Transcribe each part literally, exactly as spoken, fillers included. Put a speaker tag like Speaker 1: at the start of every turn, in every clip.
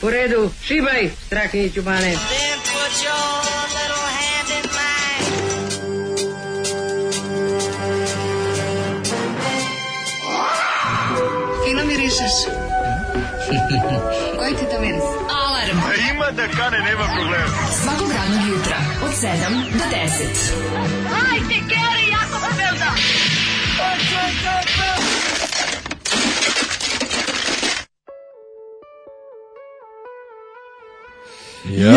Speaker 1: U redu, šibaj, Strahinjiću bane.
Speaker 2: Fino mirišeš. Koji ti to miris? Alarm.
Speaker 3: A ima da kane, nema problema.
Speaker 2: Svakog radnog jutra, od sedam do deset.
Speaker 4: Hajde, Geri, jako se velda.
Speaker 5: Jo,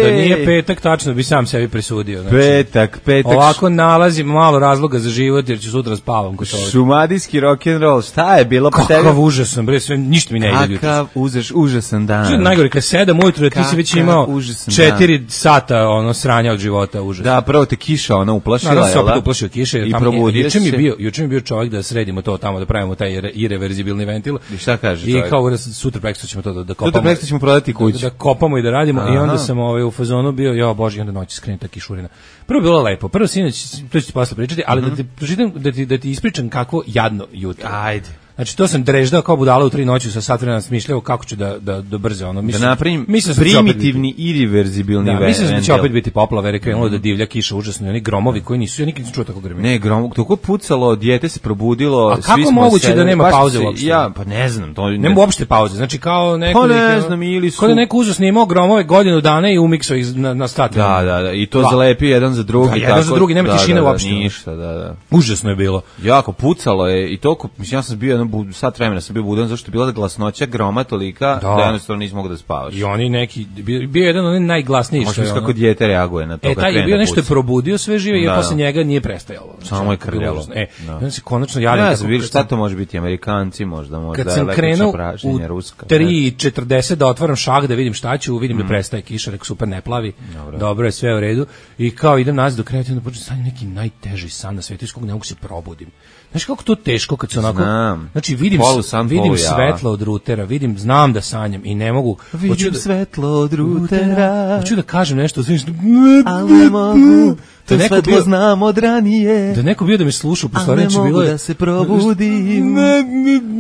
Speaker 5: da nije petak, tačno bi sam sebi presudio. Znači,
Speaker 6: petak, petak.
Speaker 5: Ovako nalazim malo razloga za život jer ću sutra spavam.
Speaker 6: Šumadijski rock'n'roll, šta je bilo?
Speaker 5: Kakav tebi? Užasan, bre, sve, ništa mi ne ide.
Speaker 6: Kakav užas, užasan dan.
Speaker 5: Najgore, kad sedam ujutru, ti si već imao četiri dan. Sata ono, sranja od života, užasno.
Speaker 6: Da, prvo te kiša ona uplašila,
Speaker 5: jel da? Naravno se opet uplašio kiše.
Speaker 6: I probudio se.
Speaker 5: Juče mi, bio, juče mi bio čovjek da sredimo to tamo, da pravimo taj ireverzibilni ventil.
Speaker 6: I šta kaže
Speaker 5: čovjek? I kao sutra preksto ćemo to da, da kopamo.
Speaker 6: Sutra preksto ćemo prodati kuću.
Speaker 5: Da, da kopamo i da radimo. Aha. I onda sam ovaj, u fazonu bio, jo bože, i onda noći skrene ta kišurina. Prvo bilo lepo, prvo sinoć, to ću ti posle pričati, ali mm-hmm. da, ti, pročitam, da, ti, da ti ispričam kako jadno jutro.
Speaker 6: Ajde.
Speaker 5: Znači to sam dreždao kao budala u tri noći sa sat vremena smišljao kako ću da da da brzo ono mislim
Speaker 6: da napravim primitivni i reverzibilni ventil.
Speaker 5: Da, mislim da će opet biti poplave, jer krenulo da divlja kiša užasno i oni gromovi koji nisu, ja nikad nisam čuo tako grmi.
Speaker 6: Ne, grom, tako pucalo, dijete se probudilo,
Speaker 5: a kako
Speaker 6: svi smo
Speaker 5: moguće
Speaker 6: sedeli,
Speaker 5: da nema pauze uopšte?
Speaker 6: Ja, pa ne znam, to ne,
Speaker 5: nema uopšte pauze. Znači kao neko
Speaker 6: pa ne znam, ili su...
Speaker 5: kao da neko uzeo snimao gromove godinu dana i umiksao ih na na sat.
Speaker 6: Da, da, da, i to Dva. Zalepi jedan za drugi,
Speaker 5: da, jedan tako. Za drugi, nema
Speaker 6: da,
Speaker 5: tišine
Speaker 6: da,
Speaker 5: uopšte.
Speaker 6: Ništa, da, da.
Speaker 5: Užasno je bilo.
Speaker 6: Jako pucalo je i toliko, mislim ja sam bio jedno sat vremena sam bio budan zašto je bila glasnoća groma tolika da, da jednostavno nisam mogao da spavaš.
Speaker 5: I oni neki bio, bio jedan onaj najglasniji što je
Speaker 6: kako dijete reaguje na to.
Speaker 5: E taj je bio nešto je probudio sve žive i posle njega nije prestajalo.
Speaker 6: Samo je krljalo.
Speaker 5: E, onda se konačno javim.
Speaker 6: Ne znam, vidiš šta to može biti, Amerikanci možda, možda
Speaker 5: kad sam krenuo u tri četrdeset da otvaram šah da vidim šta ću, vidim da prestaje kiša, rekao super ne plavi. Dobro je, sve u redu i kao idem nazad do kreveta i onda počnem sanjati neki najteži san na svetu iz kog ne mogu se probudim. Znaš kako to teško kad se onako...
Speaker 6: Znam.
Speaker 5: Znači vidim, vidim svetlo od rutera, vidim, znam da sanjam i ne mogu...
Speaker 6: Vidim da, svetlo od rutera...
Speaker 5: Hoću da kažem nešto, znači...
Speaker 6: Ali ne mogu, to da svetlo bio, znam od ranije...
Speaker 5: Da neko bio da me sluša, po stvari će bilo...
Speaker 6: Ali ne mogu da se probudim...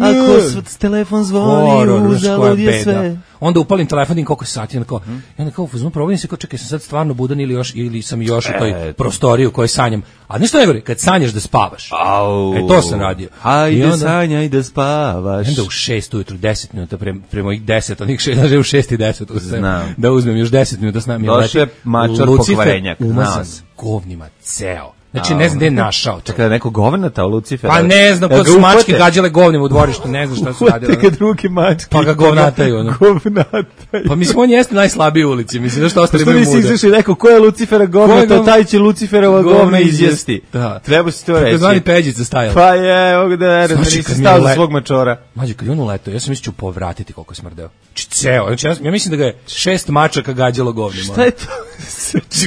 Speaker 6: Ako s telefon zvoni, uzalud je sve...
Speaker 5: Onda upalim telefon i koliko je sati, onda kao, hmm. onda kao, uzmem, probudim se, kao, čekaj, sam sad stvarno budan ili još, ili sam još u toj prostoriji u kojoj sanjam. A nešto ne govori, kad sanjaš da spavaš.
Speaker 6: Au.
Speaker 5: E, to sam radio.
Speaker 6: Hajde, onda, sanjaj da spavaš.
Speaker 5: Onda u šest ujutru, deset minuta, pre, pre mojih deset, onih šest, znači u šest i deset, uzmem, da uzmem još deset minuta s nami.
Speaker 6: Došle mačar pokvarenjak.
Speaker 5: Umasan s govnima ceo. Znači, ne znam gde je našao.
Speaker 6: Čekaj, da neko govnata u Lucifera?
Speaker 5: Pa ne znam, kod su mačke gađale govnim u dvorištu, ne znam šta su radili.
Speaker 6: Uvate ga drugi mačke.
Speaker 5: Pa ga govnataju, ono.
Speaker 6: Govnataju.
Speaker 5: Pa mislim, on jeste najslabiji u ulici, mislim, da što ostali imaju muda.
Speaker 6: Što nisi izašli rekao, ko je Lucifera govnata, taj će Luciferova govna izjesti.
Speaker 5: Da.
Speaker 6: Treba si to reći.
Speaker 5: Tako zvani Peđica stajala.
Speaker 6: Pa je, ovog da ne nisi stao za svog mačora.
Speaker 5: Mađe, kad je on uletao, ja sam mislio ću povratiti koliko je smrdeo. Ceo, znači ja, ja mislim da ga je šest mačaka gađalo govnima.
Speaker 6: Šta je to?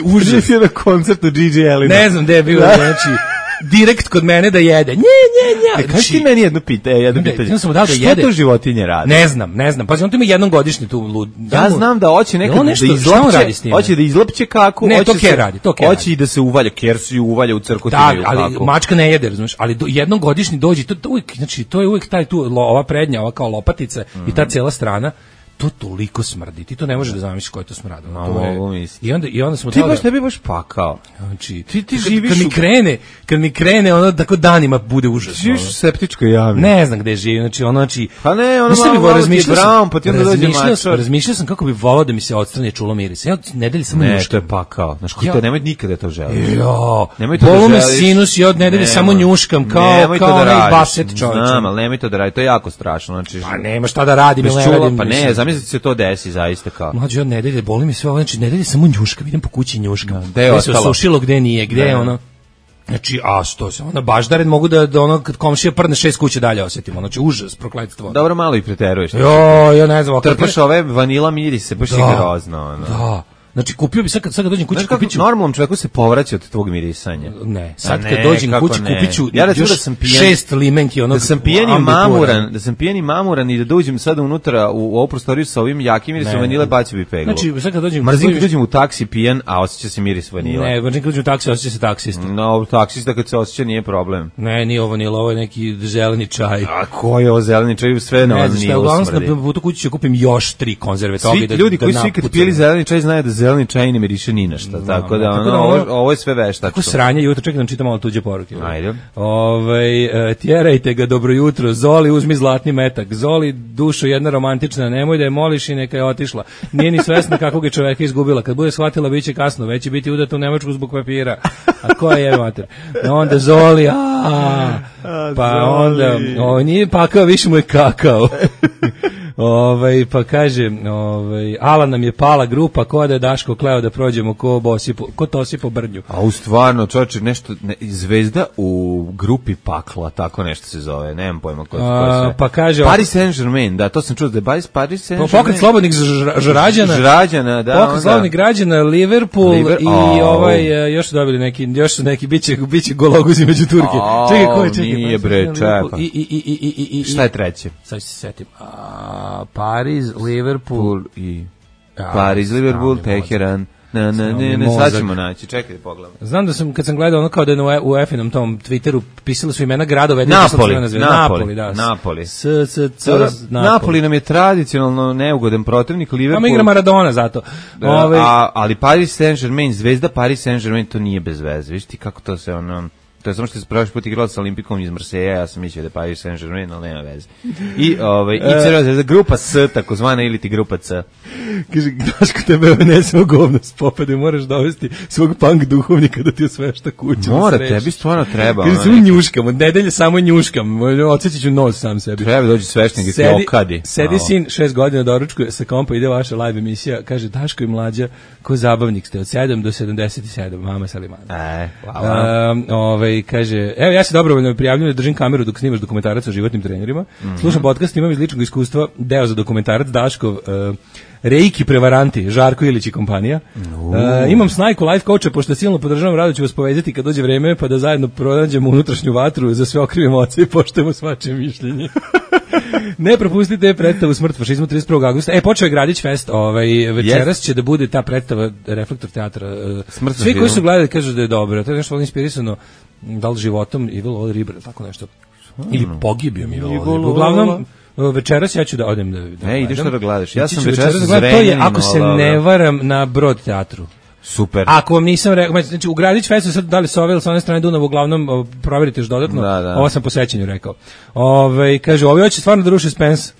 Speaker 5: Užas.
Speaker 6: Je na koncertu D J Elina.
Speaker 5: Ne znam gde je bio, znači direkt kod mene da jede. Nje, nje, nje.
Speaker 6: Kaži ti meni jedno pitanje, jedno
Speaker 5: ne,
Speaker 6: pitanje.
Speaker 5: Ja sam mu dao da
Speaker 6: što
Speaker 5: jede.
Speaker 6: to životinje rade?
Speaker 5: Ne znam, ne znam. Pazi, on to ima jednom godišnje tu lud.
Speaker 6: Ja znam da hoće nekad da izlapće, hoće da izlapće kako,
Speaker 5: ne,
Speaker 6: hoće
Speaker 5: to Ker radi, to Ker
Speaker 6: hoće i da se uvalja, Ker se uvalja u crkotinu.
Speaker 5: Da, ali kako. Mačka ne jede, razumeš, ali do, jednom godišnji dođe, to, to uvijek, znači to je uvijek taj tu lo, ova prednja, ova kao lopatica mm. i ta cijela strana. To toliko smrdi, ti to ne možeš da zamisliš koje to smradi.
Speaker 6: No,
Speaker 5: to je, i onda i onda smo
Speaker 6: ti baš ne bi baš pakao.
Speaker 5: Znači
Speaker 6: ti ti
Speaker 5: kad,
Speaker 6: živiš
Speaker 5: kad mi krene, kad mi krene ono tako danima bude užasno.
Speaker 6: Živiš u septičkoj jami.
Speaker 5: Ne znam gde živim, znači ono znači
Speaker 6: pa ne, ono malo razmišljao sam, pa ti onda dođe mačor.
Speaker 5: Razmišljao sam kako bi voleo da mi se odstrani čulo miris. Ja nedelje samo
Speaker 6: ne,
Speaker 5: njuškam.
Speaker 6: To je pakao. Znači ko to nemoj nikada to želiti.
Speaker 5: Jo.
Speaker 6: Nemoj to da želiš.
Speaker 5: Bolo me sinus i od nedelje samo njuškam kao kao onaj baset čovjek.
Speaker 6: Znam, al nemoj to da radi, to je jako strašno, znači.
Speaker 5: Pa nema šta da radim, ne radim.
Speaker 6: Pa ne, zamislite se to desi zaista kao.
Speaker 5: Mlađe od nedelje, boli mi sve ovo, znači nedelje samo njuškam, idem po kući njuškam.
Speaker 6: Gde je
Speaker 5: se osušilo, gde nije, gde je ono. Znači, a što se, ona baš da red mogu da, da ono, kad komšija prdne šest kuće dalje osjetimo, znači užas, prokletstvo.
Speaker 6: Dobro, malo i preteruješ.
Speaker 5: Jo, ja ne znam.
Speaker 6: Trpaš ove vanila mirise, baš je grozno.
Speaker 5: Da. Znači kupio bi sad kad sad kad dođem kući
Speaker 6: znači,
Speaker 5: kupiću.
Speaker 6: Normalnom čovjeku se povraća od tvog mirisanja.
Speaker 5: Ne, sad
Speaker 6: ne,
Speaker 5: kad dođem kući
Speaker 6: ne.
Speaker 5: kupiću
Speaker 6: ja
Speaker 5: još
Speaker 6: da sam pijen,
Speaker 5: šest limenki onog.
Speaker 6: Da sam pijeni mamuran, da sam pijeni mamuran i da dođem sada unutra u, u ovu prostoriju sa ovim jakim mirisom vanile, bacio bi peglu.
Speaker 5: Znači sad kad dođem
Speaker 6: mrzim kad dođem u taksi pijen, a osjeća se miris vanile.
Speaker 5: Ne, mrzim kad dođem u taksi, osjeća se taksista.
Speaker 6: No, taksista kad se osjeća nije problem.
Speaker 5: Ne, nije ovo vanila, ovo je neki zeleni čaj.
Speaker 6: A ko je ovo zeleni čaj? Sve na vanilu smrdi.
Speaker 5: Na putu kući ću kupim još tri konzerve toga
Speaker 6: i da ljudi koji su ikad pili zeleni čaj znaju da zeleni čaj ne miriše ni na šta, tako da ono, ovo, ovo je sve veštačno.
Speaker 5: Kako sranje jutro, čekaj da čitam malo tuđe poruke.
Speaker 6: Ajde.
Speaker 5: Ovaj tjerajte ga dobro jutro, Zoli uzmi zlatni metak, Zoli dušo jedna romantična, nemoj da je moliš i neka je otišla. Nije ni svesna kakvog je čoveka izgubila, kad bude shvatila biće kasno, već će biti udata u Nemačku zbog papira. A ko je mater? Onda Zoli, a pa onda, o, nije pakao, više mu je kakao. Ovaj pa kaže, ovaj Alan nam je pala grupa, ko da je Daško kleo da prođemo ko bosi po, ko tosi po brnju.
Speaker 6: A u stvarno, čoveče, nešto ne, zvezda u grupi pakla, tako nešto se zove, nemam pojma ko, ko sve.
Speaker 5: Pa kaže
Speaker 6: Paris Saint-Germain, da, to sam čuo da je Paris Paris Saint-Germain.
Speaker 5: Pokret slobodnih žrađana.
Speaker 6: Žrađana, da.
Speaker 5: Pokret slobodnih građana, Liverpool Liver, i oh. ovaj još su dobili neki još su neki biće biće gologuzi među Turke.
Speaker 6: Oh, čekaj, ko je čekaj. Nije bre, čepa.
Speaker 5: I i i i i i
Speaker 6: šta je treće?
Speaker 5: Sad se setim. A Paris, Liverpool
Speaker 6: i ja, Paris, Liverpool, Teheran. Na na ne, ne, sad ćemo naći. Čekaj da pogledam.
Speaker 5: Znam da sam kad sam gledao ono kao da je na u Efinom tom Twitteru pisali su imena gradova,
Speaker 6: Napoli,
Speaker 5: Napoli,
Speaker 6: Napoli,
Speaker 5: da.
Speaker 6: Napoli.
Speaker 5: S s c
Speaker 6: Napoli nam je tradicionalno neugodan protivnik, Liverpool.
Speaker 5: A igra Maradona zato.
Speaker 6: Ove, a ali Paris Saint-Germain, zvezda Paris Saint-Germain to nije bez veze. Viš ti kako to se ono to je samo što se prošli put igrala sa Olimpikom iz Marseja, ja sam mislio da je Paris Saint-Germain, ali nema veze. I, ovaj, i Crvena zvezda, grupa S, takozvana, ili ti grupa C.
Speaker 5: Kaže, Daško, tebe ne samo govno s popade, moraš dovesti svog punk duhovnika da ti osvešta kuću.
Speaker 6: Mora, tebi stvarno treba.
Speaker 5: Kaže, samo njuškam, od nedelje samo njuškam, odsjećat ću nos sam sebi.
Speaker 6: Treba dođi sveštenik i ti okadi.
Speaker 5: Sedi sin, šest godina doručkuje, sa kompa ide vaša live emisija, kaže, Daško i mlađa, ko zabavnik ste, od sedam do sedamdeset sedam, mama Salimana.
Speaker 6: E, hvala.
Speaker 5: Um, ovaj, kaže, evo ja se dobrovoljno prijavljujem da držim kameru dok snimaš dokumentarac o životnim trenerima. Mm-hmm. Slušam podcast, imam iz ličnog iskustva deo za dokumentarac Daškov uh, Reiki prevaranti, Žarko Ilić i kompanija. Uh, imam snajku life coacha, pošto silno podržavam, rado ću vas povezati kad dođe vreme, pa da zajedno pronađemo unutrašnju vatru, za sve okrivimo oce i poštujemo svačije mišljenje. Ne propustite predstavu Smrt fašizmu trideset prvog avgusta. E, počeo je Gradić Fest, ovaj, večeras yes. će da bude ta predstava Reflektor teatra. Uh, svi koji su gledali kažu da je dobro. To je nešto inspirisano da li životom Evil All Riber, tako nešto. Ili pogibijom Evil All Riber. Uglavnom, večeras ja ću da odem da... da
Speaker 6: e, ideš što da gledaš. Ja sam
Speaker 5: večeras da gledam, to je, ako se ne varam, na Brod teatru.
Speaker 6: Super.
Speaker 5: Ako vam nisam rekao, znači u Gradić Festu sad dali sa ove ili sa one strane Dunav, uglavnom proverite još dodatno,
Speaker 6: da, da.
Speaker 5: Ovo sam po sećanju rekao. Ove, kaže, ovi hoće stvarno da ruši Spence,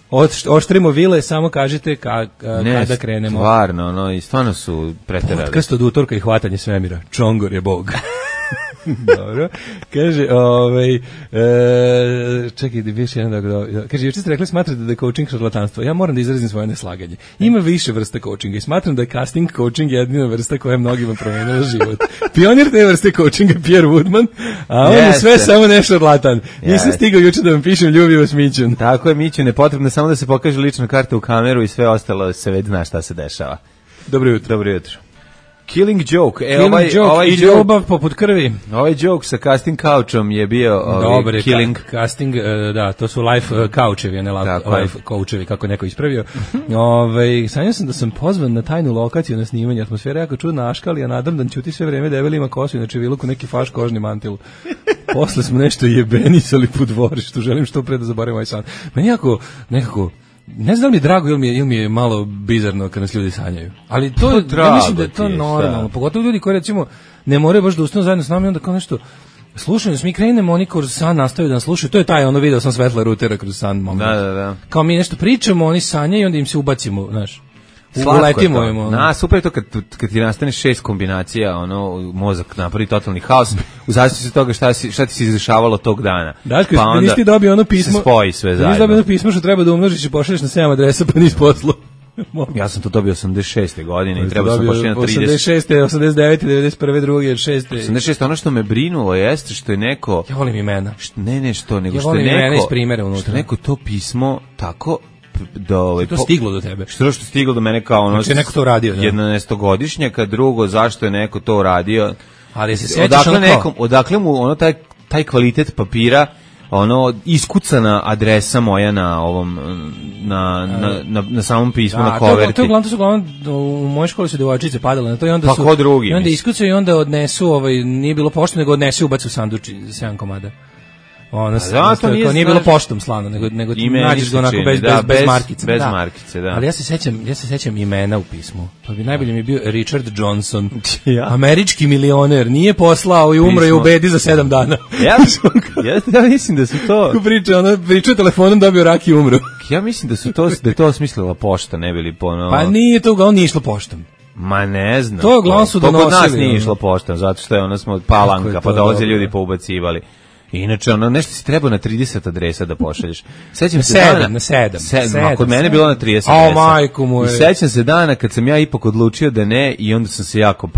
Speaker 5: oštrimo vile, samo kažite ka, ka,
Speaker 6: ne,
Speaker 5: kada krenemo.
Speaker 6: Stvarno, no, i stvarno su preterali.
Speaker 5: Podcast od utorka i hvatanje svemira, Čongor je bog. Dobro. Kaže, ovaj e, čekaj, da više jedan da kaže, juče ste rekli smatrate da je coaching šarlatanstvo. Ja moram da izrazim svoje neslaganje. Ima više vrsta coachinga i smatram da je casting coaching jedina vrsta koja je mnogima promenila život. Pionir te vrste coachinga Pierre Woodman, a on je sve samo ne šarlatan. Nisam stigao juče da vam pišem ljubi vas Mićun.
Speaker 6: Tako je, Mićun, je potrebno samo da se pokaže lična karta u kameru i sve ostalo se već zna šta se dešava.
Speaker 5: Dobro jutro.
Speaker 6: Dobro jutro. Killing Joke. E,
Speaker 5: Killing
Speaker 6: ovaj,
Speaker 5: joke
Speaker 6: ovaj
Speaker 5: i ljubav poput krvi.
Speaker 6: Ovaj joke sa casting couchom je bio ovaj,
Speaker 5: dobre,
Speaker 6: Killing.
Speaker 5: Ka casting, uh, da, to su life uh, couchevi, a ne life coachevi, kako neko ispravio. Ove, sanjao sam da sam pozvan na tajnu lokaciju na snimanje. Atmosfera jako čudna, Aškali, a nadam da ćuti sve vreme, debeli ima kosu, inače viluku neki faš kožni mantil. Posle smo nešto jebenisali po dvorištu, želim što pre da zaboravim ovaj san. Meni jako, nekako, ne znam da mi je drago ili mi je, ili mi je malo bizarno kad nas ljudi sanjaju. Ali to je, ja mislim da je to normalno. Pogotovo ljudi koji recimo ne moraju baš da ustanu zajedno s nama i onda kao nešto slušaju, mi krenemo, oni kroz san nastavaju da nas slušaju. To je taj, ono video sam svetla rutera kroz san moment.
Speaker 6: Da, da, da.
Speaker 5: Kao mi nešto pričamo, oni sanjaju i onda im se ubacimo, znaš. Uletimo im. Ono.
Speaker 6: Na, super je to kad, kad ti nastane šest kombinacija, ono, mozak napravi totalni haos, u zavisnosti od toga šta, si, šta ti se izdešavalo tog dana.
Speaker 5: Daško, pa onda nisi dobio ono pismo,
Speaker 6: se spoji sve zajedno.
Speaker 5: Nisi dobio ono pismo što treba da umnožiš i pošalješ na sedam adresa pa nisi poslao.
Speaker 6: Ja sam to dobio osamdeset šeste godine i treba sam pošli na trideset.
Speaker 5: osamdeset šeste, osamdeset devete, devedeset prve, druge, šeste.
Speaker 6: osamdeset šeste ono što me brinulo jeste što je neko...
Speaker 5: Ja volim imena.
Speaker 6: Što, ne, ne, što, nego
Speaker 5: ja
Speaker 6: što je neko...
Speaker 5: Ja volim imena iz primjera unutra.
Speaker 6: Što neko to pismo tako do ovaj
Speaker 5: to stiglo do tebe.
Speaker 6: Što što stiglo do mene kao ono
Speaker 5: znači neko to uradio, da.
Speaker 6: jedanaestogodišnjaka, drugo zašto je neko to uradio.
Speaker 5: Ali se sećaš
Speaker 6: odakle nekom, odakle mu ono taj taj kvalitet papira, ono iskucana adresa moja na ovom na na na, na samom pismu, da, na koverti.
Speaker 5: To je uglavnom, to su uglavnom u mojoj školi su devojčice padale na to i onda
Speaker 6: pa
Speaker 5: su
Speaker 6: ko drugi,
Speaker 5: i onda iskucaju i onda odnesu, ovaj nije bilo pošto, nego odnesu ubacu u sanduč za sedam komada. Ono se to nije, nije bilo poštom slano, nego nego ti nađeš ga onako bez, da, bez bez markice,
Speaker 6: bez
Speaker 5: da.
Speaker 6: markice, da.
Speaker 5: Ali ja se sećam, ja se sećam imena u pismu. Pa bi najbolje mi je bio Richard Johnson, ja. Američki milioner, nije poslao i umro je u bedi za sedam dana.
Speaker 6: Ja, ja, ja mislim da su to.
Speaker 5: Ko priča, ona priča telefonom, dobio rak i umro.
Speaker 6: Ja mislim da su to da je to osmislila pošta, ne bili ponovo.
Speaker 5: Pa nije to, on nije išlo poštom.
Speaker 6: Ma ne znam.
Speaker 5: To uglavnom su donosili.
Speaker 6: To kod nas nije išlo poštom, zato što je ono smo Palanka, pa dolaze ljudi poubacivali. Inače, ono, nešto si trebao na trideset adresa da pošalješ. Sećam se
Speaker 5: sedam,
Speaker 6: dana...
Speaker 5: na sedam.
Speaker 6: sedam. Kod mene je bilo na trideset
Speaker 5: adresa.
Speaker 6: O,
Speaker 5: majku moje.
Speaker 6: I sećam se dana kad sam ja ipak odlučio da ne i onda sam se jako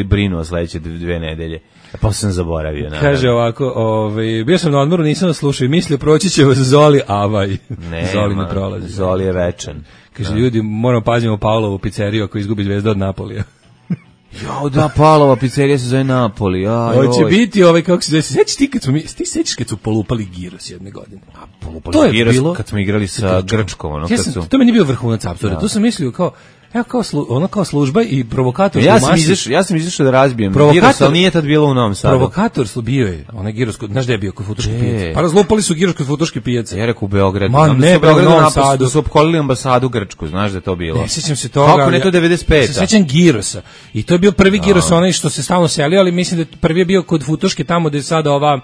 Speaker 6: brinuo sledeće dve nedelje. A pa sam zaboravio. Naravno.
Speaker 5: Kaže ovako, ovaj, bio sam na odmoru, nisam da slušao i mislio proći će vas Zoli, avaj.
Speaker 6: Ne,
Speaker 5: Zoli ne prolazi.
Speaker 6: Zoli je večan.
Speaker 5: Kaže, da. Ljudi, moramo pazimo Paulovu pizzeriju ako izgubi Zvezda od Napolija.
Speaker 6: Jo, da, Palova pizzerija se zove Napoli. Aj,
Speaker 5: hoće biti ovaj, kako se zove, sećaš ti kad smo mi, ti sećaš kad su polupali giros jedne godine?
Speaker 6: A, polupali to giros bilo, kad smo igrali sa Grčkom, ono,
Speaker 5: ja
Speaker 6: kad
Speaker 5: sam,
Speaker 6: su...
Speaker 5: To meni bio vrhunac apsurda, to sam mislio kao, evo kao, slu, ono kao služba i provokator.
Speaker 6: Ja sam izašao, ja sam izašao da razbijem giros, ali nije tad bilo u Novom Sadu.
Speaker 5: Provokator bio je, onaj giros, znaš gde je bio kod Futoške pijace? Pa razlupali su giros kod Futoške pijace.
Speaker 6: Ja rekao u Beogradu.
Speaker 5: Ma ne,
Speaker 6: u Novom Sadu su opkolili ambasadu Grčku, znaš da je to bilo.
Speaker 5: Ne sećam se toga.
Speaker 6: Kako ne, to devedeset peta.
Speaker 5: Se sećam girosa. I to je bio prvi giros, onaj što se stalno selio, ali mislim da prvi je bio kod Futoške tamo gde je sada ova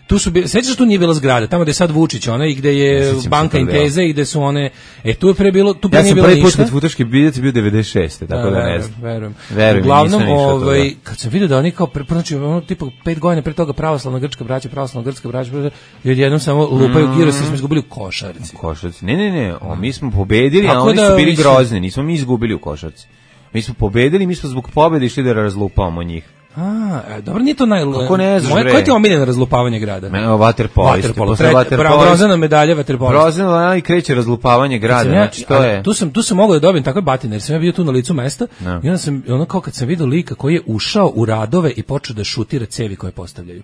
Speaker 5: tu su bile, sećaš tu nije bila zgrada, tamo gde je sad Vučić, ona i gde je ja, banka Inteze i gde su one, e tu je pre bilo, tu pre
Speaker 6: ja
Speaker 5: nije bilo ništa.
Speaker 6: Ja sam prvi put kod Futoške biljec bio devedeset šeste tako da, da ne znam.
Speaker 5: Verujem,
Speaker 6: verujem.
Speaker 5: Uglavnom, ovaj, kad sam vidio da oni kao, pre, znači, ono, tipa pet godina pre toga pravoslavna grčka braća, pravoslavna grčka braća, i odjednom samo lupaju mm. giros i smo izgubili u košarci.
Speaker 6: U košarci, ne, ne, ne, o, mi smo pobedili, a oni da, su bili mislim... grozni, nismo mi izgubili u košarci. Mi smo pobedili, mi smo zbog pobede išli da razlupavamo njih.
Speaker 5: A, dobro, nije to naj...
Speaker 6: Kako ne znaš, bre?
Speaker 5: Koje ti je omiljeno razlupavanje grada?
Speaker 6: Meno, vaterpolisti.
Speaker 5: Vaterpolo. Bronzana medalja vaterpolisti.
Speaker 6: Bronzana i kreće razlupavanje grada, ja, znači to je...
Speaker 5: Tu sam, tu sam mogao da dobijem takve batine, jer sam ja bio tu na licu mesta, no. I onda sam, ono kao kad sam vidio lika koji je ušao u radove i počeo da šutira cevi koje postavljaju.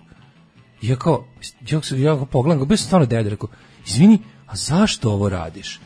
Speaker 5: I ja kao, ja, ja kao pogledam, bio sam stvarno dede, rekao, izvini, a zašto ovo radiš?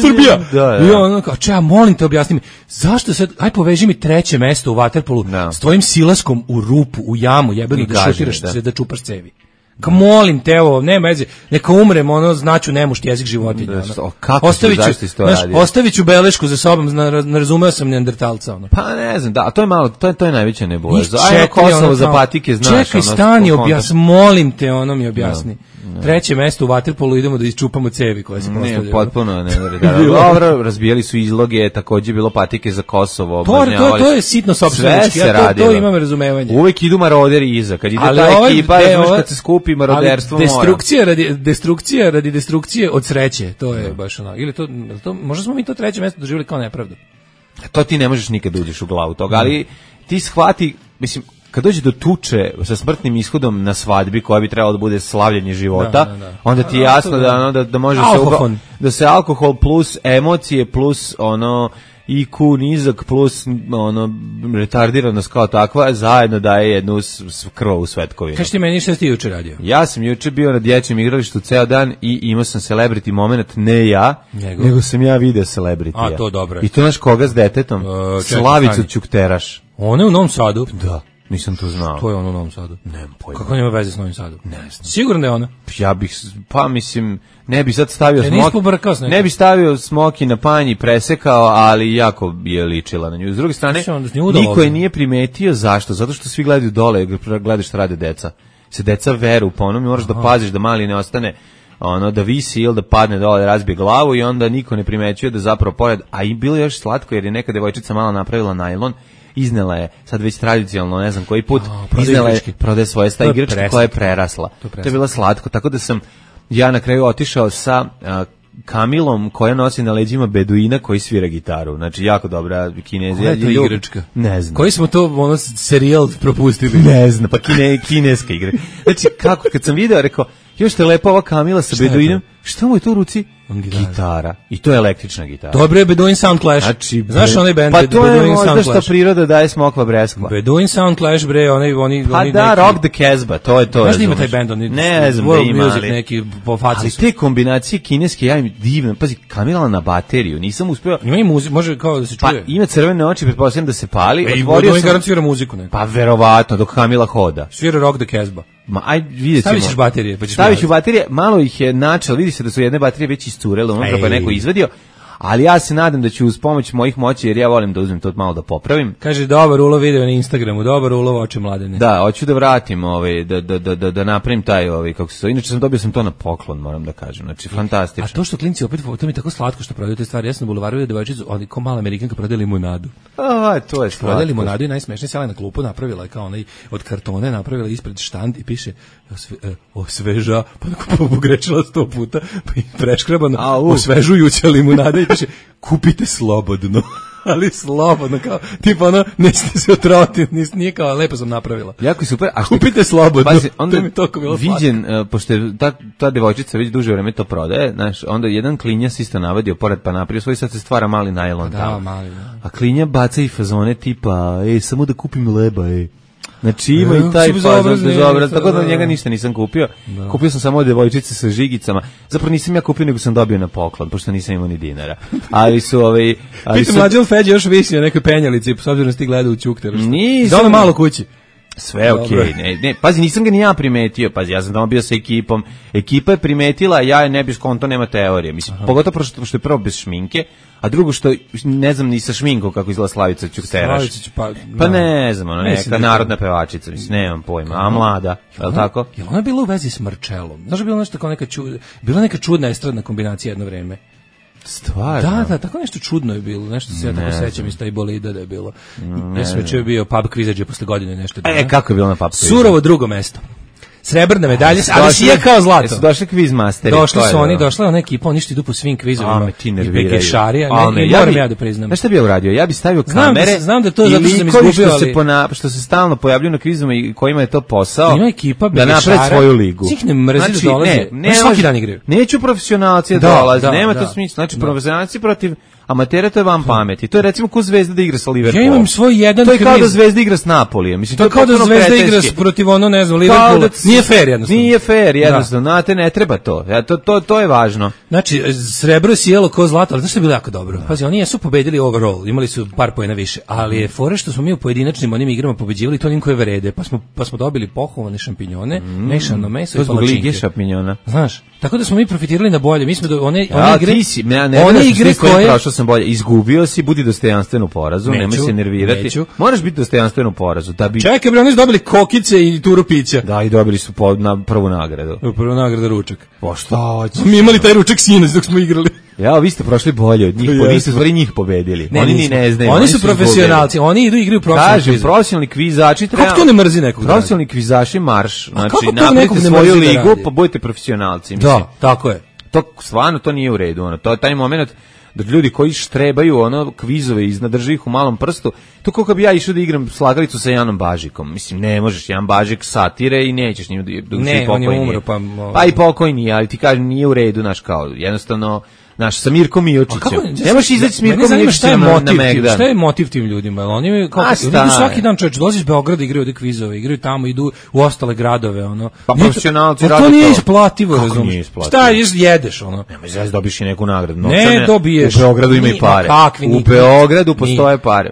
Speaker 5: Srbija. Da, da. I on kao, če, ja molim te objasni mi, zašto sad, aj poveži mi treće mesto u vaterpolu no. s tvojim silaskom u rupu, u jamu, jebeno da šutiraš, da. da čupaš cevi. Kao molim te, ovo, nema veze, neka umrem, ono, znaću nemušt jezik životinja.
Speaker 6: Da, ono. Kako ostaviću, to znaš,
Speaker 5: ostaviću belešku za sobom, narazumeo sam neandertalca. Ono.
Speaker 6: Pa ne znam, da, to je malo, to je, to je najveća nebuloza. Ajmo Kosovo ono, za patike, znaš.
Speaker 5: Čekaj, ono, stani, objasni, molim te, ono mi objasni. No. Treće mesto u vaterpolu, idemo da isčupamo cevi koje se postavljaju.
Speaker 6: Ne, potpuno ne. Da, dobro, razbijali su izloge, takođe bilo patike za Kosovo.
Speaker 5: To, to, to je sitno sopstvenički, ja to, to imam razumevanje.
Speaker 6: Uvek idu maroderi iza, kad ide ta ovaj, ekipa, de, znaš, kad se skupi maroderstvo mora.
Speaker 5: Destrukcija radi, destrukcija radi destrukcije od sreće, to je no. baš ono. Ili to, to, možda smo mi to treće mesto doživjeli kao nepravdu.
Speaker 6: To ti ne možeš nikad uđeš u glavu toga, ali ti shvati, mislim, kad dođe do tuče sa smrtnim ishodom na svadbi koja bi trebala da bude slavljenje života, da, da, da. onda ti je jasno da ono da, da može se uba, da se alkohol plus emocije plus ono I Q nizak plus ono retardiranost kao takva zajedno daje jednu krvavu svetkovinu.
Speaker 5: Kaži ti meni šta si ti juče radio?
Speaker 6: Ja sam juče bio na dječjem igralištu ceo dan i imao sam celebrity moment, ne ja, nego, nego sam ja video celebrity.
Speaker 5: A to dobro.
Speaker 6: I to naš koga s detetom? Uh, Slavicu Ćukteraš.
Speaker 5: Ona je u Novom Sadu?
Speaker 6: Da. Nisam to znao.
Speaker 5: To je ono u Novom Sadu.
Speaker 6: Nemam pojma.
Speaker 5: Kako nema veze s Novim Sadom?
Speaker 6: Ne znam.
Speaker 5: Sigurno da je ona?
Speaker 6: Ja bih, pa mislim, ne bi sad stavio
Speaker 5: e,
Speaker 6: smoki. Ne bi stavio smoki na panji, presekao, ali jako je ličila na nju. S druge strane, niko je nije primetio zašto. Zato što svi gledaju dole, gledaš šta rade deca. Se deca veru po onom, moraš Aha. da paziš da mali ne ostane ono da visi ili da padne dole, da razbije glavu i onda niko ne primećuje da zapravo pored, a i bilo je još slatko jer je neka devojčica mala napravila najlon, iznela je, sad već tradicionalno, ne znam koji put, oh, iznela je, prodaje svoje sta igračke koja je prerasla. To, to je bilo slatko, tako da sam ja na kraju otišao sa uh, kamilom koja nosi na leđima beduina koji svira gitaru. Znači, jako dobra Kinezija.
Speaker 5: Koja je to igračka?
Speaker 6: Ne znam.
Speaker 5: Koji smo to ono, serijal propustili?
Speaker 6: Ne znam, pa kine, kineska igra. Znači, kako, kad sam video, rekao, još te lepa ova kamila sa beduinom, šta mu je to u ruci? Gitara. gitara. I to je električna gitara.
Speaker 5: Dobro je Beduin Sound Clash.
Speaker 6: Znači,
Speaker 5: znaš onaj band?
Speaker 6: Pa to
Speaker 5: Beduin
Speaker 6: je možda što priroda daje smokva breskva.
Speaker 5: Beduin Sound Clash, bre, oni, oni,
Speaker 6: pa
Speaker 5: oni
Speaker 6: da,
Speaker 5: neki...
Speaker 6: Rock the Casbah, to je to.
Speaker 5: Znaš da ima taj band, oni...
Speaker 6: Ne znam da ima, ali...
Speaker 5: neki po faci
Speaker 6: ali
Speaker 5: su.
Speaker 6: te kombinacije kineske, ja im divno, pazi, Kamila na bateriju, nisam uspeo...
Speaker 5: Ima i muziku, može kao da se čuje.
Speaker 6: Pa ima crvene oči, pretpostavljam da se pali.
Speaker 5: E, i Beduin garant svira muziku neko.
Speaker 6: Pa verovatno, dok Kamila hoda.
Speaker 5: Svira Rock the Casbah.
Speaker 6: Ma aj vidjet ćemo.
Speaker 5: Stavit ćeš baterije, pa ćeš
Speaker 6: Stavit ću baterije, malo ih je načel, vidi se da su jedne baterije već iscurele, unutra pa je neko izvadio, ali ja se nadam da ću uz pomoć mojih moći, jer ja volim da uzmem to malo da popravim.
Speaker 5: Kaže, dobar ulov video na Instagramu, dobar ulov oče mladene.
Speaker 6: Da, hoću da vratim, ovaj, da, da, da, da, da napravim taj, ovaj, kako se to, inače sam dobio sam to na poklon, moram da kažem, znači, fantastično.
Speaker 5: A to što klinci opet, to mi je tako slatko što prodaju te stvari, ja sam na bulevaru vidio devojčicu, oni ko mala Amerikanka prodaje limunadu.
Speaker 6: A, to je slatko.
Speaker 5: Prodaje limunadu i najsmešnije, sjela na klupu, napravila je kao onaj od kartone, napravila ispred štand i piše osve, eh, osveža, pa tako pogrešila sto puta, pa i preškrabano, osvežujuća limunada i piše kupite slobodno. Ali slobodno, kao, tipa ono, nećete se otrovati, nije kao, lepo sam napravila.
Speaker 6: Jako je super. A
Speaker 5: kupite slobodno,
Speaker 6: pazi, onda
Speaker 5: to mi toliko bilo
Speaker 6: viđen, uh, pošto je ta, ta devojčica već duže vreme to prodaje, znaš, onda jedan klinja se isto navadio pored pa napravio svoj, sad se stvara mali najlon.
Speaker 5: Da, tamo. Mali, da.
Speaker 6: A klinja baca i fazone tipa, ej, samo da kupim leba, ej. Znači ima i taj fazon bezobraz, tako da njega ništa nisam kupio. Da. Kupio sam samo devojčice sa žigicama. Zapravo nisam ja kupio, nego sam dobio na poklon, pošto nisam imao ni dinara. Ali su ovaj...
Speaker 5: Pitam, mlađe on Feđe još visi na nekoj penjalici, s obzirom da ti gleda u Ćukter.
Speaker 6: Nisam.
Speaker 5: Da ono malo kući.
Speaker 6: Sve okej, okay. ne, ne, pazi, nisam ga ni ja primetio, pazi, ja sam tamo bio sa ekipom, ekipa je primetila, ja je ne bi skonto, nema teorije, mislim, aha. Pogotovo što, što je prvo bez šminke, a drugo što, ne znam ni sa šminkom kako izgleda Slavica Ćukteraš,
Speaker 5: pa,
Speaker 6: pa ne znam, ono, neka narodna pevačica, mislim, nemam pojma, a mlada, je li tako?
Speaker 5: Je li ona bila u vezi s Marčelom? Znaš, bila nešto kao neka čudna, bila neka čudna estradna kombinacija jedno vreme.
Speaker 6: Stvarno?
Speaker 5: Da, da, tako nešto čudno je bilo, nešto se ja tako sećam iz taj bolida da je bilo. Ja sam već bio pub kvizađe posle godine nešto.
Speaker 6: E, kako je bilo na pub kvizađe?
Speaker 5: Surovo drugo mesto. Srebrna medalja, ali si je kao zlato.
Speaker 6: Su došli kviz masteri.
Speaker 5: Došli su oni, došla je ona ekipa, oni što idu po svim kvizovima.
Speaker 6: A, ti nerviraju.
Speaker 5: I Bekešarija, ne,
Speaker 6: ja
Speaker 5: moram ja da priznam.
Speaker 6: Znaš šta bi ja uradio? Ja bi stavio kamere.
Speaker 5: Znam da, znam da to zato što sam izgubio,
Speaker 6: što se, pona, što se stalno pojavljuju na kvizima i kojima je to posao.
Speaker 5: Ima ekipa
Speaker 6: da napravi svoju ligu.
Speaker 5: Svih ne mrzi
Speaker 6: znači,
Speaker 5: da dolaze.
Speaker 6: Ne, ne,
Speaker 5: svaki dan igraju.
Speaker 6: Neću profesionalci da dolaze, nema to smisla. Znači, profesionalci protiv amatera, to je vam pameti. To je recimo ko Zvezda da igra sa Liverpoolom.
Speaker 5: Ja imam svoj jedan
Speaker 6: to je kao da Zvezda igra s Napolijem. Mislim,
Speaker 5: to je kao da Zvezda igra protiv ono, ne znam, Liverpoola. Nije fair jednostavno.
Speaker 6: Nije fair jednostavno. Znate, ne treba to. Ja, to, to. To je važno.
Speaker 5: Znači, srebro je sjelo ko zlato, ali znaš što je bilo jako dobro? Pazi, oni jesu pobedili overall, imali su par poena više, ali je fore što smo mi u pojedinačnim onim igrama pobeđivali to onim koje vrede, pa smo, pa smo dobili pohuvane šampinjone, mm. mešano meso i palačinke. Lige
Speaker 6: šampinjona.
Speaker 5: Znaš, tako da smo mi profitirali na bolje. Mi smo do, one,
Speaker 6: ja,
Speaker 5: one igre,
Speaker 6: ti si, ne, ne,
Speaker 5: one
Speaker 6: ne,
Speaker 5: igre koje...
Speaker 6: Prošao sam bolje, izgubio si, budi dostojanstven u porazu, nemoj se nervirati. Neću. Moraš biti dostojanstven u porazu. Da bi...
Speaker 5: Čekaj, bre, oni su dobili kokice i turu pića.
Speaker 6: Da, i dobili su po, na prvu nagradu.
Speaker 5: Prvu nagradu ručak.
Speaker 6: Pa šta hoćeš?
Speaker 5: Mi imali taj ručak sinoć dok smo igrali.
Speaker 6: Ja, vi ste prošli bolje od njih, po, vi ste stvari njih pobedili. Ne, oni ni ne znaju.
Speaker 5: Oni, oni su profesionalci, oni idu igraju profesionalni.
Speaker 6: Kažem, profesionalni kvizači treba.
Speaker 5: Kako to ne mrzi nekog?
Speaker 6: Profesionalni kvizaši marš, znači napravite svoju ligu, pa budete profesionalci, mislim.
Speaker 5: Da, tako je.
Speaker 6: To stvarno to nije u redu, ono. To je taj momenat da ljudi koji štrebaju ono kvizove iznad drži ih u malom prstu, to kako bi ja išao da igram slagalicu sa Janom Bažikom. Mislim, ne možeš, Jan Bažik satire i nećeš njim da
Speaker 5: ne, on je umro, pa...
Speaker 6: Pa i pokojni, ali ti kažem, nije u redu, naš kao, jednostavno, naš, sa Mirkom Miočićem. Ne možeš izaći s Mirkom Miočićem na, na Megdan.
Speaker 5: Šta je motiv tim ljudima? Oni kao, idu svaki dan, čovječ, dolazi iz Beograda, igraju ovde kvizove, igraju tamo, idu u ostale gradove, ono.
Speaker 6: Pa profesionalci rade
Speaker 5: to. To nije
Speaker 6: to.
Speaker 5: isplativo, razumiješ. Šta jedeš, ono?
Speaker 6: Nemoj zaz dobiš i neku nagradu.
Speaker 5: Ne dobiješ.
Speaker 6: U Beogradu ima i pare. U Beogradu postoje pare.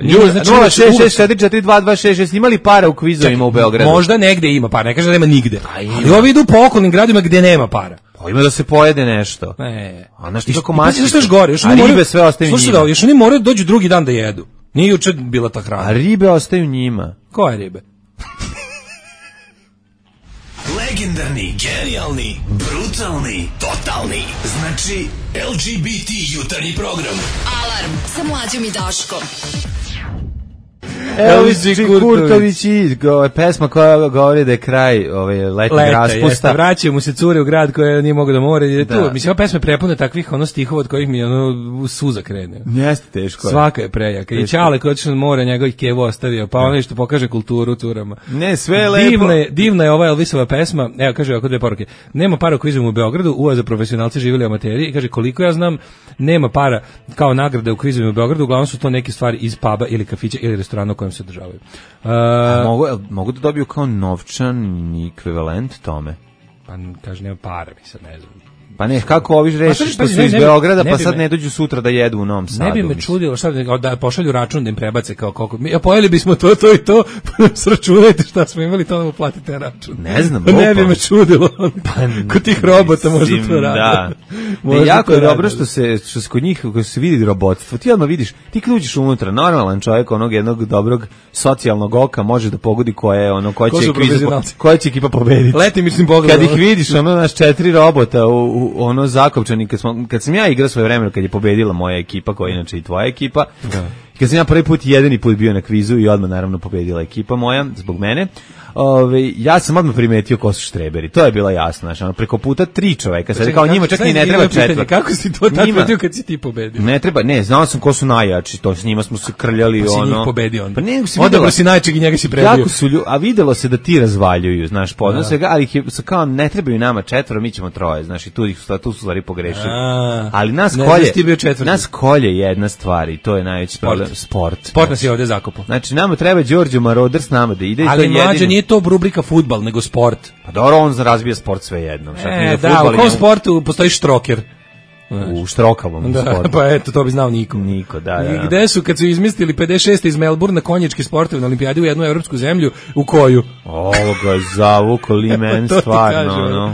Speaker 6: nula šest šest četiri četiri dva dva šest šest imali para u kvizovima u Beogradu?
Speaker 5: Možda negde ima para, ne kaže da nema nigde. Ali ovi idu po okolnim gradima gde nema para.
Speaker 6: Pa ima da se pojede nešto.
Speaker 5: Ne.
Speaker 6: A znaš ti kako mači?
Speaker 5: Što još gore, još
Speaker 6: a ribe sve ostaju njima.
Speaker 5: Slušaj, još oni moraju dođu drugi dan da jedu. Nije juče bila ta hrana.
Speaker 6: A ribe ostaju njima.
Speaker 5: Koje ribe?
Speaker 2: Legendarni, genijalni, brutalni, totalni. Znači, L G B T jutarnji program.
Speaker 7: Alarm sa Mlađom i Daškom.
Speaker 6: Elvis Kurtović i pesma koja govori da je kraj ove letnjeg raspusta.
Speaker 5: Vraćaju mu se cure u grad koje nije mogu da more. Da. Tu, mislim, ova pesma je prepuna takvih ono stihova od kojih mi ono suza krene.
Speaker 6: Jeste teško.
Speaker 5: Svaka je prejaka. I Ćale koji otišao na more, njegovih kevo ostavio, pa ono što pokaže kulturu curama.
Speaker 6: Ne, sve je lepo.
Speaker 5: Divna je, divna je ova Elvisova pesma. Evo, kaže ovako dve poruke. Nema para u kvizima u Beogradu, uva za profesionalci živjeli amateri. I kaže, koliko ja znam, nema para kao nagrade u kvizima u Beogradu, uglavnom su to neke stvari iz puba ili kafića ili restorana u kojem se održavaju. Uh,
Speaker 6: mogu, mogu da dobiju kao novčan ekvivalent tome?
Speaker 5: Pa kaže, nema para, mi sad ne znam.
Speaker 6: Pa ne, kako ovi reši što su iz Beograda, pa sad ne dođu sutra da jedu u Novom Sadu.
Speaker 5: Ne bi me čudilo, šta da pošalju račun da im prebace kao koliko. Ja pojeli bismo to, to i to, pa nam sračunajte šta smo imali, to nam uplatite račun.
Speaker 6: Ne znam,
Speaker 5: ne bi me čudilo. Pa, kod tih robota možda to radi.
Speaker 6: Da. Ne, jako je dobro što se, što se kod njih, kako se vidi robotstvo, ti odmah vidiš, ti kad uđeš unutra, normalan čovjek onog jednog dobrog socijalnog oka može da pogodi koja je ono, koja će, ekipa, koja će ekipa pobediti.
Speaker 5: Leti mislim pogledom.
Speaker 6: Kad ih vidiš, ono, naš četiri robota u ono Zakopčani, kad, smo, kad sam ja igrao svoje vremena, kad je pobedila moja ekipa, koja je inače i tvoja ekipa, da. Kad sam ja prvi put, jedini put bio na kvizu i odmah naravno pobedila ekipa moja, zbog mene, ove, ja sam odmah primetio ko su štreberi, to je bilo jasno, znači, ono, preko puta tri čoveka, sad kao njima čak i ne treba četvrt.
Speaker 5: Kako si to tako vidio kad si ti pobedio?
Speaker 6: Ne treba, ne, znao sam ko su najjači, to s njima smo se krljali,
Speaker 5: pa
Speaker 6: ono.
Speaker 5: Si njih pobedio onda.
Speaker 6: Pa ne, si
Speaker 5: odabro si najčeg i njega si prebio.
Speaker 6: Kako su lju, a videlo se da ti razvaljuju, znaš, podno svega, ali ih je, kao ne trebaju nama četvoro, mi ćemo troje, znaš, i tu, ih, tu su stvari pogrešili. A, ali nas ne, kolje, nas kolje jedna stvar i to je najveći problem. Sport.
Speaker 5: Sport nas je ovde zakopao.
Speaker 6: Znači, nama treba Đorđe Maroder s nama da ide.
Speaker 5: Ali
Speaker 6: i to
Speaker 5: mlađe, nije to rubrika fudbal, nego sport.
Speaker 6: Pa dobro, on razbija sport sve jedno.
Speaker 5: E, da, u kom sportu postoji štroker?
Speaker 6: U štrokavom
Speaker 5: da,
Speaker 6: sportu.
Speaker 5: Pa eto, to bi znao niko.
Speaker 6: Niko, da, da.
Speaker 5: I gde su, kad su izmislili pedeset šest iz Melbourne konjički sportovi na olimpijadi u jednu evropsku zemlju, u koju?
Speaker 6: Ovo ga zavuko li men, stvarno, ono.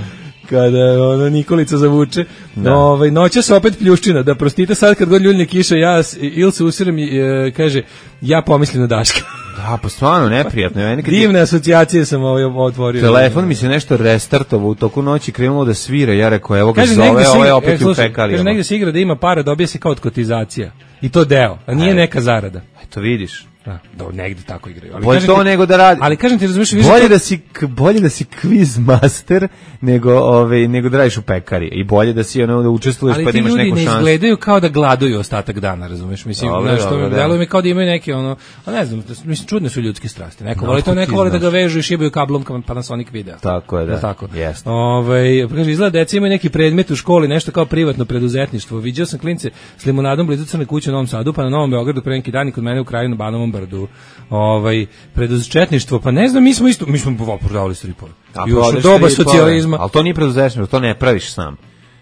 Speaker 5: Kada ono Nikolica zavuče. Da. Ovaj noća se opet pljuščina, da prostite sad kad god ljuljne kiša, ja il se usiram i e, kaže ja pomislim na Daška.
Speaker 6: Da, pa stvarno neprijatno. Ja nekad
Speaker 5: divne asocijacije sam ovaj otvorio.
Speaker 6: Telefon mi se nešto restartovao u toku noći, krenulo da svira, ja rekao evo ga kaže, zove, ovo je opet e, u pekali.
Speaker 5: Kaže negde se igra da ima para, dobije se kao od kotizacija. I to deo, a nije Aj. neka zarada.
Speaker 6: Eto vidiš.
Speaker 5: Da, da negde tako igraju. Ali
Speaker 6: bolje to
Speaker 5: ti,
Speaker 6: nego da radi.
Speaker 5: Ali kažem ti, razumiješ,
Speaker 6: bolje to... da si bolje da si quiz master nego ovaj nego da radiš u pekari i bolje da si ono da učestvuješ pa da imaš neku šansu. Ali ti ljudi ne izgledaju kao da gladuju ostatak dana, razumiješ? Mislim, znaš, što mi deluje mi kao da imaju neke ono, a ne znam, mislim čudne su ljudske strasti. Neko no, voli to, neko voli da ga vežu i šibaju kablom kao Panasonic video. Tako je, da.
Speaker 5: Tako.
Speaker 6: Jeste.
Speaker 5: Ovaj, kaže izgleda deca imaju neki predmet u školi, nešto kao privatno preduzetništvo. Viđao sam klince s limunadom blizu Crne kuće u Novom Sadu, pa na Novom Beogradu pre neki dan kod mene u kraju na Banovom brdu. Ovaj preduzetništvo, pa ne znam, mi smo isto mi smo prodavali stripove. Još u doba socijalizma.
Speaker 6: Al to nije preduzetništvo, to ne praviš sam.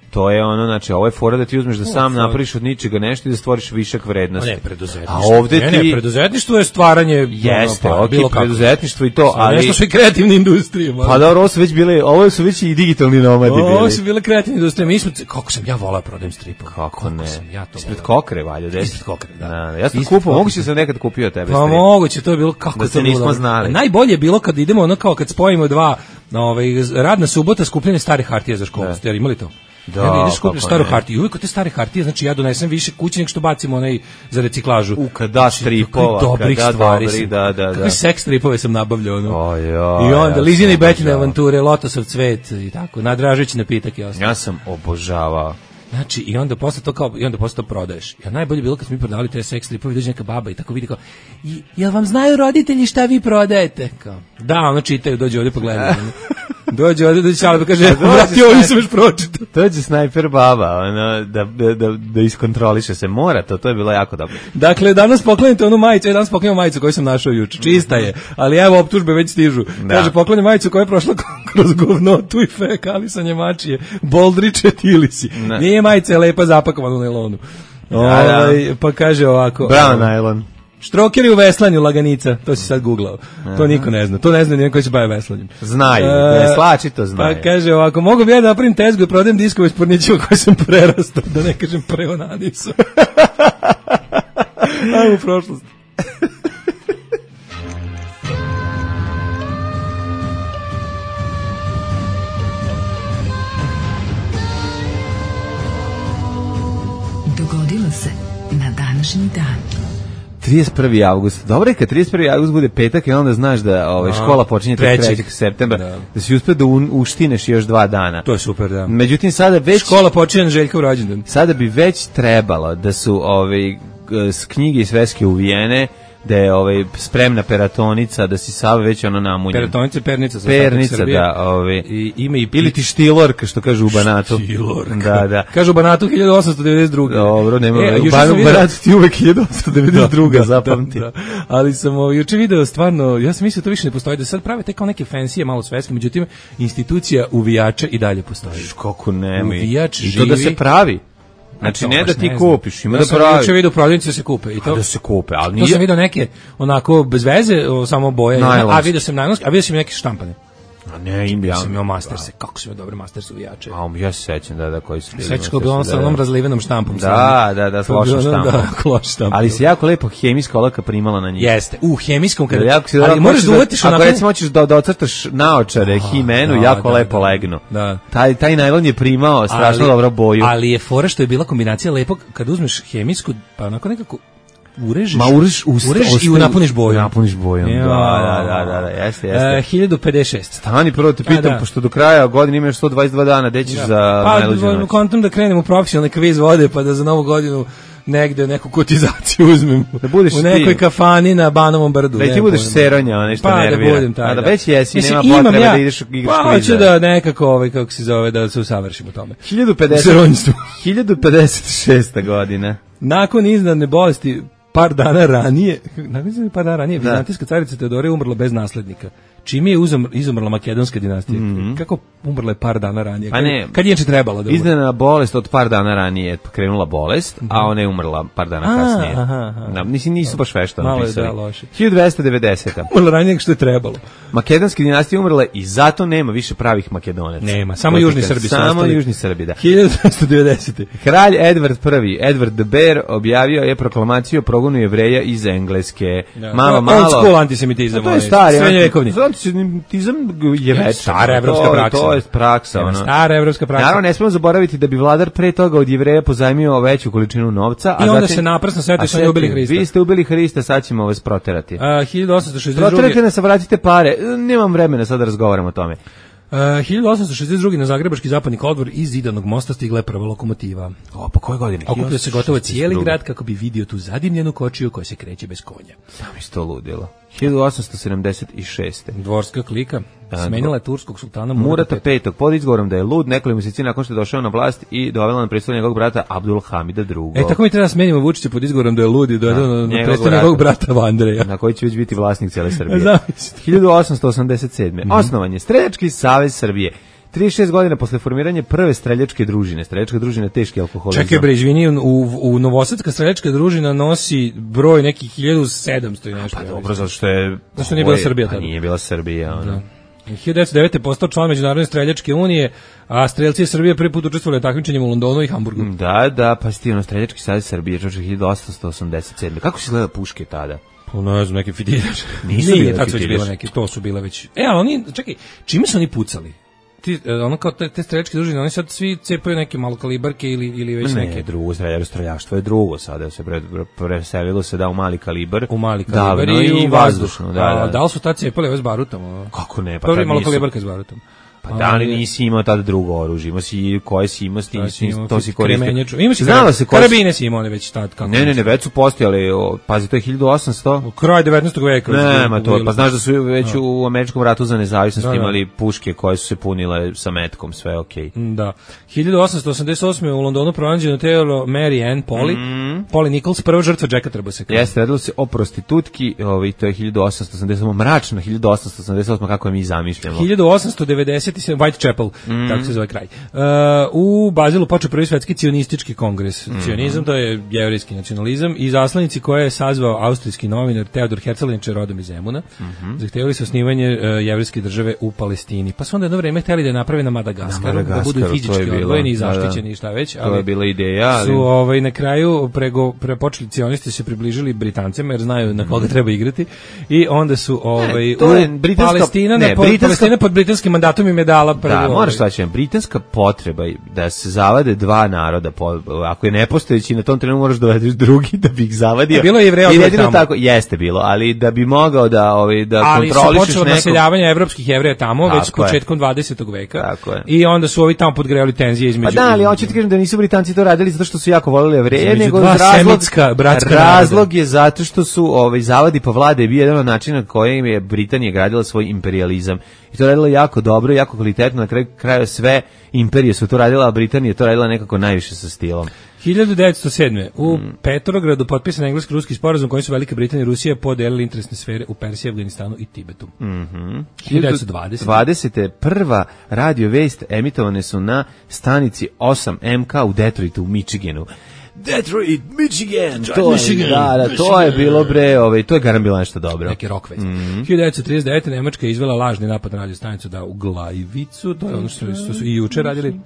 Speaker 6: To je ono, znači, ovo je fora da ti uzmeš da sam napraviš od ničega nešto i da stvoriš višak vrednosti.
Speaker 5: Ne, preduzetništvo.
Speaker 6: A ovde ti...
Speaker 5: Ne, ne, preduzetništvo je stvaranje...
Speaker 6: Jeste, ono, pa, bilo preduzetništvo i to, ali...
Speaker 5: Nešto su i kreativne industrije.
Speaker 6: Pa dobro, ovo su već bile, ovo su već i digitalni nomadi bili.
Speaker 5: Ovo su bile kreativne industrije. Mi smo, kako sam ja volao prodajem stripove.
Speaker 6: Kako ne?
Speaker 5: Sam ja to
Speaker 6: ispred Kokre, valja,
Speaker 5: ispred Kokre, da.
Speaker 6: da. Ja sam kupio, moguće sam nekad kupio tebe
Speaker 5: strip. Pa moguće, to je bilo, kako
Speaker 6: da
Speaker 5: to
Speaker 6: bilo. Nismo znali.
Speaker 5: Najbolje je bilo kad idemo, ono kao kad spojimo dva, ovaj, radna subota, skupljene stare hartije za školu. Ste imali to? Da, ja ideš kupiti staru hartiju. Uvijek od te stare hartije, znači ja donesem više kući nego što bacimo onaj za reciklažu.
Speaker 6: U kada stripova,
Speaker 5: dobrih
Speaker 6: kada
Speaker 5: stvari
Speaker 6: dobri, da, da, da.
Speaker 5: Kakve seks stripove sam nabavljao, ono.
Speaker 6: O, jo,
Speaker 5: I onda
Speaker 6: ja
Speaker 5: Lizine i Betine avanture, Lotosov cvet i tako, nadražeći napitak i ostalo.
Speaker 6: Ja sam obožavao.
Speaker 5: Znači, i onda posle to kao, i onda posle to prodaješ. Ja najbolje bilo kad smo mi prodavali te seks stripove, dođe neka baba i tako vidi kao, i, jel vam znaju roditelji šta vi prodajete? Kao, da, ono čitaju, dođe ovdje pogledaju. Dođe ovdje, dođe Čale, pa kaže, vrati, ovo nisam još pročitao.
Speaker 6: Dođe snajper baba, ono, da, da, da, da iskontroliše se, mora to, to je bilo jako dobro.
Speaker 5: Dakle, danas poklanjate onu majicu, ja danas poklanjam majicu koju sam našao juče, čista je, ali evo, optužbe već stižu. Da. Kaže, poklanjam majicu koja je prošla kroz govnotu i fekalisanje mačije, boldriče tilisi. Ne. Nije majica, je lepa zapakovana u nailonu. Da, ovaj, da. Pa kaže ovako.
Speaker 6: Bravo, najlon.
Speaker 5: Štrokeri u veslanju, laganica, to si sad googlao. To niko ne zna. To ne zna nijedan koji se baje veslanjem.
Speaker 6: Znaju, ne slači to znaju.
Speaker 5: Pa kaže ovako, mogu bi ja da napravim tezgu i prodajem diskove s pornićima koje sam prerastao, da ne kažem preonanisu. Ajmo u prošlost.
Speaker 2: Dogodilo se na današnji dan.
Speaker 6: trideset prvi avgust. Dobro je kad trideset prvi avgust bude petak i onda znaš da ovaj, škola počinje trećeg septembra, da, da si uspio da un, uštineš još dva dana.
Speaker 5: To je super, da.
Speaker 6: Međutim, sada već...
Speaker 5: Škola počinje na Željkov rođendan.
Speaker 6: Sada bi već trebalo da su ovaj, knjige i sveske uvijene, da je ovaj spremna peratonica, da si sav već ono namunjen.
Speaker 5: Peratonica, pernica za
Speaker 6: pernica, Srbije. Da, ovaj
Speaker 5: i ima i
Speaker 6: ili ti štilorka što kaže u Banatu.
Speaker 5: Štilorka.
Speaker 6: Da, da.
Speaker 5: Kaže u Banatu hiljadu osamsto devedeset druge.
Speaker 6: Dobro, nema. E, u Banatu vidio... ti uvek hiljadu osamsto devedeset druge da, zapamti. Da, da.
Speaker 5: Ali sam ovaj juče video stvarno, ja sam mislio da to više ne postoji, da sad prave te kao neke fancy malo svetske, međutim institucija uvijača i dalje postoji.
Speaker 6: Kako nema.
Speaker 5: Uvijač
Speaker 6: i to da se pravi. Znači ne da ti ne kupiš, ima ja da pravi. Ja
Speaker 5: sam vidio prodavnice da se kupe i to.
Speaker 6: A da se kupe, ali nije.
Speaker 5: To sam vidio neke onako bez veze, samo boje, najlonski. A vidio sam najlonski, a vidio sam neke štampane.
Speaker 6: A ne, im ja
Speaker 5: sam imao Masterse, kako su mi dobre Masterse uvijače.
Speaker 6: A um, ja se sećam da da koji su bili.
Speaker 5: Sećaš kako bilo on sa onom razlivenom štampom.
Speaker 6: Da, da, da, s lošom štampom.
Speaker 5: Da, loš štampom.
Speaker 6: Ali se jako lepo hemijska olaka primala na njih.
Speaker 5: Jeste, u hemijskom kada.
Speaker 6: Jako si ali možeš da uvatiš onako. Ako recimo hoćeš da da ocrtaš naočare himenu, jako lepo legnu. Da. Taj taj najlon je primao strašno dobro boju.
Speaker 5: Ali je fora što je bila kombinacija lepog kad uzmeš hemijsku, pa onako nekako urežeš,
Speaker 6: Ma urež, usta,
Speaker 5: urež i napuniš bojom.
Speaker 6: Napuniš bojom, ja. da, da, da, da, jeste, jeste.
Speaker 5: E, hiljadu pedeset šest.
Speaker 6: Stani prvo te pitam, da, da. Pošto do kraja godine imaš sto dvadeset dva dana, gde ćeš da. za
Speaker 5: pa,
Speaker 6: najluđu noć?
Speaker 5: Pa, kontam da krenem u profesionalni kviz vode, pa da za novu godinu negde neku kotizaciju uzmem. Da budeš u nekoj ti. Kafani na Banovom brdu.
Speaker 6: Da ti budeš seronja, nešto
Speaker 5: pa,
Speaker 6: nervira.
Speaker 5: Da budem taj,
Speaker 6: a
Speaker 5: da,
Speaker 6: da već jesi, mislim, nema potrebe ja, da ideš igraš
Speaker 5: pa, kviza. Pa, hoću da nekako, ovaj, kako se zove, da se usavršimo tome.
Speaker 6: hiljadu pedeset šesta godina.
Speaker 5: Nakon iznadne bolesti, par dana ranije, nakon par dana ranije, vizantijska carica Teodora je umrla bez naslednika. Čime je izumrla makedonska dinastija? Mm-hmm. Kako umrla je par dana ranije?
Speaker 6: Pa ne,
Speaker 5: kad je trebalo da umre?
Speaker 6: Iznena bolest od par dana ranije krenula bolest, mm-hmm. a ona je umrla par dana a, kasnije. Aha, aha. Da, mislim, nisu baš vešto napisali.
Speaker 5: Malo je da loše.
Speaker 6: hiljadu dvesta devedeseta.
Speaker 5: Umrla ranije nego što je trebalo.
Speaker 6: Makedonska dinastija umrla i zato nema više pravih Makedonaca.
Speaker 5: Nema, samo južni Srbi.
Speaker 6: Samo južni Srbi, da.
Speaker 5: hiljadu dvesta devedesete.
Speaker 6: Kralj Edward prvi, Edward the Bear, objavio je proklamaciju o progonu Jevreja iz Engleske.
Speaker 5: Da. Malo, malo. Old school antisemitizam.
Speaker 6: To je stari
Speaker 5: srednjevekovni.
Speaker 6: Antisemitizam je već
Speaker 5: stara evropska praksa.
Speaker 6: To je praksa,
Speaker 5: ono. Stara evropska praksa.
Speaker 6: Naravno, ne smemo zaboraviti da bi vladar pre toga od Jevreja pozajmio veću količinu novca,
Speaker 5: a i onda zatim, se naprsno setio što je ubili Hrista.
Speaker 6: Vi ste ubili Hrista, sad ćemo vas proterati.
Speaker 5: Uh, hiljadu osamsto šezdeset druge.
Speaker 6: Proterate nas, vratite pare. Nemam vremena sad da razgovaramo o tome.
Speaker 5: Uh, hiljadu osamsto šezdeset druge. na Zagrebački zapadni kolodvor iz Zidanog mosta stigla je prva lokomotiva.
Speaker 6: O, pa koje godine?
Speaker 5: Okupio se gotovo cijeli grad kako bi vidio tu zadimljenu kočiju koja se kreće bez konja.
Speaker 6: Sam isto ludilo. hiljadu osamsto sedamdeset šeste.
Speaker 5: Dvorska klika smenila je turskog sultana
Speaker 6: Murata, Murata petog pod izgovorom da je lud nekoliko mjeseci nakon što je došao na vlast i dovela na presto njegovog brata Abdul Hamida drugog.
Speaker 5: E, tako mi treba smenimo Vučića pod izgovorom da je lud i dovela na, na presto njegovog brata Vandreja.
Speaker 6: Na koji će već biti vlasnik cijele Srbije. hiljadu osamsto osamdeset sedme. Mm -hmm. Osnovan je Streljački savez Srbije. trideset šest godina posle formiranja prve streljačke družine. Streljačka družina teški alkoholizam.
Speaker 5: Čekaj bre, izvini, u, u Novosadska streljačka družina nosi broj nekih hiljadu sedamsto i nešto.
Speaker 6: Pa dobro, zato što je...
Speaker 5: Zato što nije bila Srbija tada.
Speaker 6: Pa nije bila Srbija, ono.
Speaker 5: hiljadu devetsto devete. postao član Međunarodne streljačke unije, a strelci Srbije prvi put učestvovali u takmičenjima u Londonu i Hamburgu.
Speaker 6: Da, da, pa sti ono Streljački savez Srbije, čoče hiljadu osamsto osamdeset sedme. Kako se gleda puške tada?
Speaker 5: Pa ne znam, neki fidiljač.
Speaker 6: Nisu
Speaker 5: bile fidiljač. Neki, to su bile već. E, ali oni, čekaj, čime su oni pucali? Ti, ono kao te, te streljačke družine, oni sad svi cepaju neke malokalibarke ili, ili već
Speaker 6: ne,
Speaker 5: neke...
Speaker 6: Ne, drugo, streljaštvo je drugo, sada se pre, preselilo se da u mali kalibar.
Speaker 5: U mali kalibar i, i u vazdušno.
Speaker 6: Da, da.
Speaker 5: A, da li su tad cepali ove s barutom?
Speaker 6: Kako ne, pa
Speaker 5: tad nisu. Malokalibarka s barutom.
Speaker 6: Pa da li nisi imao tada drugo oružje, imao si koje si imao, ti, to si koristio.
Speaker 5: Ima si znala se karabine si imao one već tad. Kako
Speaker 6: ne, ne, ne, već su postojali, pazi, to je hiljadu osamsto.
Speaker 5: U kraj devetnaestog veka.
Speaker 6: Ne, ma to, pa znaš da su već u Američkom ratu za nezavisnost da, imali puške koje su se punile sa metkom, sve okej. Okay.
Speaker 5: Da. hiljadu osamsto osamdeset osme. u Londonu pronađeno telo Mary Ann Polly, mm. Polly Nichols, prva žrtva Jacka Treboseka.
Speaker 6: Jeste, radilo se o prostitutki, ovaj, to je hiljadu osamsto osamdeset osme. mračno hiljadu osamsto osamdeset osme. kako je mi zamišljamo.
Speaker 5: hiljadu osamsto devedeset sedme. Whitechapel. Mm. Tako se zove kraj. Uh, u Bazilu počeo prvi svetski cionistički kongres. Mm. Cionizam, to je jevrijski nacionalizam i zaslanici koje je sazvao austrijski novinar Teodor Herzl, rodom iz Zemuna, mm-hmm. zahtevali su osnivanje uh, jevrijske države u Palestini. Pa su onda jedno vreme hteli da je naprave na Madagaskaru, da budu fizički odvojeni i zaštićeni i šta već.
Speaker 6: Ali to je bila ideja. Ali...
Speaker 5: Su ovaj, na kraju prego, nego prepočeli cionisti se približili Britancima jer znaju na koga treba igrati i onda su ovaj
Speaker 6: ne, to je britanska,
Speaker 5: Palestina,
Speaker 6: ne,
Speaker 5: ne,
Speaker 6: britanska,
Speaker 5: Palestina pod britanskim mandatom im je dala prvo.
Speaker 6: Da, moraš taći, britanska potreba da se zavade dva naroda, po, ako je nepostojeći na tom trenutku moraš dovedeš drugi da bi ih zavadio.
Speaker 5: Bilo je Jevreja
Speaker 6: jedino tako, jeste bilo, ali da bi mogao da ovaj da
Speaker 5: ali
Speaker 6: kontrolišeš
Speaker 5: nekog. Ali su naseljavanje evropskih Jevreja tamo tako već početkom dvadesetog veka.
Speaker 6: Tako je.
Speaker 5: I onda su ovi tamo podgrejali tenzije između.
Speaker 6: Pa da, ali hoćete kažem da nisu Britanci to radili zato što su jako voleli Jevreje, nego
Speaker 5: razlog
Speaker 6: razlog je zato što su ovaj zavadi po vlade bio jedan od načina kojim je Britanija gradila svoj imperijalizam. I to radila jako dobro, jako kvalitetno, na kraju kraju sve imperije su to radila, a Britanija je to radila nekako najviše sa stilom.
Speaker 5: hiljadu devetsto sedme u mm. Petrogradu potpisan englesko-ruski sporazum kojim su Velika Britanija i Rusija podelili interesne sfere u Persiji, Afganistanu i Tibetu.
Speaker 6: Mm-hmm.
Speaker 5: hiljadu devetsto dvadesete.
Speaker 6: dvadesete prva radio vest emitovane su na stanici osam M K u Detroitu u Michiganu. Detroit, Michigan. Detroit, to Michigan. Je, da, da, Michigan. To je bilo bre, ovaj, to je garant bilo nešto dobro.
Speaker 5: Neki rock vest. Mm-hmm. hiljadu devetsto trideset devete. Nemačka je izvela lažni napad na radio stanicu da u Glavicu, to je ono što, što su i juče radili.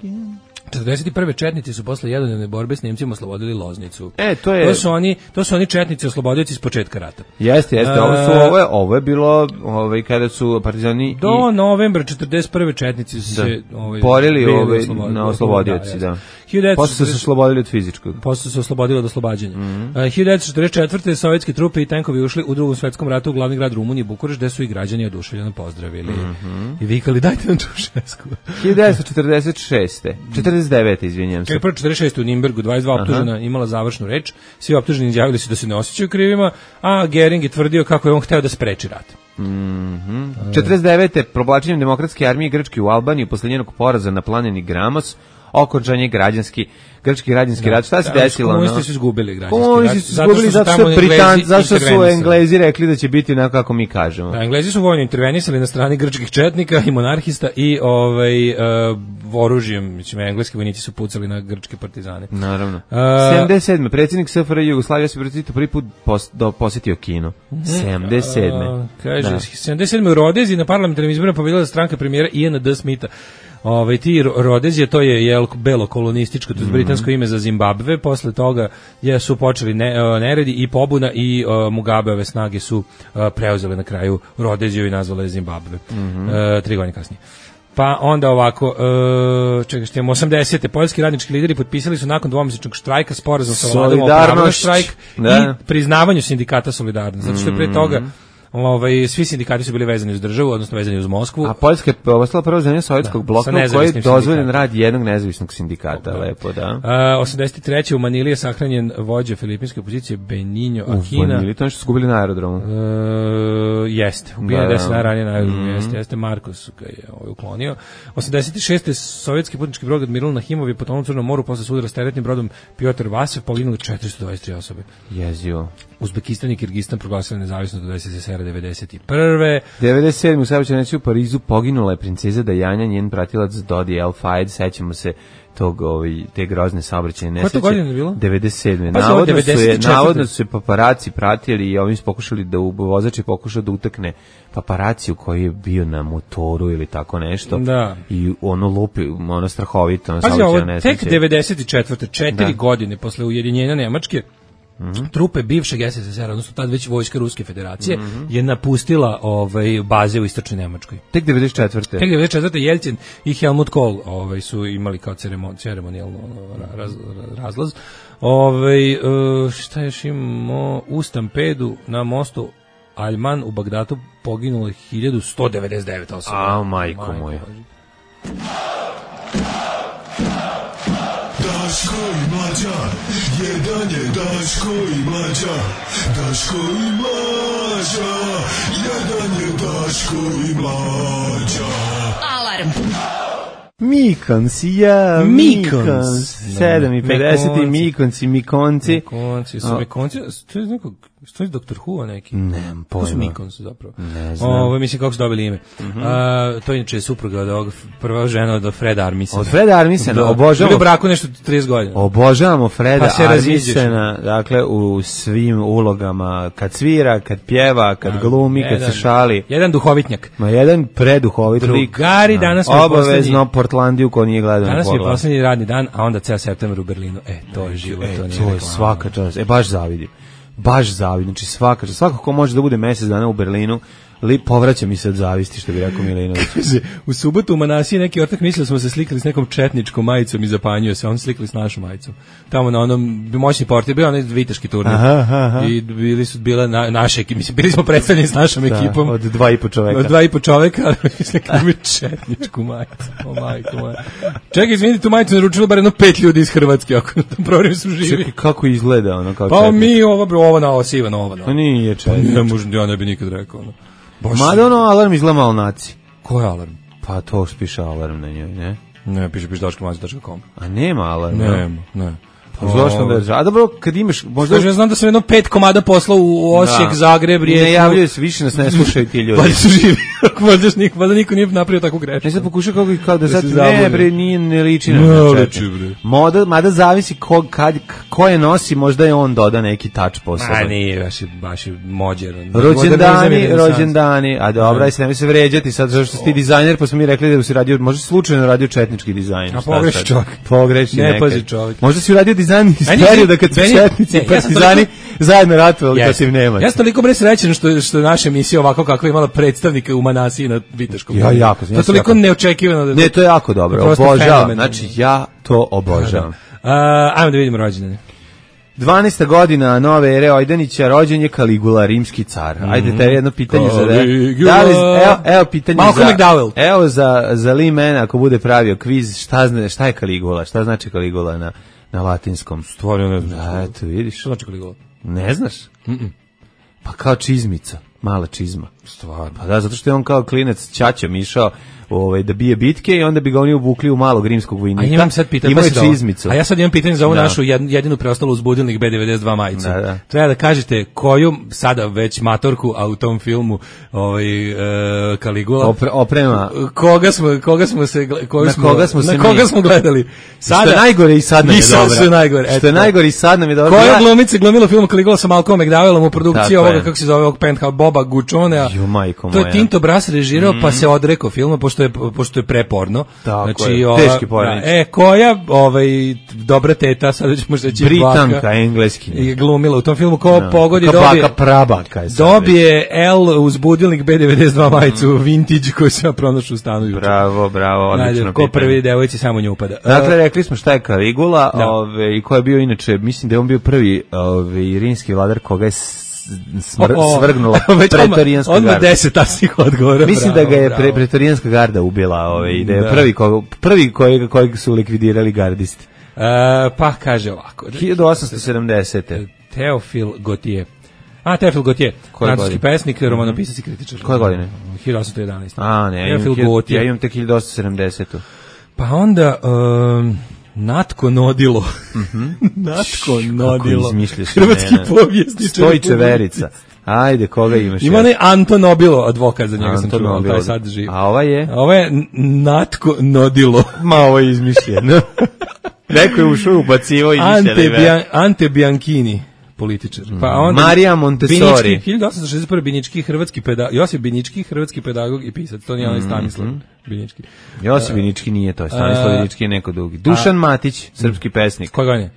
Speaker 5: četrdeset prve četnici su posle jednodnevne borbe s Nemcima oslobodili Loznicu.
Speaker 6: E, to je
Speaker 5: To su oni, to su oni četnici oslobodioci s početka rata.
Speaker 6: Jeste, jeste, ovo su ovo je, ovo je bilo, ovaj kada su partizani
Speaker 5: do i novembra četrdeset prve četnici su se ovaj
Speaker 6: borili ovaj na oslobodioci, da. Posle su se oslobodili od fizičkog.
Speaker 5: Posle su se oslobodili od oslobađanja.
Speaker 6: Mm-hmm.
Speaker 5: Uh, hiljadu devetsto četrdeset četvrte. sovjetske trupe i tenkovi ušli u Drugom svetskom ratu u glavni grad Rumunije, Bukurešt, gde su i građani oduševljeno pozdravili.
Speaker 6: Mm-hmm.
Speaker 5: I vikali dajte nam Čaušesku.
Speaker 6: hiljadu devetsto četrdeset šeste. četrdeset devete izvinjavam se.
Speaker 5: Kako četrdeset šeste u Nimbergu dvadeset dva optužena imala završnu reč. Svi optuženi izjavili su da se ne osjećaju krivima, a Gering je tvrdio kako je on hteo da spreči rat.
Speaker 6: Mhm. četrdeset devete. Provlačenjem demokratske armije Grčke u Albaniji posle njenog poraza na planini Gramos, okončanje građanski grčki građanski rat. Šta se da, desilo?
Speaker 5: Komunisti su izgubili građanski
Speaker 6: Komunisti su izgubili zato što Britanci, zašto su Englezi rekli da će biti onako kako mi kažemo.
Speaker 5: Da, Englezi su vojno intervenisali na strani grčkih četnika i monarhista i ovaj uh, oružjem, mislim engleski vojnici su pucali na grčke partizane.
Speaker 6: Naravno. Uh, sedamdeset sedme. predsjednik S F R J Jugoslavije se prvi put pos, do, posjetio Kinu. sedamdeset sedme. Uh,
Speaker 5: kaže, da. sedamdeset sedme u Rodezi na parlamentarnim izborima pobedila stranka premijera Iana D. Smitha. Ove, ti Rodezije, to je jel, belo kolonističko, to je britansko ime za Zimbabve, posle toga je, su počeli ne, neredi i pobuna i uh, Mugabeove snage su uh, preuzele na kraju Rodeziju i nazvale Zimbabve. Mm-hmm. Uh, tri godine kasnije. Pa onda ovako, uh, čekaj što imamo, osamdesete. Poljski radnički lideri potpisali su nakon dvomesečnog štrajka sporazum sa vladom o pravu na štrajk da. I priznavanju sindikata Solidarnost, zato što je pre toga ovaj svi sindikati su bili vezani uz državu, odnosno vezani uz Moskvu.
Speaker 6: A Poljska je ostala prva zemlja sovjetskog bloka u kojoj je dozvoljen rad jednog nezavisnog sindikata, da. Lepo, da.
Speaker 5: Uh, osamdeset treće. u Manili je sahranjen vođa filipinske opozicije Benigno Aquino.
Speaker 6: U Manili, to je što su gubili na aerodromu.
Speaker 5: Uh, jeste, ubijen je deset dana ranije na aerodromu, mm. jeste, jeste Markos ga je ovaj uklonio. osamdeset šeste. sovjetski putnički brod Admiral Nahimov je potonuo u Crnom moru posle sudara s teretnim brodom Piotr Vasev, poginulo četiristo dvadeset tri osobe.
Speaker 6: Jezio.
Speaker 5: Uzbekistan i Kirgistan proglasili nezavisnost do S S S R devedeset prve.
Speaker 6: devedeset sedme. u saobraćajnici u Parizu poginula je princeza Dajana, njen pratilac Dodi El Fayed, sećamo se tog ovaj te grozne saobraćajne nesreće.
Speaker 5: Koja to godina je bilo?
Speaker 6: devedeset sedme. Pa navodno devedeset četvrte. su je navodno su se paparaci pratili i ovim su pokušali da vozač je pokušao da utakne paparaciju koji je bio na motoru ili tako nešto.
Speaker 5: Da.
Speaker 6: I ono lupi, ono strahovito, ono
Speaker 5: saobraćajne nesreće. Tek devedeset četvrte. četiri da. godine posle ujedinjenja Nemačke. Mm-hmm. Trupe bivšeg S S S R, odnosno tad već vojska Ruske federacije, mm-hmm. je napustila ovaj, baze u istočnoj Nemačkoj.
Speaker 6: Tek devedeset četvrte.
Speaker 5: Tek devedeset četvrte. Jelcin i Helmut Kohl ovaj, su imali kao ceremon, ceremonijalno raz, razlaz. Ovaj, šta još imamo? U stampedu na mostu Aljman u Bagdatu poginulo hiljadu sto devedeset devet osoba.
Speaker 6: A, majko moja.
Speaker 7: Daško i Mlađa, jedan je Daško i Mlađa, Daško i Mlađa, jedan je Daško i Mlađa.
Speaker 2: Alarm.
Speaker 6: Mikons, ja, Mikons. sedam i pedeset i Mikonci, Mikonci.
Speaker 5: Mikonci, su Mikonci, to je nekog Što je doktor Who neki?
Speaker 6: Nemam
Speaker 5: Ko su
Speaker 6: pojma.
Speaker 5: Mikons zapravo?
Speaker 6: Ne znam.
Speaker 5: Ovo, mislim kako su dobili ime. Mm-hmm. A, to je inače supruga od ovog, prva žena od Freda Armisena.
Speaker 6: Od Freda Armisena,
Speaker 5: da.
Speaker 6: obožavamo.
Speaker 5: Bili u braku nešto trideset godina.
Speaker 6: Obožavamo Freda
Speaker 5: Pa se
Speaker 6: Armisena, dakle, u svim ulogama, kad svira, kad pjeva, kad
Speaker 5: A,
Speaker 6: glumi,
Speaker 5: jedan,
Speaker 6: kad se šali.
Speaker 5: Jedan duhovitnjak.
Speaker 6: Ma jedan preduhovit lik.
Speaker 5: Drugari, danas mi je
Speaker 6: obavezno Portlandiju ko nije gledao.
Speaker 5: Danas mi je poslednji radni dan, a onda ceo septembar u Berlinu. E, to je život,
Speaker 6: e,
Speaker 5: to nije
Speaker 6: to je
Speaker 5: reklama.
Speaker 6: svaka čast. E, baš zavidim. Baš zavidim. Znači svaka čast. Svako ko može da bude mesec dana u Berlinu, li povraća mi se od zavisti, što bi rekao Milinović.
Speaker 5: U subotu u Manasiji neki ortak mislio smo se slikali s nekom četničkom majicom i zapanjio se, on slikali s našom majicom. Tamo na onom moćni portir, bio onaj viteški turnir.
Speaker 6: Aha, aha.
Speaker 5: I bili su bila na, naše ekipe, mislim, bili smo predstavljeni s našom
Speaker 6: Da,
Speaker 5: ekipom.
Speaker 6: od dva i po čoveka.
Speaker 5: Od dva i po čoveka, ali slikali četničku majicu. O majko moja. Čekaj, izvini, tu majicu naručilo bar jedno pet ljudi iz Hrvatske, ako na tom programu su živi.
Speaker 6: Čekaj, kako izgleda ono kao
Speaker 5: Pa
Speaker 6: četnik?
Speaker 5: mi ovo, bro, ovo na ovo, siva na ovo.
Speaker 6: Pa nije četnik.
Speaker 5: Ne možem, ja ne bi nikad rekao. No.
Speaker 6: Mada ono alarm izgleda malo naci.
Speaker 5: Ko je alarm?
Speaker 6: Pa to što piše alarm na njoj, ne?
Speaker 5: Ne, piše piše daško mlađe tačka com.
Speaker 6: A nema alarm, ne?
Speaker 5: Nema, ne.
Speaker 6: Pa zašto da? A dobro, kad imaš možda
Speaker 5: Slušaj, ja znam da sam jedno pet komada poslao u Osijek,
Speaker 6: Da.
Speaker 5: Zagreb, Rijeku.
Speaker 6: Ne javljaju se, više nas ne slušaju ti ljudi.
Speaker 5: Pa su živi. Možda niko, možda niko nije napravio takvu grešku.
Speaker 6: Ne sad pokušao kako i kao da
Speaker 5: Da
Speaker 6: sad
Speaker 5: se
Speaker 6: ne
Speaker 5: zabavlja.
Speaker 6: bre, nije ne liči na
Speaker 5: Ne
Speaker 6: četnik.
Speaker 5: liči, bre.
Speaker 6: Moda, mada zavisi ko, kad, ko je nosi, možda je on doda neki touch
Speaker 5: A
Speaker 6: poseban.
Speaker 5: nije, baš je, baš je mođer.
Speaker 6: Rođendani, rođendani, a dobra, aj se nemoj se vređati sad zašto si ti dizajner, pa smo mi rekli da si radio, možda si slučajno radio četnički dizajn.
Speaker 5: A
Speaker 6: šta
Speaker 5: pogreši
Speaker 6: sad?
Speaker 5: čovjek.
Speaker 6: Pogreši
Speaker 5: Ne
Speaker 6: nekad.
Speaker 5: pazi čovjek.
Speaker 6: Možda si uradio dizajn iz
Speaker 5: Meni je-
Speaker 6: perioda kad su
Speaker 5: meni-
Speaker 6: četnici
Speaker 5: ne,
Speaker 6: i
Speaker 5: ja sam
Speaker 6: partizani
Speaker 5: toliko-
Speaker 6: zajedno ratovali
Speaker 5: Yes.
Speaker 6: protiv Nemaca.
Speaker 5: Ja sam toliko bre srećan što, što je naša emisija ovako kakva je imala predstavnika u Manasiji na Viteškom.
Speaker 6: Ja jako,
Speaker 5: To
Speaker 6: ja
Speaker 5: je
Speaker 6: sam
Speaker 5: toliko
Speaker 6: jako-
Speaker 5: neočekivano. Da
Speaker 6: Ne, to je jako dobro,
Speaker 5: Prosto
Speaker 6: obožavam,
Speaker 5: fenomenalno.
Speaker 6: znači ja to obožavam.
Speaker 5: A, ajmo da vidimo rođendane.
Speaker 6: dvanaesta godina nove ere Ojdanića, rođen je Kaligula, rimski car. Ajde, te jedno pitanje za
Speaker 5: Caligula.
Speaker 6: da li, evo, evo pitanje
Speaker 5: Malcolm
Speaker 6: za,
Speaker 5: McDowell.
Speaker 6: evo za, za Lee Man, ako bude pravio kviz, šta, zna, šta je Kaligula, šta znači Kaligula na, na latinskom?
Speaker 5: Stvarno ne znam.
Speaker 6: Da, eto, vidiš.
Speaker 5: Što znači Kaligula?
Speaker 6: Ne znaš?
Speaker 5: Mm-mm.
Speaker 6: Pa kao čizmica, mala čizma.
Speaker 5: Stvarno.
Speaker 6: Pa da, zato što je on kao klinac ćaćom išao ovaj, da bije bitke i onda bi ga oni ubukli u malog rimskog vojnika.
Speaker 5: A imam sad pitanje,
Speaker 6: Imao je
Speaker 5: pazi da ovo.
Speaker 6: čizmicu.
Speaker 5: A ja sad imam pitanje za ovu
Speaker 6: Da.
Speaker 5: našu jed- jedinu preostalu uzbudilnik B devedeset dva majicu.
Speaker 6: Da, da.
Speaker 5: Treba da kažete koju sada već matorku, a u tom filmu ovaj e, Kaligula.
Speaker 6: Opre, oprema.
Speaker 5: Koga smo koga smo se gle- koju
Speaker 6: Na
Speaker 5: smo,
Speaker 6: koga smo se
Speaker 5: na koga
Speaker 6: mi-
Speaker 5: smo gledali? Sada
Speaker 6: Što je najgore i sad nam je
Speaker 5: I sad
Speaker 6: dobra.
Speaker 5: su najgore.
Speaker 6: Što je
Speaker 5: eto.
Speaker 6: najgore i sad nam je dobro.
Speaker 5: Koja
Speaker 6: Ja-
Speaker 5: glumica glumila film Kaligula sa Malcolm McDowellom u produkciji
Speaker 6: Tako
Speaker 5: ovoga,
Speaker 6: je.
Speaker 5: kako se zove, ovog Penthouse, Boba Guccionea.
Speaker 6: Ju, majko
Speaker 5: To je
Speaker 6: moja.
Speaker 5: Tinto Brass režirao, pa se odrekao filma, pošto je, pošto je preporno.
Speaker 6: Tako je, teški pornić.
Speaker 5: E, koja ovaj, dobra teta, sad ćemo reći
Speaker 6: Britanka,
Speaker 5: baka,
Speaker 6: engleskinja.
Speaker 5: je glumila u tom filmu, ko
Speaker 6: Da.
Speaker 5: pogodi
Speaker 6: Kao
Speaker 5: dobije,
Speaker 6: baka prabaka je sad
Speaker 5: dobije L uz budilnik B devedeset dva majicu, vintage koju sam ja pronašao u stanu juče.
Speaker 6: Bravo, bravo, odlično
Speaker 5: Ajde, ko
Speaker 6: pitanje.
Speaker 5: prvi devojci samo nju upada.
Speaker 6: Dakle, rekli smo šta je Kaligula,
Speaker 5: Da.
Speaker 6: ove, i ko je bio inače, mislim da je on bio prvi ove, rimski vladar koga je s- smr,
Speaker 5: O, o,
Speaker 6: svrgnula
Speaker 5: već odmah-
Speaker 6: pretorijanska
Speaker 5: odmah
Speaker 6: garda.
Speaker 5: deset tačnih odgovora.
Speaker 6: Mislim
Speaker 5: bravo,
Speaker 6: da ga je
Speaker 5: bravo.
Speaker 6: pre, pretorijanska garda ubila, ove, i da je
Speaker 5: Da.
Speaker 6: prvi, ko, prvi kojeg, kojeg su likvidirali gardisti.
Speaker 5: E, pa kaže ovako.
Speaker 6: hiljadu osamsto sedamdesete.
Speaker 5: Teofil Gautier. A, Teofil Gautier,
Speaker 6: Koje
Speaker 5: francuski
Speaker 6: godine?
Speaker 5: pesnik, romanopisac i kritičar.
Speaker 6: Koje godine?
Speaker 5: hiljadu osamsto jedanaeste.
Speaker 6: A, ne, ja imam,
Speaker 5: Teofil
Speaker 6: hiljadu-
Speaker 5: Gautier.
Speaker 6: ja imam tek hiljadu osamsto sedamdesetu.
Speaker 5: Pa onda, um, Natko Nodilo. Natko Nodilo.
Speaker 6: Kako izmišljaš
Speaker 5: Hrvatski
Speaker 6: imena.
Speaker 5: povjesničar.
Speaker 6: Stojiće Verica. Ajde, koga imaš?
Speaker 5: Ima
Speaker 6: još?
Speaker 5: onaj Anton Nobilo, advokat za njega sam
Speaker 6: Anton
Speaker 5: čuo,
Speaker 6: Nobilo.
Speaker 5: taj sad živi.
Speaker 6: A ova je?
Speaker 5: A ovo je N- Natko Nodilo.
Speaker 6: Ma, ovo je izmišljeno. Neko je ušao ubacivo i
Speaker 5: Ante,
Speaker 6: mišljali.
Speaker 5: Bian, Ante Bianchini, političar. Pa onda
Speaker 6: Marija Montessori.
Speaker 5: Binički, hiljadu osamsto šezdeset prve. Binički, hrvatski pedagog, Josip Binički, hrvatski pedagog i pisac. To nije onaj Stanislav Binički.
Speaker 6: Josip Vinički nije to, Stanislav
Speaker 5: A-
Speaker 6: Vinički je neko drugi. Dušan Matić, srpski pesnik.
Speaker 5: Koje godine?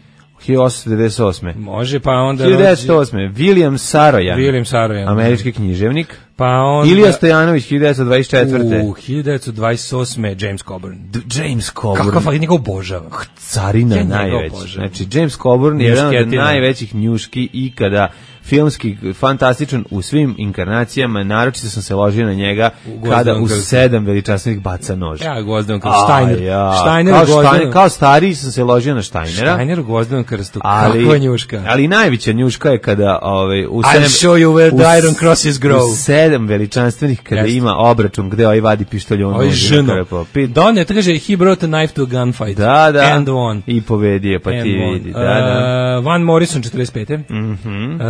Speaker 6: hiljadu osamsto devedeset osme.
Speaker 5: Može, pa onda...
Speaker 6: hiljadu devetsto osme. William Sarojan.
Speaker 5: William Sarojan.
Speaker 6: Američki književnik.
Speaker 5: Pa onda...
Speaker 6: Ilija Stojanović, hiljadu devetsto dvadeset četvrte.
Speaker 5: U hiljadu devetsto dvadeset osme. James Coburn.
Speaker 6: D- James Coburn.
Speaker 5: Kakav fakt, njega obožavam.
Speaker 6: Carina
Speaker 5: Ja njega
Speaker 6: najveći.
Speaker 5: obožavam.
Speaker 6: Znači, James Coburn je jedan od
Speaker 5: Njušketina.
Speaker 6: najvećih njuški ikada, filmski, fantastičan u svim inkarnacijama, naročito sam se ložio na njega
Speaker 5: U
Speaker 6: kada
Speaker 5: Gvozdenom
Speaker 6: u
Speaker 5: krstu.
Speaker 6: sedam veličanstvenih baca nož.
Speaker 5: Ja gvozdenom
Speaker 6: Aj,
Speaker 5: krstu. Steiner.
Speaker 6: ja.
Speaker 5: Steiner
Speaker 6: kao,
Speaker 5: u gvozdenom.
Speaker 6: Steiner, kao stariji sam se ložio na Steinera.
Speaker 5: Steiner u gvozdenom krstu.
Speaker 6: Ali,
Speaker 5: Kakva njuška.
Speaker 6: ali najveća njuška je kada ovaj, u
Speaker 5: I'll
Speaker 6: sedam,
Speaker 5: show you where
Speaker 6: u
Speaker 5: the
Speaker 6: s-
Speaker 5: iron crosses grow.
Speaker 6: u sedam veličanstvenih kada
Speaker 5: Jeste.
Speaker 6: ima obračun gde ovaj vadi pištolj on
Speaker 5: Ovo je
Speaker 6: noži na
Speaker 5: ženo.
Speaker 6: krpo. Pi-
Speaker 5: Don je, to kaže, he brought a knife to a gunfight.
Speaker 6: Da, da.
Speaker 5: And won.
Speaker 6: I pobedio, pa
Speaker 5: And
Speaker 6: ti
Speaker 5: won.
Speaker 6: vidi. Da, da.
Speaker 5: Uh, Van Morrison, četrdeset pete.
Speaker 6: Mhm.
Speaker 5: Uh,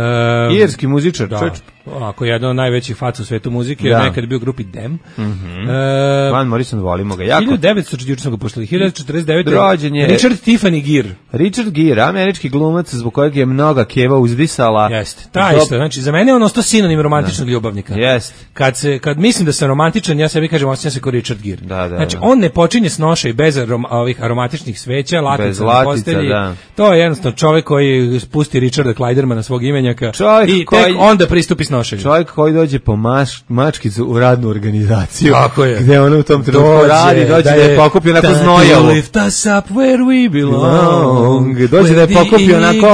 Speaker 6: Irski muzičar,
Speaker 5: da,
Speaker 6: čovječ.
Speaker 5: Ako je jedan od najvećih faca u svetu muzike,
Speaker 6: da.
Speaker 5: nekad je bio u grupi Dem.
Speaker 6: Mm-hmm. E, Van Morrison, volimo ga jako.
Speaker 5: hiljadu devetsto juče smo ga puštali, hiljadu devetsto četrdeset devete.
Speaker 6: Rođen je
Speaker 5: Richard Tiffany Gere.
Speaker 6: Richard Gere, američki glumac zbog kojeg je mnoga keva uzdisala.
Speaker 5: Jeste, taj isto. Znači, za mene je on ostao sinonim romantičnog da. ljubavnika.
Speaker 6: Jeste.
Speaker 5: Kad, se, kad mislim da sam romantičan, ja sebi kažem, osjećam se kao Richard Gere.
Speaker 6: Da, da,
Speaker 5: znači,
Speaker 6: da.
Speaker 5: on ne počinje s noša i bez arom, ovih aromatičnih sveća, latica na postelji.
Speaker 6: Da.
Speaker 5: To je jednostavno čovjek koji spusti Richarda Kleidermana svog imenjaka
Speaker 6: čovjek
Speaker 5: i
Speaker 6: koji,
Speaker 5: tek onda pristupi snošenju.
Speaker 6: Čovjek koji dođe po maš, mačkicu u radnu organizaciju.
Speaker 5: Tako je.
Speaker 6: Gde ona u tom trenutku radi, dođe da je pokupio onako znojavu.
Speaker 5: Lift us up where we belong.
Speaker 6: Dođe da je pokupio onako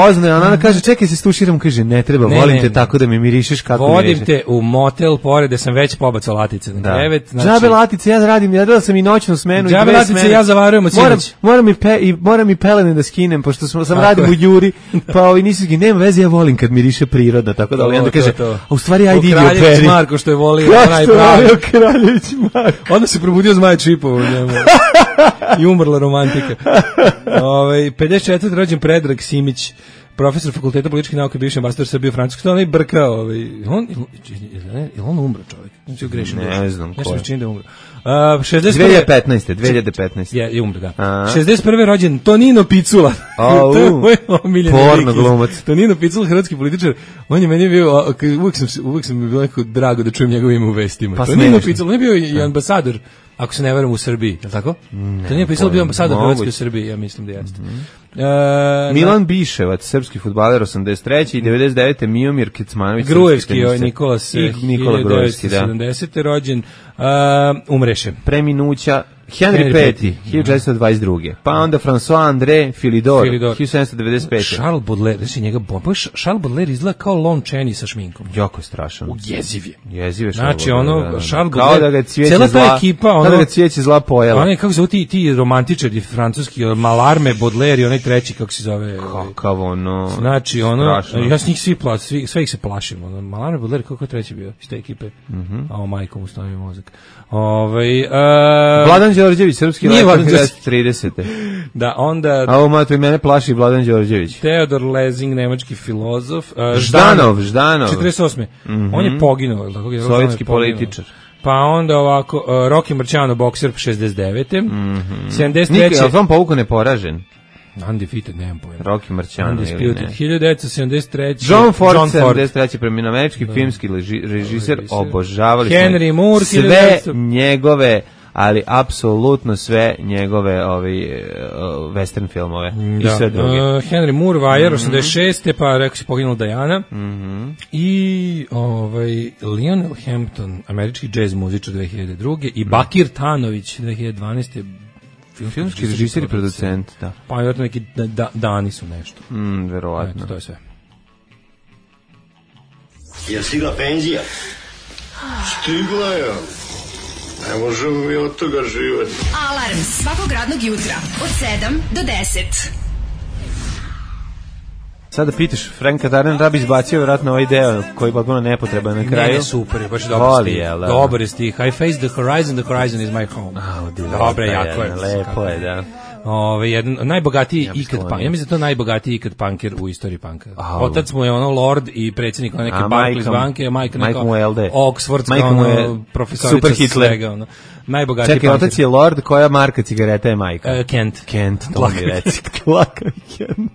Speaker 6: oznoja. Ona kaže, čekaj se stuširam, kaže, ne treba, ne, volim ne, te ne. tako da mi mirišeš kako
Speaker 5: vodim
Speaker 6: mirišeš.
Speaker 5: Vodim te u motel, pored da sam već pobacao latice na
Speaker 6: da.
Speaker 5: krevet.
Speaker 6: Znači, džabe latice, ja radim, ja radila sam i noćnu smenu.
Speaker 5: Džabe latice, smene. Ja zavarujem od
Speaker 6: moram,
Speaker 5: sinoć.
Speaker 6: Moram i, pe, i, moram i pelene da skinem, pošto sam, sam radim u Juri, pa ovi nisu skinem, nema veze, ja volim kad miriše priroda, tako da, ali onda kaže, a u stvari, ajde idi operi.
Speaker 5: Marko što je volio, onaj pravi.
Speaker 6: Kraljević Marko.
Speaker 5: Onda se probudio Zmaj Čipov u njemu. I umrla romantika. Ove, pedeset četvrti rođen Predrag Simić, profesor fakulteta političkih nauka, bivši ambasador Srbije u Francuskoj. To je onaj brka. Ovaj, on, je on umro čovjek? Znači, grešim.
Speaker 6: Ne znam ko je.
Speaker 5: Nešto da umro. Uh, šezdeset
Speaker 6: dve hiljade petnaeste. dve hiljade petnaeste.
Speaker 5: Je, je umro, da. A? šezdeset prve rođen Tonino Picula.
Speaker 6: Oh,
Speaker 5: to je moj omiljeni
Speaker 6: porno glumac.
Speaker 5: Tonino Picula, hrvatski političar. On je meni bio, uvijek sam, uvijek sam mi bilo neko drago da čujem njegove ime u vestima. Pa Tonino Picula, on je bio i ambasador, ako se ne verujem, u Srbiji, je li tako?
Speaker 6: Ne,
Speaker 5: Tonino Picula bio ambasador Hrvatske u Srbiji, ja mislim da jeste. Mm-hmm. Uh,
Speaker 6: Milan Biševac, srpski fudbaler, osamdeset treće i devedeset devete Mijomir Kecmanović,
Speaker 5: Grujevski, ovaj Nikola se
Speaker 6: Nikola Grujevski, da.
Speaker 5: sedamdesete rođen, uh, umreše.
Speaker 6: Preminuća Henry Peti, hiljadu četiristo dvadeset druge. Pa onda François André Philidor, hiljadu sedamsto devedeset pete.
Speaker 5: Charles Baudelaire, znači njega bomba, Charles Baudelaire izgleda kao Lon Chaney sa šminkom.
Speaker 6: Jako je strašan.
Speaker 5: U jeziv je.
Speaker 6: Jeziv je
Speaker 5: znači ono,
Speaker 6: da,
Speaker 5: Charles
Speaker 6: Baudelaire, kao da ga cvijeće
Speaker 5: cela
Speaker 6: zla,
Speaker 5: ta ekipa, ono,
Speaker 6: kao da ga cvijeće zla pojela.
Speaker 5: Ono je, kako zove ti, ti romantičari francuski, Malarme, Baudelaire i onaj treći, kako se zove.
Speaker 6: Kakav ono,
Speaker 5: znači ono,
Speaker 6: strašno.
Speaker 5: ja s njih svi plaćam, svi, sve ih se plašim. Ono, Malarme, Baudelaire, kako je treći bio iz te ekipe?
Speaker 6: Mm-hmm.
Speaker 5: A o majko mu stavio mozak. Ovaj uh,
Speaker 6: Vladan Đorđević, srpski lekar hiljadu tridesete.
Speaker 5: Da, onda
Speaker 6: a ovo mato i mene plaši Vladan Đorđević.
Speaker 5: Teodor Lezing, nemački filozof. Uh,
Speaker 6: Ždanov, Ždanov.
Speaker 5: četrdeset osme Mm-hmm. On je poginuo, tako je.
Speaker 6: Sovjetski političar.
Speaker 5: Pa onda ovako, uh, Rocky Marciano, bokser, šezdeset devete
Speaker 6: Mm-hmm.
Speaker 5: sedamdeset treće
Speaker 6: Nikad, ali vam povuko neporažen.
Speaker 5: Undefeated, nemam pojma.
Speaker 6: Rocky Marciano ili ne.
Speaker 5: hiljadu devetsto sedamdeset treće
Speaker 6: John Ford, John sedamdeset treće preminuo, američki da. filmski leži, režiser, obožavali smo
Speaker 5: Henry Moore,
Speaker 6: sve devetsto njegove, ali apsolutno sve njegove ovi, uh, western filmove da. I sve druge. Uh,
Speaker 5: Henry Moore, Wire, mm-hmm. osamdeset šeste pa rekao si poginula Diana.
Speaker 6: Mm-hmm.
Speaker 5: I ovaj, Lionel Hampton, američki jazz muzičar dve hiljade druge i Bakir Tanović dve hiljade dvanaeste
Speaker 6: filmski režiser i producent, da.
Speaker 5: Pa vjerojatno neki da, da, dani su nešto.
Speaker 6: Mm, verovatno.
Speaker 5: Eto, to je sve.
Speaker 7: Je stigla penzija? Stigla je. Ne možemo mi od toga živjeti.
Speaker 2: Alarm svakog radnog jutra od sedam do deset.
Speaker 6: Sada pitaš, Franka Darden da bi izbacio vjerojatno ovaj deo koji je potpuno nepotreban na kraju.
Speaker 5: Ne, ne, super, baš dobar
Speaker 6: Voli,
Speaker 5: stih.
Speaker 6: Je,
Speaker 5: dobar je stih. I face the horizon, the horizon is my home.
Speaker 6: Oh,
Speaker 5: dobre, jako je.
Speaker 6: Lepo je, da.
Speaker 5: Ove, jedan, najbogatiji ja ikad punk. Ja mislim da to najbogatiji ikad punker u istoriji punka.
Speaker 6: Oh.
Speaker 5: Otac mu je ono lord i predsjednik neke Barclays banke, a majka neka Oxfordska ono, profesorica svega. Ono. Najbogatiji
Speaker 6: Čekaj, punker. Otac je lord, koja marka cigareta je majka?
Speaker 5: Uh, Kent.
Speaker 6: Kent, to mi reci. Dlakavi Kent.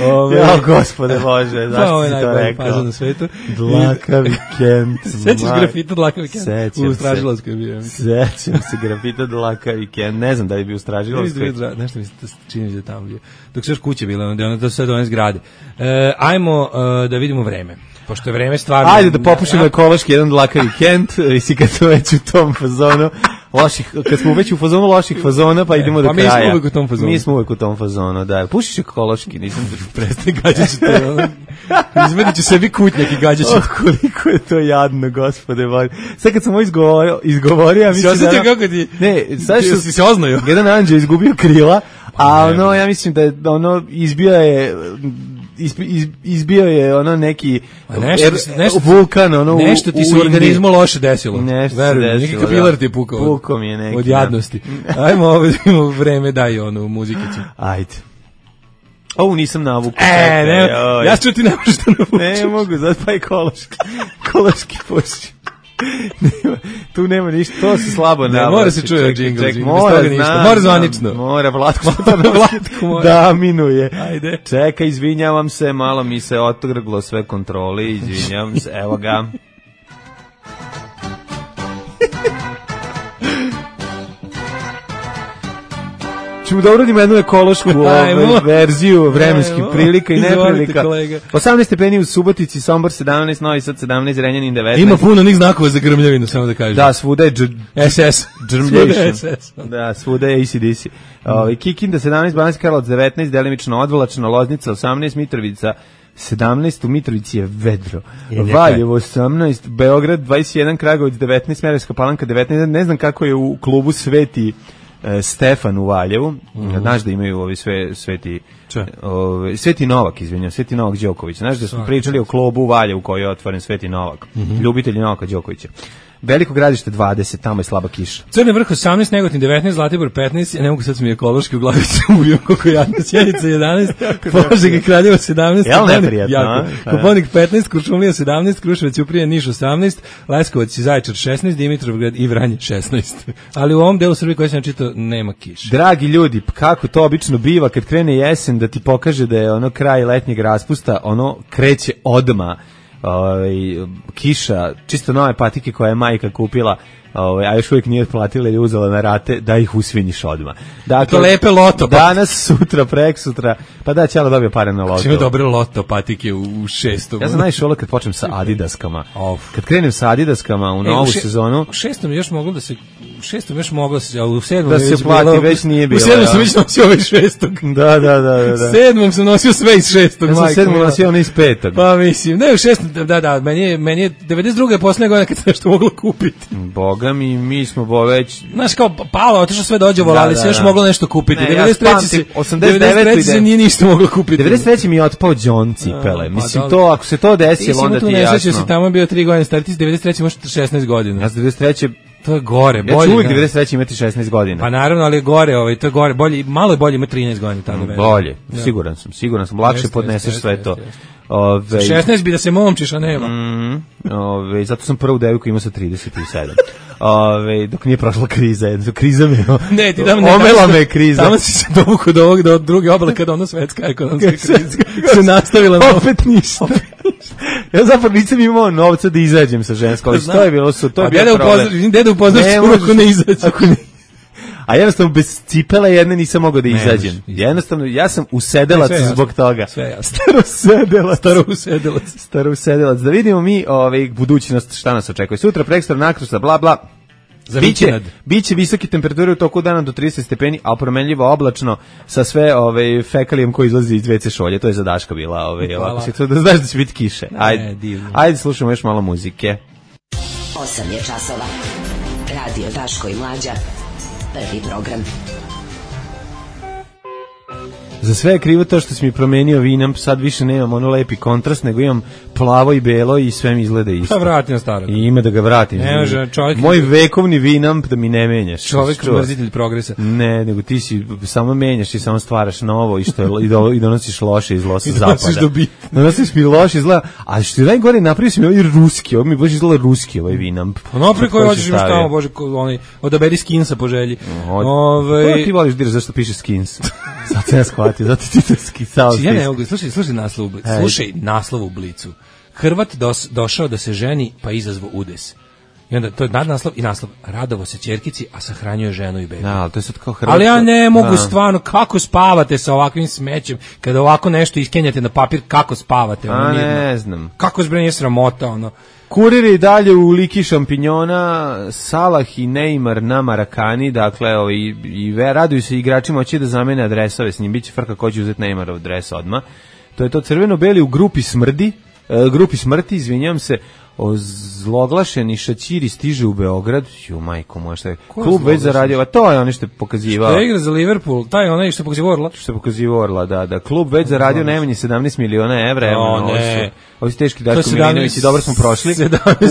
Speaker 6: Ove, ja, gospode Bože, zašto si to rekao?
Speaker 5: Na svetu.
Speaker 6: Dlakavi Kent.
Speaker 5: Sećaš grafita Dlakavi Kent?
Speaker 6: Sećam
Speaker 5: u Stražilovskoj bio.
Speaker 6: Sećam se grafita Dlakavi Kent. Ne znam da li bi u Stražilovskoj.
Speaker 5: Nešto mi se čini da tamo bio. Dok su još kuće bile, onda je ono to sve do one zgrade. E, ajmo uh, da vidimo vreme. Pošto je vreme stvarno...
Speaker 6: Ajde da popušimo ekološki jedan Dlakavi Kent, i si kad smo već u tom fazonu, loših, kad smo već u fazonu loših fazona, pa idemo do
Speaker 5: pa
Speaker 6: kraja.
Speaker 5: Pa mi smo uvijek u tom fazonu.
Speaker 6: Mi smo uvijek u tom fazonu, da. Pušiš ekološki, nisam...
Speaker 5: Prestani, gađat ću te. Izvedit ću sebi kutnjak i gađat ću.
Speaker 6: Oh, koliko je to jadno, gospode Bože. Sad kad sam ovo izgovorio, izgovorio ja mislim da...
Speaker 5: Si kako ti...
Speaker 6: Ne, sad što...
Speaker 5: Si se oznaju.
Speaker 6: Jedan anđeo izgubio krila, a ono, ja mislim da je, ono, izbio je... izbio je ono neki
Speaker 5: nešto, er, nešto,
Speaker 6: vulkan ono
Speaker 5: nešto ti se u organizmu loše desilo.
Speaker 6: Nešto Verujem,
Speaker 5: neki kapilar ti je pukao.
Speaker 6: Pukao mi je neki.
Speaker 5: Od jadnosti. Ajmo ovo vreme daj ono u muzikicu.
Speaker 6: Ajde. Ovu nisam navukao.
Speaker 5: E, ne, ja ću ti ne možeš da navučeš.
Speaker 6: Ne mogu, zato pa ekološki. Ekološki puši. nema, tu nema ništa, to se slabo navlači.
Speaker 5: Mora se čuje džingl,
Speaker 6: ček,
Speaker 5: džingl,
Speaker 6: mora,
Speaker 5: bez ništa, mora zvanično.
Speaker 6: Mora, Vlatko
Speaker 5: mora.
Speaker 6: da minuje.
Speaker 5: Ajde.
Speaker 6: Čekaj, izvinjavam se, malo mi se otrglo sve kontrole, izvinjavam se, evo ga. Ćemo da uradimo jednu ekološku ovaj, verziju vremenskih prilika i neprilika. osamnaest stepeni u Subotici, Sombor sedamnaest, Novi Sad sedamnaest, Renjanin devetnaest.
Speaker 5: Ima puno onih znakova za grmljavinu, samo da kažem.
Speaker 6: Da, svuda je
Speaker 5: S S.
Speaker 6: Germljation. Da, svuda je A C D C. Ovaj Kikinda sedamnaest, Banatski Karlovac devetnaest, delimično odvlačno, Loznica osamnaest, Mitrovica sedamnaest, u Mitrovici je vedro. Valjevo osamnaest, Beograd dvadeset jedan, Kragujevac devetnaest, Smederevska Palanka devetnaest. Ne znam kako je u klubu Sveti Stefan u Valjevu, mm-hmm. Znaš da imaju ovi sve, Sveti ovi, Sveti Novak, izvinjam, Sveti Novak Đoković. Znaš da smo pričali o klubu u Valjevu koji je otvoren, Sveti Novak, mm-hmm. ljubitelji Novaka Đokovića. Veliko Gradište dvadeset, tamo je slaba kiša.
Speaker 5: Crni Vrh osamnaest, Negotin devetnaest, Zlatibor petnaest, ne mogu sad sam i ekološki u glavi se ubijem kako jadno, Sjenica jedanaest, Požega i Kraljevo sedamnaest,
Speaker 6: Jel neprijatno?
Speaker 5: Koponik petnaest, Kuršumlija sedamnaest, Kruševac i Uprije, Niš osamnaest, Leskovac i Zaječar šesnaest, Dimitrovgrad i Vranje šesnaest. Ali u ovom delu Srbije koji sam čitao nema kiše.
Speaker 6: Dragi ljudi, kako to obično biva kad krene jesen da ti pokaže da je ono kraj letnjeg raspusta, ono kreće odma. Ovaj kiša, čisto nove patike koje je majka kupila, ovaj a još uvijek nije otplatila ili uzela na rate, da ih usvinjiš odmah. Dakle,
Speaker 5: to lepe loto.
Speaker 6: Danas, sutra, preksutra, pa da će dobije pare na loto.
Speaker 5: Ima dobre loto patike u šestom.
Speaker 6: Ja sam najviše volio kad počnem sa Adidaskama. Kad krenem sa Adidaskama u novu e, u sezonu,
Speaker 5: u šestom još moglo da se u šestom još moglo da se, a u sedmom
Speaker 6: da se već plati, bilo, već nije bilo.
Speaker 5: U sedmom sam već nosio ovaj šestog.
Speaker 6: Da, da, da, da.
Speaker 5: Sedmom sam nosio sve iz šestog.
Speaker 6: Ja sam sedmom nosio ono iz petog.
Speaker 5: Pa mislim, ne u šestom, da, da, meni je, meni je devedeset druga poslednja godina kad sam nešto moglo kupiti.
Speaker 6: Boga mi, mi smo bo već...
Speaker 5: Znaš, kao palo, otišlo sve dođe vola, ali da, se još da. moglo nešto kupiti.
Speaker 6: Ne,
Speaker 5: devedeset treće se,
Speaker 6: osamdeset devete
Speaker 5: se nije ništa moglo kupiti.
Speaker 6: devedeset treće mi je otpao John cipele. A, mislim, pa, to, ako se to desilo, onda ti je jasno. Ti si mu tu
Speaker 5: tamo je bio tri godine stari, ti si devedeset treće možeš šesnaest godina.
Speaker 6: Ja sam devedeset treće
Speaker 5: To je gore, bolje.
Speaker 6: Ja ću uvijek devedeset treće imati šesnaest godina.
Speaker 5: Pa naravno, ali je gore, ovaj, to je gore, bolje, malo je bolje ima trinaest godina tada.
Speaker 6: Mm, bolje, ja. siguran sam, siguran sam, lakše jeste, podneseš jeste, sve jeste, to.
Speaker 5: Jeste. Ove, šesnaest bi da se momčiš, a nema.
Speaker 6: Mm, ove, zato sam prvu devojku imao sa trideset sedam. Ove, dok nije prošla kriza, jedno, kriza me,
Speaker 5: ne, ti dam, ne,
Speaker 6: omela me kriza.
Speaker 5: Tamo si se dovukao do ovog, do druge obale kada ono svetska ekonomska kriza se nastavila.
Speaker 6: Opet ništa. Ja zapravo nisam imao novca da izađem sa ženskom, ali to je bilo su, to je bilo problem.
Speaker 5: Dede upoznaš se ako ne izađe. Ako ne.
Speaker 6: A jednostavno bez cipela jedne nisam mogao da izađem. Ne, jednostavno, ja sam usedelac zbog toga.
Speaker 5: Sve jasno.
Speaker 6: Starousedelac.
Speaker 5: Starousedelac.
Speaker 6: Starousedelac. Da vidimo mi ovaj, budućnost šta nas očekuje. Sutra, prekstra, nakrstra, bla, bla. Biće, biće visoke temperature u toku dana do trideset stepeni, a promenljivo oblačno sa sve ovaj fekalijem koji izlazi iz ve ce šolje. To je za Daška bila, ovaj ovako se to da znaš da će biti kiše. Ajde. Ne, ajde slušamo još malo muzike.
Speaker 2: osam je časova. Radio Daško i Mlađa. Prvi program.
Speaker 6: Za sve je krivo to što si mi promenio Vinamp, sad više nemam ono lepi kontrast, nego imam plavo i belo i sve mi izgleda isto.
Speaker 5: Pa vratim na starog.
Speaker 6: I ime da ga vratim.
Speaker 5: Ne može, čovjek...
Speaker 6: Moj vekovni Vinamp da mi ne menjaš.
Speaker 5: Čovjek mrzitelj progresa.
Speaker 6: Ne, nego ti si samo menjaš i samo stvaraš novo i, što je, i, do, i donosiš loše iz losa zapada. I donosiš
Speaker 5: dobit.
Speaker 6: Donosiš mi loše izgleda, a što je najgore napravio si mi ovaj ruski, ovo mi baš izgleda ruski ovaj Vinamp.
Speaker 5: Pa naprej koji hoćeš imaš tamo, bože, onaj, odaberi skinsa po želji.
Speaker 6: Od, Ove... ti voliš diraš zašto piše skins. Sad se ja shvatio, zato ti to skisao.
Speaker 5: Ja ne mogu, slušaj, slušaj naslov u Blicu. Slušaj naslov u Blicu. Hrvat dos, došao da se ženi, pa izazvao udes. I onda, to je nadnaslov i naslov. Radovo se ćerkici, a sahranjuje ženu i bebu.
Speaker 6: Da, ali to je sad kao Hrvat.
Speaker 5: Ali ja ne mogu da. stvarno, kako spavate sa ovakvim smećem, kada ovako nešto iskenjate na papir, kako spavate? Ono,
Speaker 6: a ne znam.
Speaker 5: Kako zbrenje sramota, ono.
Speaker 6: Kurir je dalje u liki šampinjona, Salah i Neymar na Marakani, dakle, ovi, i raduju se igračima, hoće da zamene adresove s njim, bit će frka ko će uzeti Neymarov adres odmah. To je to crveno-beli u grupi smrdi, uh, grupi smrti, izvinjam se, ozloglašeni šaćiri stiže u Beograd. Ju, majko moja, šta je? Klub već zaradio, a to je ono što je pokazivao.
Speaker 5: Što je igra za Liverpool, taj onaj što je pokazivao Orla.
Speaker 6: Što je pokazivao Orla, da, da. Klub već zaradio najmanje sedamnaest miliona evra.
Speaker 5: O, ne.
Speaker 6: Ovi su teški Daško Milinović i dobro smo prošli.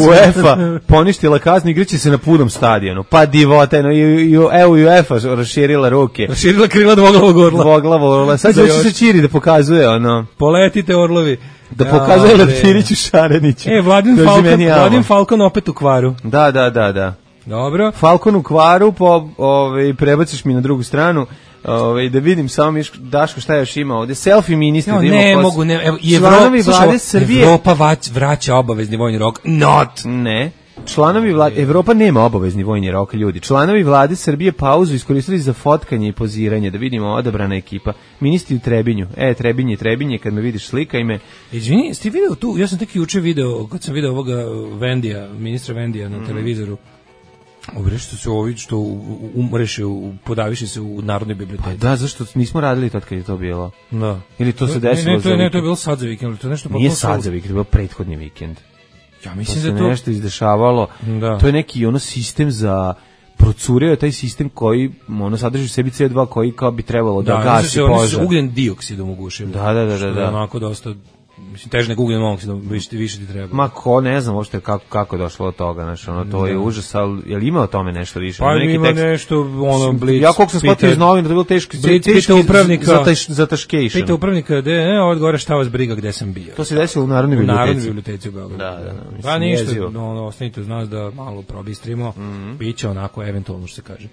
Speaker 6: UEFA poništila kaznu, igraće se na punom stadionu. Pa divota, no, i, i, evo UEFA raširila ruke.
Speaker 5: Raširila krila dvoglavog orla.
Speaker 6: Dvoglavog orla. Sad će se čiri da pokazuje, ono.
Speaker 5: Poletite orlovi.
Speaker 6: Da pokazuje ja, Leptiriću Šareniću.
Speaker 5: E, Vladin Falcon, Vladin Falcon opet u kvaru.
Speaker 6: Da, da, da, da.
Speaker 5: Dobro.
Speaker 6: Falcon u kvaru, po, ovaj, prebaciš mi na drugu stranu. Ove, da vidim samo Miško, Daško šta još ima ovde. Selfie ministri.
Speaker 5: No, ne pos... mogu, ne. Evo,
Speaker 6: članovi vlade Srbije.
Speaker 5: Evropa vraća obavezni vojni rok. Not.
Speaker 6: Ne. Članovi vlade, Evropa nema obavezni vojni rok, ljudi. Članovi vlade Srbije pauzu iskoristili za fotkanje i poziranje, da vidimo odabrana ekipa. Ministri u Trebinju. E, Trebinje, Trebinje, kad me vidiš slika ime.
Speaker 5: Izvini, ste video tu, ja sam tek juče video, kad sam video ovoga Vendija, ministra Vendija na mm. televizoru. Obre što se ovi što umreše, podaviše se u Narodnoj biblioteci.
Speaker 6: Pa da, zašto nismo radili tad kad je to bilo?
Speaker 5: Da.
Speaker 6: Ili to se desilo?
Speaker 5: Ne, ne, to je, ne, to je bilo sad za vikend, to je nešto
Speaker 6: Nije sad za vikend, to je bilo prethodni vikend.
Speaker 5: Ja mislim
Speaker 6: to
Speaker 5: da to
Speaker 6: nešto izdešavalo.
Speaker 5: Da.
Speaker 6: To je neki ono sistem za procurio taj sistem koji ono sadrži u sebi C O dva koji kao bi trebalo da, da gasi požar. Da, se
Speaker 5: ugljen dioksid omogućuje.
Speaker 6: Da, da, da, da, da.
Speaker 5: Onako dosta mislim teže nego ugljen monoksid, više više ti treba.
Speaker 6: Ma ko ne znam uopšte kako kako je došlo do toga, znači ono to da. je užas, al je li ima o tome nešto više?
Speaker 5: Pa
Speaker 6: neki
Speaker 5: ima tekst, nešto ono Blitz.
Speaker 6: Ja koliko sam shvatio iz novina da je bilo teško,
Speaker 5: teško upravnika
Speaker 6: za taš, za taškejšn.
Speaker 5: Pita upravnika da ne, odgovara šta vas briga gde sam bio.
Speaker 6: To se desilo u Narodnoj biblioteci.
Speaker 5: U Narodnoj biblioteci u Beogradu.
Speaker 6: Da, da, da.
Speaker 5: Pa ništa, ono ostanite uz nas da malo probistrimo. Mm-hmm. Biće onako eventualno što se kaže.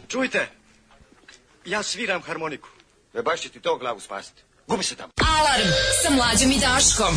Speaker 8: Čujte. Ja sviram harmoniku. E baš će ti to glavu spasiti. Gubi se tamo.
Speaker 2: Alarm sa Mlađom i Daškom.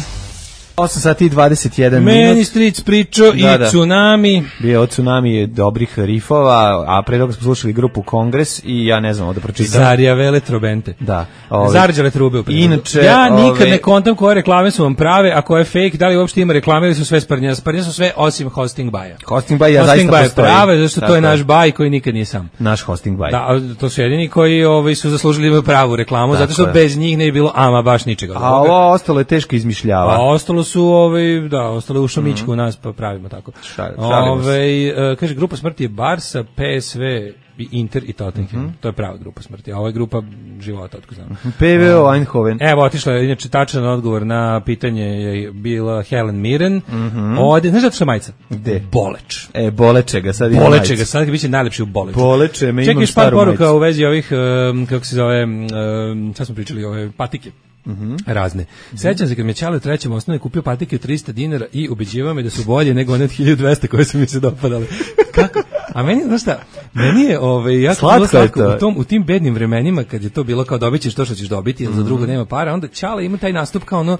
Speaker 6: osam sati i dvadeset jedan minut.
Speaker 5: Meni Stric pričao i da. Tsunami.
Speaker 6: Bio Tsunami dobrih rifova, a pre toga smo slušali grupu Kongres i ja ne znam ovdje pročitam.
Speaker 5: Zarija Veletrobente.
Speaker 6: Da.
Speaker 5: Zarđale trube u prevodu.
Speaker 6: Inače,
Speaker 5: ja nikad
Speaker 6: ove...
Speaker 5: ne kontam koje reklame su vam prave, a koje fake, da li uopšte ima reklame ili su sve sprnje. Sprnje su sve osim hosting baja.
Speaker 6: Hosting baj ja zaista postoji.
Speaker 5: Hosting baj prave, zašto to je naš baj koji nikad nije sam.
Speaker 6: Naš hosting baj.
Speaker 5: Da, to su jedini koji ovaj, su zaslužili imaju pravu reklamu, zato što bez njih ne bi bilo ama baš ničega.
Speaker 6: A ovo ostalo je teško izmišljava.
Speaker 5: A ostalo su ovaj da, ostalo u šomičku mm-hmm. u nas, pa pravimo tako.
Speaker 6: Šal,
Speaker 5: Ove, uh, kaže, grupa smrti je Barsa, P S V, Inter i Tottenham. Mm-hmm. To je prava grupa smrti, a ovo je grupa života, otko znam.
Speaker 6: P V O Eindhoven.
Speaker 5: Evo, otišla je, inače, tačan odgovor na pitanje je bila Helen Mirren.
Speaker 6: Mm-hmm.
Speaker 5: Ode, znaš da što je majica?
Speaker 6: Gde?
Speaker 5: Boleč.
Speaker 6: E, Bolečega, sad ima
Speaker 5: Bolečega, majica. Sad biće najlepši u Boleču.
Speaker 6: Boleče, me
Speaker 5: imam
Speaker 6: staru majicu.
Speaker 5: Čekaj, par poruka u vezi ovih, um, kako se zove, um, sad smo pričali, ove patike.
Speaker 6: Mm-hmm.
Speaker 5: Razne. Mm-hmm. Sećam se kad mi je Ćale u trećem osnovne kupio patike od trista dinara i ubeđivao me da su bolje nego one od hiljadu dvesta koje su mi se dopadale. Kako? A meni, znaš šta, meni je ovaj, jako
Speaker 6: slatko,
Speaker 5: slatko u, tom, u tim bednim vremenima kad je to bilo kao dobit ćeš to što ćeš dobiti, jer mm-hmm. za drugo nema para, onda Ćale ima taj nastup kao ono,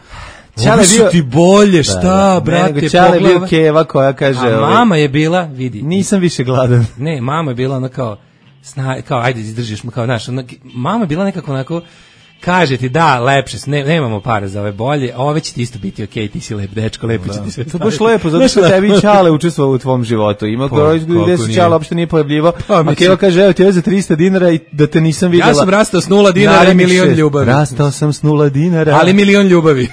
Speaker 5: Ćale su bio... ti bolje, šta, da, da.
Speaker 6: Ne,
Speaker 5: brate,
Speaker 6: nego Ćale je bio keva koja kaže...
Speaker 5: A ovaj, mama je bila, vidi...
Speaker 6: Nisam više gladan.
Speaker 5: Ne, mama je bila ona kao, sna, kao ajde, izdržiš mu, kao, znaš, ona, mama je bila nekako onako... Kaže ti da, lepše, ne, nemamo pare za ove bolje, a ove će ti isto biti okej, okay, ti si lep dečko, lepo da. će ti sve staviti.
Speaker 6: To baš lepo, zato što tebi i Ćale učestvovao u tvom životu. Ima koji gde se Ćale uopšte nije pojavljivo, pa, a Keva kaže, evo ti je za trista dinara i da te nisam vidjela.
Speaker 5: Ja sam rastao s nula dinara i milion ljubavi.
Speaker 6: Rastao sam s nula dinara.
Speaker 5: Ali milion ljubavi.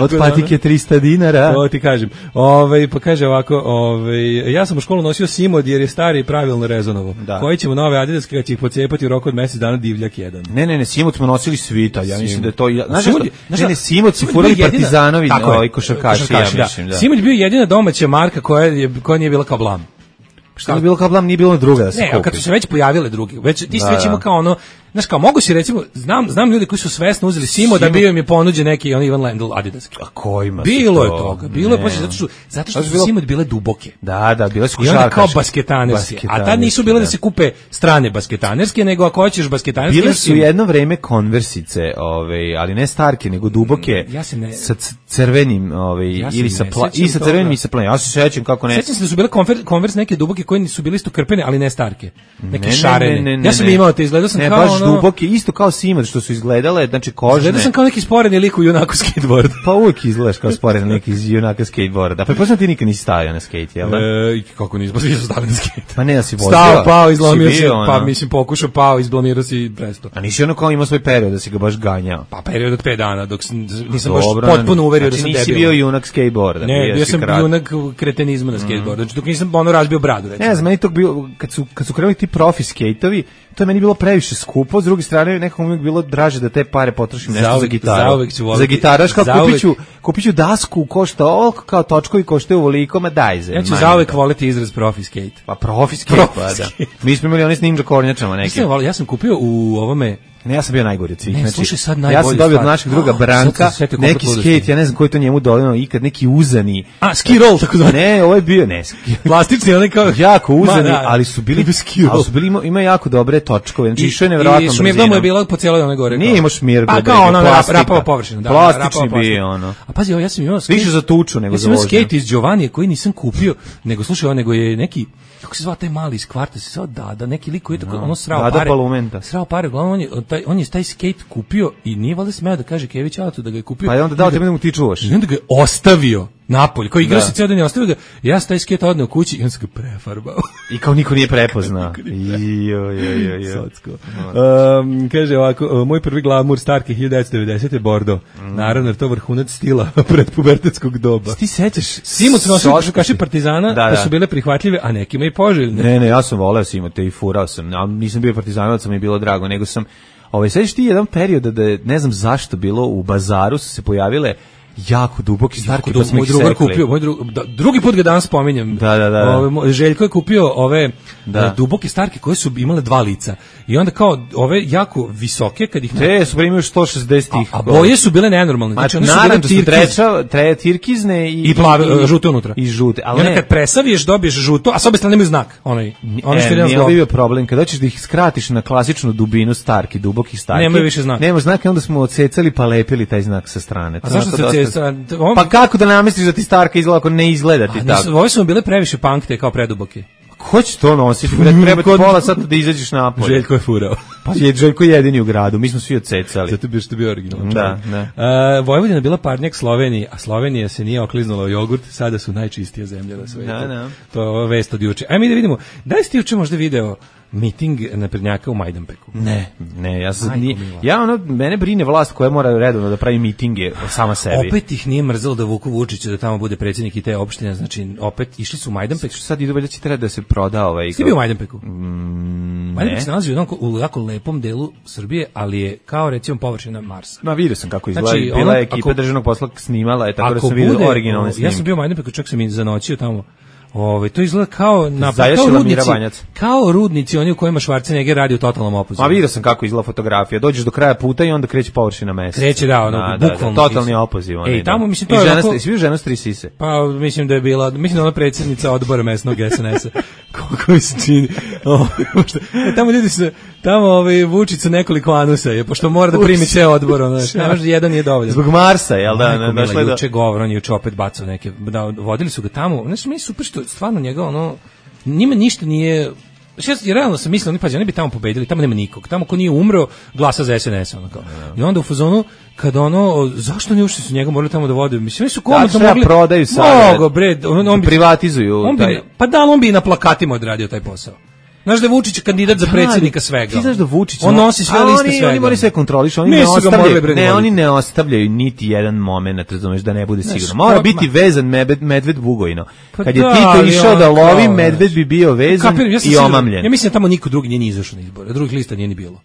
Speaker 6: Od patike trista dinara.
Speaker 5: To ti kažem. Ovaj pa kaže ovako, ovaj ja sam u školu nosio Simod jer je stari i pravilno rezonovo. Da. Koji ćemo nove Adidaske kad će ih pocepati u roku od mjesec dana divljak jedan.
Speaker 6: Ne, ne, ne, Simod smo nosili svita. Ja mislim da je to znaš šta? Ne, ne, Simod su furali Partizanovi, ovaj košarkaši, ja mislim, da.
Speaker 5: Simod bio jedina domaća marka koja je koja nije bila kao blam.
Speaker 6: Šta je bilo kao blam, nije bilo druga da se kupi.
Speaker 5: Ne, kad su se već pojavile druge, već ti sve ćemo kao ono, znaš kao, mogu si recimo, znam, znam ljudi koji su svesno uzeli Simo da bio im je ponuđen neki on Ivan Lendl Adidas.
Speaker 6: A kojima
Speaker 5: bilo je toga, bilo je poslije, zato što, zato što su Simo bile duboke.
Speaker 6: Da, da, bile su
Speaker 5: košarkaške. I onda kao basketanerske, a tad nisu bile da se kupe strane basketanerske, nego ako hoćeš basketanerske.
Speaker 6: Bile su jedno vreme konversice, ovaj, ali ne starke, nego duboke,
Speaker 5: ja se ne,
Speaker 6: sa crvenim, ovaj, ja ili sa pla, i sa crvenim i sa planim. Ja se sećam kako ne.
Speaker 5: Sećam se da su bile konvers neke duboke koje su bile isto krpene, ali ne starke. Neke šarene. Ja sam imao te, izgledao sam kao ono
Speaker 6: duboke, isto kao Simad što su izgledale, znači kožne.
Speaker 5: Gledao sam kao neki sporeni lik u junaku skateboard.
Speaker 6: Pa uvijek izgledaš kao sporeni lik iz junaka skateboarda. Pa pretpostavljam ti nikad nisi stavio na skate, jel da?
Speaker 5: E, kako nismo svi su stavili na skate.
Speaker 6: Pa ne da si vozio.
Speaker 5: Stao, pao, izlomio se,
Speaker 6: ono.
Speaker 5: pa mislim pokušao, pao, izblamirao se i presto.
Speaker 6: A nisi ono kao imao svoj period da si ga baš ganjao?
Speaker 5: Pa period od pet dana, dok sam, nisam
Speaker 6: Dobro,
Speaker 5: baš potpuno uverio
Speaker 6: znači,
Speaker 5: da sam debil.
Speaker 6: nisi bio junak skateboarda.
Speaker 5: Ne, bio sam
Speaker 6: krat.
Speaker 5: junak kretenizma na skateboardu. Znači dok nisam ono razbio bradu, recimo.
Speaker 6: Ne znam, meni to bilo, kad su, kad su krenuli ti profi skejtovi, to je meni bilo previše skupo, s druge strane nekako mi je bilo draže da te pare potrošim nešto
Speaker 5: Zauvek,
Speaker 6: za gitaru.
Speaker 5: zauvek ću voliti.
Speaker 6: Za gitaraš, kao
Speaker 5: Zauvek.
Speaker 6: kupit ću, kupit ću dasku, košta ovoliko, kao točkovi koštaju ovoliko, ma daj ze.
Speaker 5: Ja ću zauvek voliti izraz profi skate.
Speaker 6: Pa profi skate,
Speaker 5: Profi
Speaker 6: pa da.
Speaker 5: skate.
Speaker 6: Mi smo imali oni s ninja kornjačama neki.
Speaker 5: Ja sam, ja sam kupio u ovome.
Speaker 6: Ne, ja sam bio najgori od svih.
Speaker 5: Ne,
Speaker 6: znači,
Speaker 5: slušaj sad
Speaker 6: ja
Speaker 5: najbolju
Speaker 6: sam dobio od
Speaker 5: stvar.
Speaker 6: našeg druga
Speaker 5: Oh,
Speaker 6: Branka,
Speaker 5: sad sam se setio koliko
Speaker 6: neki
Speaker 5: ludosti.
Speaker 6: skate, ja ne znam koji to njemu donio, ikad neki uzani.
Speaker 5: A, ski roll, tako zvani.
Speaker 6: Ne, ovo je bio, ne, ski.
Speaker 5: Plastični, onaj kao...
Speaker 6: jako uzani,
Speaker 5: Ma, da,
Speaker 6: ali su bili,
Speaker 5: ski roll.
Speaker 6: ali su bili, ima, ima jako dobre točkove, znači
Speaker 5: I-
Speaker 6: išao je nevjerovatno
Speaker 5: I šmirgla mu je bila po cijeloj onoj gore.
Speaker 6: Nije
Speaker 5: kao-
Speaker 6: imao šmirglu,
Speaker 5: A
Speaker 6: bre,
Speaker 5: kao ona rap,
Speaker 6: plastika.
Speaker 5: rapava površina. Da,
Speaker 6: Plastični
Speaker 5: rapava plastika.
Speaker 6: bio, ono.
Speaker 5: A pazi, ovo, ja sam imao skate.
Speaker 6: Više za tuču nego
Speaker 5: ja
Speaker 6: za
Speaker 5: sam imao
Speaker 6: vožnju.
Speaker 5: skate iz Giovanije koji nisam kupio, nego slušaj, on nego je neki, kako se zvao taj mali iz kvarta, se zvao Dada, neki lik koji je tako, ono srao
Speaker 6: Dada
Speaker 5: pare.
Speaker 6: Palumenta.
Speaker 5: Srao pare, uglavnom on je, taj, on je taj skate kupio i nije valjda smeo da kaže Kević Alatu da ga je kupio.
Speaker 6: Pa je onda dao
Speaker 5: I da-
Speaker 6: tebe da mu ti čuvaš.
Speaker 5: I onda ga je ostavio napolje, koji igrao
Speaker 6: Da.
Speaker 5: se cijel dan i ostavio ga. Ja sam taj skate odneo kući i on se ga prefarbao.
Speaker 6: I kao niko nije prepoznao. Jo, jo, jo, jo.
Speaker 5: Socko. Um, kaže ovako, moj prvi glamur Starke hiljadu devetsto devedesete Bordo. Naravno, jer to vrhunac stila predpubertetskog doba.
Speaker 6: Ti sećaš?
Speaker 5: Simu su nosili
Speaker 6: Socko.
Speaker 5: košukaši Partizana,
Speaker 6: Da,
Speaker 5: pa
Speaker 6: da.
Speaker 5: su bile prihvatljive, a nekima i poželjne.
Speaker 6: Ne, ne, ja sam voleo Simote i furao sam. A nisam bio partizanovac, mi je bilo drago, nego sam ovaj sećaš ti jedan period da je, ne znam zašto bilo u bazaru su se pojavile jako duboki starke, pa smo
Speaker 5: moj
Speaker 6: ih
Speaker 5: drugar
Speaker 6: sekli.
Speaker 5: kupio, moj drug, da, drugi put ga danas spominjem.
Speaker 6: Da, da, da.
Speaker 5: Ove, moj- Željko je kupio ove
Speaker 6: Da.
Speaker 5: e, duboke starke koje su imale dva lica. I onda kao ove jako visoke kad ih
Speaker 6: Te su primio sto šezdeset ih.
Speaker 5: a boje su bile nenormalne. Znači one su bile
Speaker 6: narančasto
Speaker 5: tirkiz
Speaker 6: treća, tre tirkizne i
Speaker 5: i plave e, žute unutra.
Speaker 6: I žute,
Speaker 5: I
Speaker 6: ali
Speaker 5: onda
Speaker 6: ne.
Speaker 5: kad presaviješ dobiješ žuto, a s obe strane imaju znak. Onaj, onaj što
Speaker 6: E,
Speaker 5: je
Speaker 6: nije
Speaker 5: zglobno.
Speaker 6: bio problem, kada hoćeš da ih skratiš na klasičnu dubinu starki, dubokih starki.
Speaker 5: Nemaju više znaka.
Speaker 6: Nema znaka, onda smo odsecali pa lepili taj znak sa strane.
Speaker 5: A
Speaker 6: To
Speaker 5: zašto
Speaker 6: onako
Speaker 5: se
Speaker 6: dosta-
Speaker 5: cesa? on-
Speaker 6: Pa kako da namestiš da ti starka izgleda ako ne izgleda ti
Speaker 5: A,
Speaker 6: tako?
Speaker 5: nisu- ove su mu bile previše punkte kao preduboke.
Speaker 6: Ko će to nositi? Bre, treba ti
Speaker 5: Kod-
Speaker 6: pola sata da izađeš napolje.
Speaker 5: Željko je furao.
Speaker 6: Pa je Željko jedini u gradu, mi smo svi odsecali.
Speaker 5: Zato bi što je bio originalan.
Speaker 6: Da,
Speaker 5: čovjek.
Speaker 6: da.
Speaker 5: A, Vojvodina bila parnjak Sloveniji, a Slovenija se nije okliznula u jogurt, sada su najčistija zemlja na svetu.
Speaker 6: Da, da.
Speaker 5: To je ova vest od juče. Ajme mi da vidimo, da li ste juče možda video miting naprednjaka u Majdanpeku?
Speaker 6: Ne, ne, ja sam,
Speaker 5: Majko
Speaker 6: nije,
Speaker 5: mila.
Speaker 6: ja ono, mene brine vlast koja mora redovno da pravi mitinge sama sebi.
Speaker 5: Opet ih nije mrzelo da vuku Vučića da tamo bude predsjednik i te opštine, znači opet išli su u Majdanpek.
Speaker 6: Sad idu, valjda će treba da se proda ovaj...
Speaker 5: Ti bio u Majdanpeku?
Speaker 6: Mm,
Speaker 5: Majdanpek
Speaker 6: ne.
Speaker 5: se nalazi u, jednom, u jako lepom delu Srbije, ali je kao recimo površina Marsa.
Speaker 6: Ma vidio sam kako izgleda,
Speaker 5: Znači,
Speaker 6: bila
Speaker 5: ono,
Speaker 6: je ekipa
Speaker 5: ako-
Speaker 6: državnog posla snimala, je tako da
Speaker 5: Ako
Speaker 6: sam vidio
Speaker 5: bude,
Speaker 6: originalne
Speaker 5: o,
Speaker 6: snimke.
Speaker 5: ja sam bio u Majdanpeku, čak sam i zanoćio tamo. Ovaj to izgleda kao na
Speaker 6: Zajašila
Speaker 5: kao
Speaker 6: Mira
Speaker 5: rudnici,
Speaker 6: Banjac.
Speaker 5: kao rudnici oni u kojima Schwarzenegger radi u totalnom opozivu.
Speaker 6: Ma vidio sam kako izgleda fotografija. Dođeš do kraja puta i onda kreće površina meseca.
Speaker 5: Kreće, da, ono,
Speaker 6: da, da,
Speaker 5: bukvalno
Speaker 6: totalni
Speaker 5: sisa.
Speaker 6: opoziv. onaj,
Speaker 5: Ej, tamo,
Speaker 6: da.
Speaker 5: mislim, to
Speaker 6: I
Speaker 5: je
Speaker 6: žena,
Speaker 5: ovako-
Speaker 6: st- svi žena s tri sise.
Speaker 5: Pa mislim da je bila, mislim da je ona predsjednica odbora mesnog S N S-a. Koliko mi se čini. O, pošto, e, tamo ljudi se, tamo ovaj, Vučić sa nekoliko anusa je, pošto mora da primi ceo odbor. Ono, znači, ne može, jedan nije dovoljan.
Speaker 6: Zbog Marsa, jel da?
Speaker 5: Majko
Speaker 6: Ne,
Speaker 5: mila,
Speaker 6: došla je da...
Speaker 5: juče govor, on je juče opet bacao neke, da, vodili su ga tamo, znači mi je super što stvarno njega, ono, njima ništa nije, znači ja realno sam mislio, oni pađe, oni bi tamo pobedili, tamo nema nikog, tamo ko nije umro, glasa za S N S, ono kao. I onda u fazonu, kad ono, zašto ne ušli su njega morali tamo da vode, mislim, oni su komotno
Speaker 6: treba
Speaker 5: mogli,
Speaker 6: prodaju sad,
Speaker 5: mogo, bre, on, on bi,
Speaker 6: privatizuju
Speaker 5: on bi,
Speaker 6: taj-
Speaker 5: pa da, on bi i na plakatima odradio taj posao. Znaš da je Vučić kandidat za predsjednika svega.
Speaker 6: Ti znaš da Vučić
Speaker 5: on nosi sve
Speaker 6: a
Speaker 5: liste
Speaker 6: oni,
Speaker 5: svega.
Speaker 6: Oni moraju sve kontrolišu, oni
Speaker 5: Mi
Speaker 6: ne
Speaker 5: su ga morali,
Speaker 6: ostavljaju,
Speaker 5: bre,
Speaker 6: ne,
Speaker 5: voditi.
Speaker 6: oni ne ostavljaju niti jedan moment, razumeš, da ne bude
Speaker 5: Znaš,
Speaker 6: sigurno. Mora
Speaker 5: pa-
Speaker 6: biti vezan medved, medved Bugojno.
Speaker 5: Pa
Speaker 6: Kad je
Speaker 5: da,
Speaker 6: Tito
Speaker 5: ali
Speaker 6: išao
Speaker 5: on
Speaker 6: da lovi,
Speaker 5: kao,
Speaker 6: medved bi bio vezan
Speaker 5: Kapiram, ja sam
Speaker 6: i
Speaker 5: siguran-
Speaker 6: omamljen.
Speaker 5: Ja mislim da tamo niko drugi nije ni izašao na izbore, drugih lista nije ni bilo.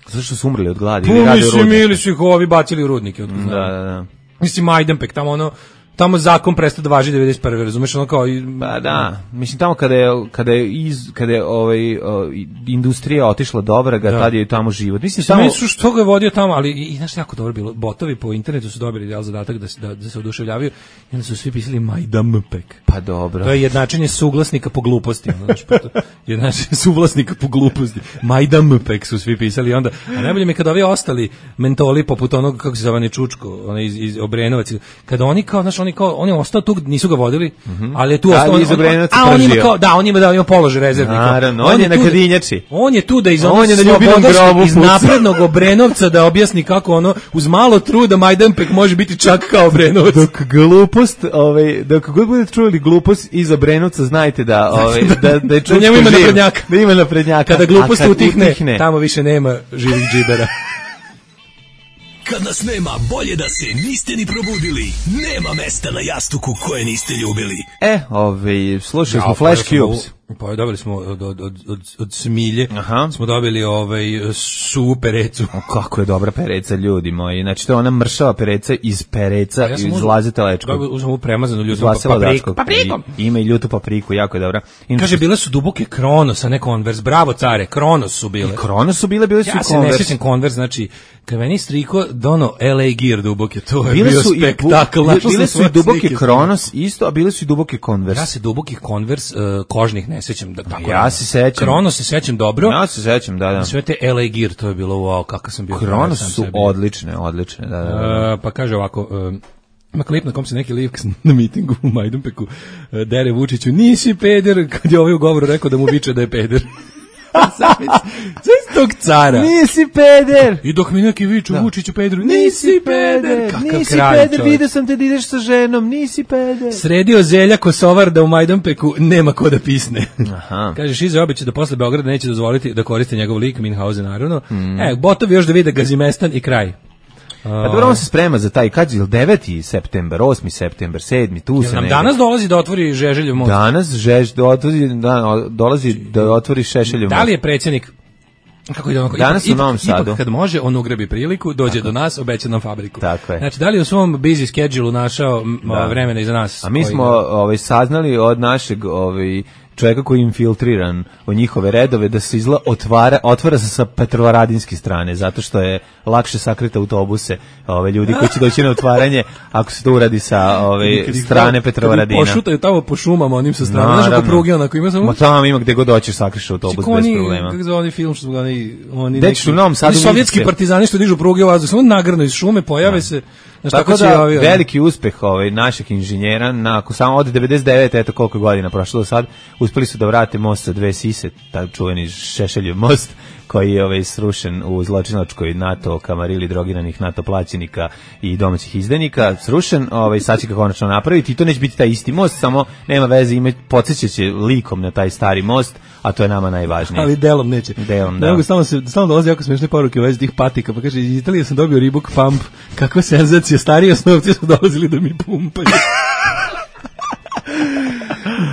Speaker 6: Zašto su umrli od gladi?
Speaker 5: Pa
Speaker 6: ili rade u
Speaker 5: mislim,
Speaker 6: rudniku?
Speaker 5: ili su ih ovi bacili u rudnike. Otko znam.
Speaker 6: Da, da, da.
Speaker 5: Mislim, Majdanpek, tamo ono, tamo zakon prestao da važi devedeset prve razumeš, ono kao... I,
Speaker 6: Pa da, mislim tamo kada je kada je iz kada je ovaj o, i- industrija otišla dobra, ga
Speaker 5: Da.
Speaker 6: tad je tamo život. Mislim
Speaker 5: Samo
Speaker 6: tamo
Speaker 5: su što ga je vodio tamo, ali i, i znaš jako dobro bilo. Botovi po internetu su dobili jel, zadatak da se da, da se oduševljavaju i onda su svi pisali Majdanpek.
Speaker 6: pa dobro.
Speaker 5: To je jednačenje suglasnika po gluposti, ono, znaš, pa to, jednačenje suvlasnika po gluposti. Majdanpek su svi pisali i onda, a najbolje mi je kada ovi ostali mentoli poput onog kako se zove onaj Čučko, onaj iz, iz Obrenovac, kada oni kao, znaš, oni oni kao, on je ostao tu, nisu ga vodili,
Speaker 6: Mm-hmm.
Speaker 5: ali je tu
Speaker 6: Da,
Speaker 5: ostao, on,
Speaker 6: iz Obrenovca
Speaker 5: a on ima
Speaker 6: pržio.
Speaker 5: kao, da, on ima da, on ima položaj rezervnika.
Speaker 6: Naravno, on je na
Speaker 5: tu da-
Speaker 6: Kadinjači.
Speaker 5: On je tu da iz
Speaker 6: On
Speaker 5: onog
Speaker 6: je na ljubinom
Speaker 5: slobodarskog,
Speaker 6: grobu
Speaker 5: iz
Speaker 6: puca.
Speaker 5: naprednog Obrenovca da objasni kako ono, uz malo truda Majdanpek može biti čak kao Obrenovac.
Speaker 6: Dok glupost, ovaj, dok god budete čuli glupost iz Obrenovca, znajte da, ovaj, da, da je
Speaker 5: Da njemu ima naprednjaka.
Speaker 6: Da ima naprednjaka.
Speaker 5: Kada glupost
Speaker 6: A kad
Speaker 5: utihne,
Speaker 6: utihne,
Speaker 5: tamo više nema živih džibera.
Speaker 7: Kad nas nema, bolje da se niste ni probudili. Nema mesta na jastuku koje niste ljubili.
Speaker 6: E, ovaj, slušali smo
Speaker 5: Ja,
Speaker 6: Flash
Speaker 5: pa ja sam
Speaker 6: Cubes.
Speaker 5: u- Pa dobili smo od, od, od, od, od Smilje,
Speaker 6: Aha.
Speaker 5: smo dobili ovaj, suvu perecu.
Speaker 6: O, kako je dobra pereca, ljudi moji. Znači, to je ona mršava pereca iz pereca,
Speaker 5: Ja sam
Speaker 6: iz
Speaker 5: uzeo-
Speaker 6: Laze Telečkog.
Speaker 5: Dobio- Uzmem ovu premazanu
Speaker 6: Iz
Speaker 5: ljutom
Speaker 6: Vasila
Speaker 5: papriku.
Speaker 6: Dačkog.
Speaker 5: Paprikom!
Speaker 6: I- Ima i ljutu papriku, jako je dobra. Inače,
Speaker 5: Kaže, bile su duboke Kronos, a ne Converse. Bravo, care, Kronos su bile.
Speaker 6: Kronos su bile, bile su
Speaker 5: Ja
Speaker 6: i
Speaker 5: se ne
Speaker 6: Converse.
Speaker 5: sjećam Converse, znači, kad meni striko dono L A Gear duboke, to je
Speaker 6: Bile
Speaker 5: bio
Speaker 6: su i,
Speaker 5: spektakl.
Speaker 6: bile,
Speaker 5: našao
Speaker 6: bile
Speaker 5: sam
Speaker 6: su i
Speaker 5: svoje
Speaker 6: duboke
Speaker 5: slike.
Speaker 6: Kronos isto, a bile su i duboke Converse.
Speaker 5: Ja se dubokih Converse uh, kožnih ne sjećam. Da, tako
Speaker 6: Ja
Speaker 5: je.
Speaker 6: se sećam.
Speaker 5: Kronos se sećam dobro.
Speaker 6: Ja se sećam, da, da.
Speaker 5: Sve te L A Gear, to je bilo wow, kakav sam bio. frajer
Speaker 6: Kronos
Speaker 5: sam
Speaker 6: su
Speaker 5: sebi.
Speaker 6: odlične, odlične, da, da, da.
Speaker 5: Uh, pa kaže ovako, uh, ima klip na kom se neki lik na mitingu u Majdanpeku uh, dere Vučiću, nisi peder, kad je ovaj u govoru rekao da mu viče da je peder. Sve iz tog cara.
Speaker 6: Nisi peder!
Speaker 5: I dok mi neki viču Vučiću pederu, nisi peder. Kakav
Speaker 6: nisi
Speaker 5: kralj,
Speaker 6: peder,
Speaker 5: čovjek.
Speaker 6: vidio sam te da ideš sa ženom, nisi peder.
Speaker 5: Sredio Zelja Kosovar da u Majdanpeku nema ko da pisne.
Speaker 6: Aha.
Speaker 5: Kaže, Šiza obeća da posle Beograda neće dozvoliti da koriste njegov lik, Minhausen naravno.
Speaker 6: Mm.
Speaker 5: E, botovi još da vide Gazimestan i kraj.
Speaker 6: Pa dobro, on se sprema za taj, kad je deveti september, osmi september, sedmi, tu
Speaker 5: Jel
Speaker 6: se
Speaker 5: nam
Speaker 6: negde.
Speaker 5: danas dolazi da otvori Žeželjev most?
Speaker 6: Danas žež, da otvori, da, dolazi da otvori Šešeljev
Speaker 5: Da li je
Speaker 6: most.
Speaker 5: predsjednik kako ide onako,
Speaker 6: Danas
Speaker 5: ipak,
Speaker 6: u Novom
Speaker 5: ipak,
Speaker 6: Sadu.
Speaker 5: ipak kad može, on ugrebi priliku, dođe do nas, obeća nam fabriku.
Speaker 6: Tako je.
Speaker 5: Znači, da li je u svom busy schedule našao m,
Speaker 6: Da.
Speaker 5: vremena iza nas?
Speaker 6: A mi
Speaker 5: koji-
Speaker 6: smo ovaj, saznali od našeg ovaj, čovjeka koji je infiltriran u njihove redove da se izla otvara, otvara se sa Petrovaradinske strane, zato što je lakše sakriti autobuse ove, ljudi koji će doći na otvaranje ako se to uradi sa ove,
Speaker 5: Kad ih
Speaker 6: strane
Speaker 5: tamo-
Speaker 6: Petrovaradina.
Speaker 5: Kad ih pošutaju tamo po šumama, onim sa strane. Znaš,
Speaker 6: Naravno.
Speaker 5: ako pruge, onako ima samo...
Speaker 6: Ma tamo ima gde god hoćeš sakriš autobus
Speaker 5: Kako
Speaker 6: bez
Speaker 5: oni,
Speaker 6: problema.
Speaker 5: kako zove onaj film što su ga oni, oni
Speaker 6: Gde ćeš u Novom Sadu
Speaker 5: oni sovjetski
Speaker 6: vidite?
Speaker 5: partizani što dižu pruge u vazduh, samo nagrnu iz šume, pojave se, znaš,
Speaker 6: Tako
Speaker 5: tako će
Speaker 6: da,
Speaker 5: i ovi, ono.
Speaker 6: veliki uspeh ovaj, našeg inženjera, na, ako samo od devedeset devete eto koliko godina prošlo do sad, uspeli su da vrate most sa dve sise, taj čuveni Šešeljev most, koji je ovaj, srušen u zločinačkoj NATO kamarili drogiranih NATO plaćenika i domaćih izdenika, srušen, ovaj, sad će ga konačno napraviti i to neće biti taj isti most, samo nema veze, ima, podsjećat će likom na taj stari most, a to je nama najvažnije.
Speaker 5: Ali delom neće.
Speaker 6: Delom,
Speaker 5: Ne
Speaker 6: da.
Speaker 5: mogu, stalno, se, stalno dolazi jako smešne poruke u vezi tih patika, pa kaže, iz Italije sam dobio Reebok Pump, kakva senzacija, stariji osnovci su dolazili da mi pumpaju.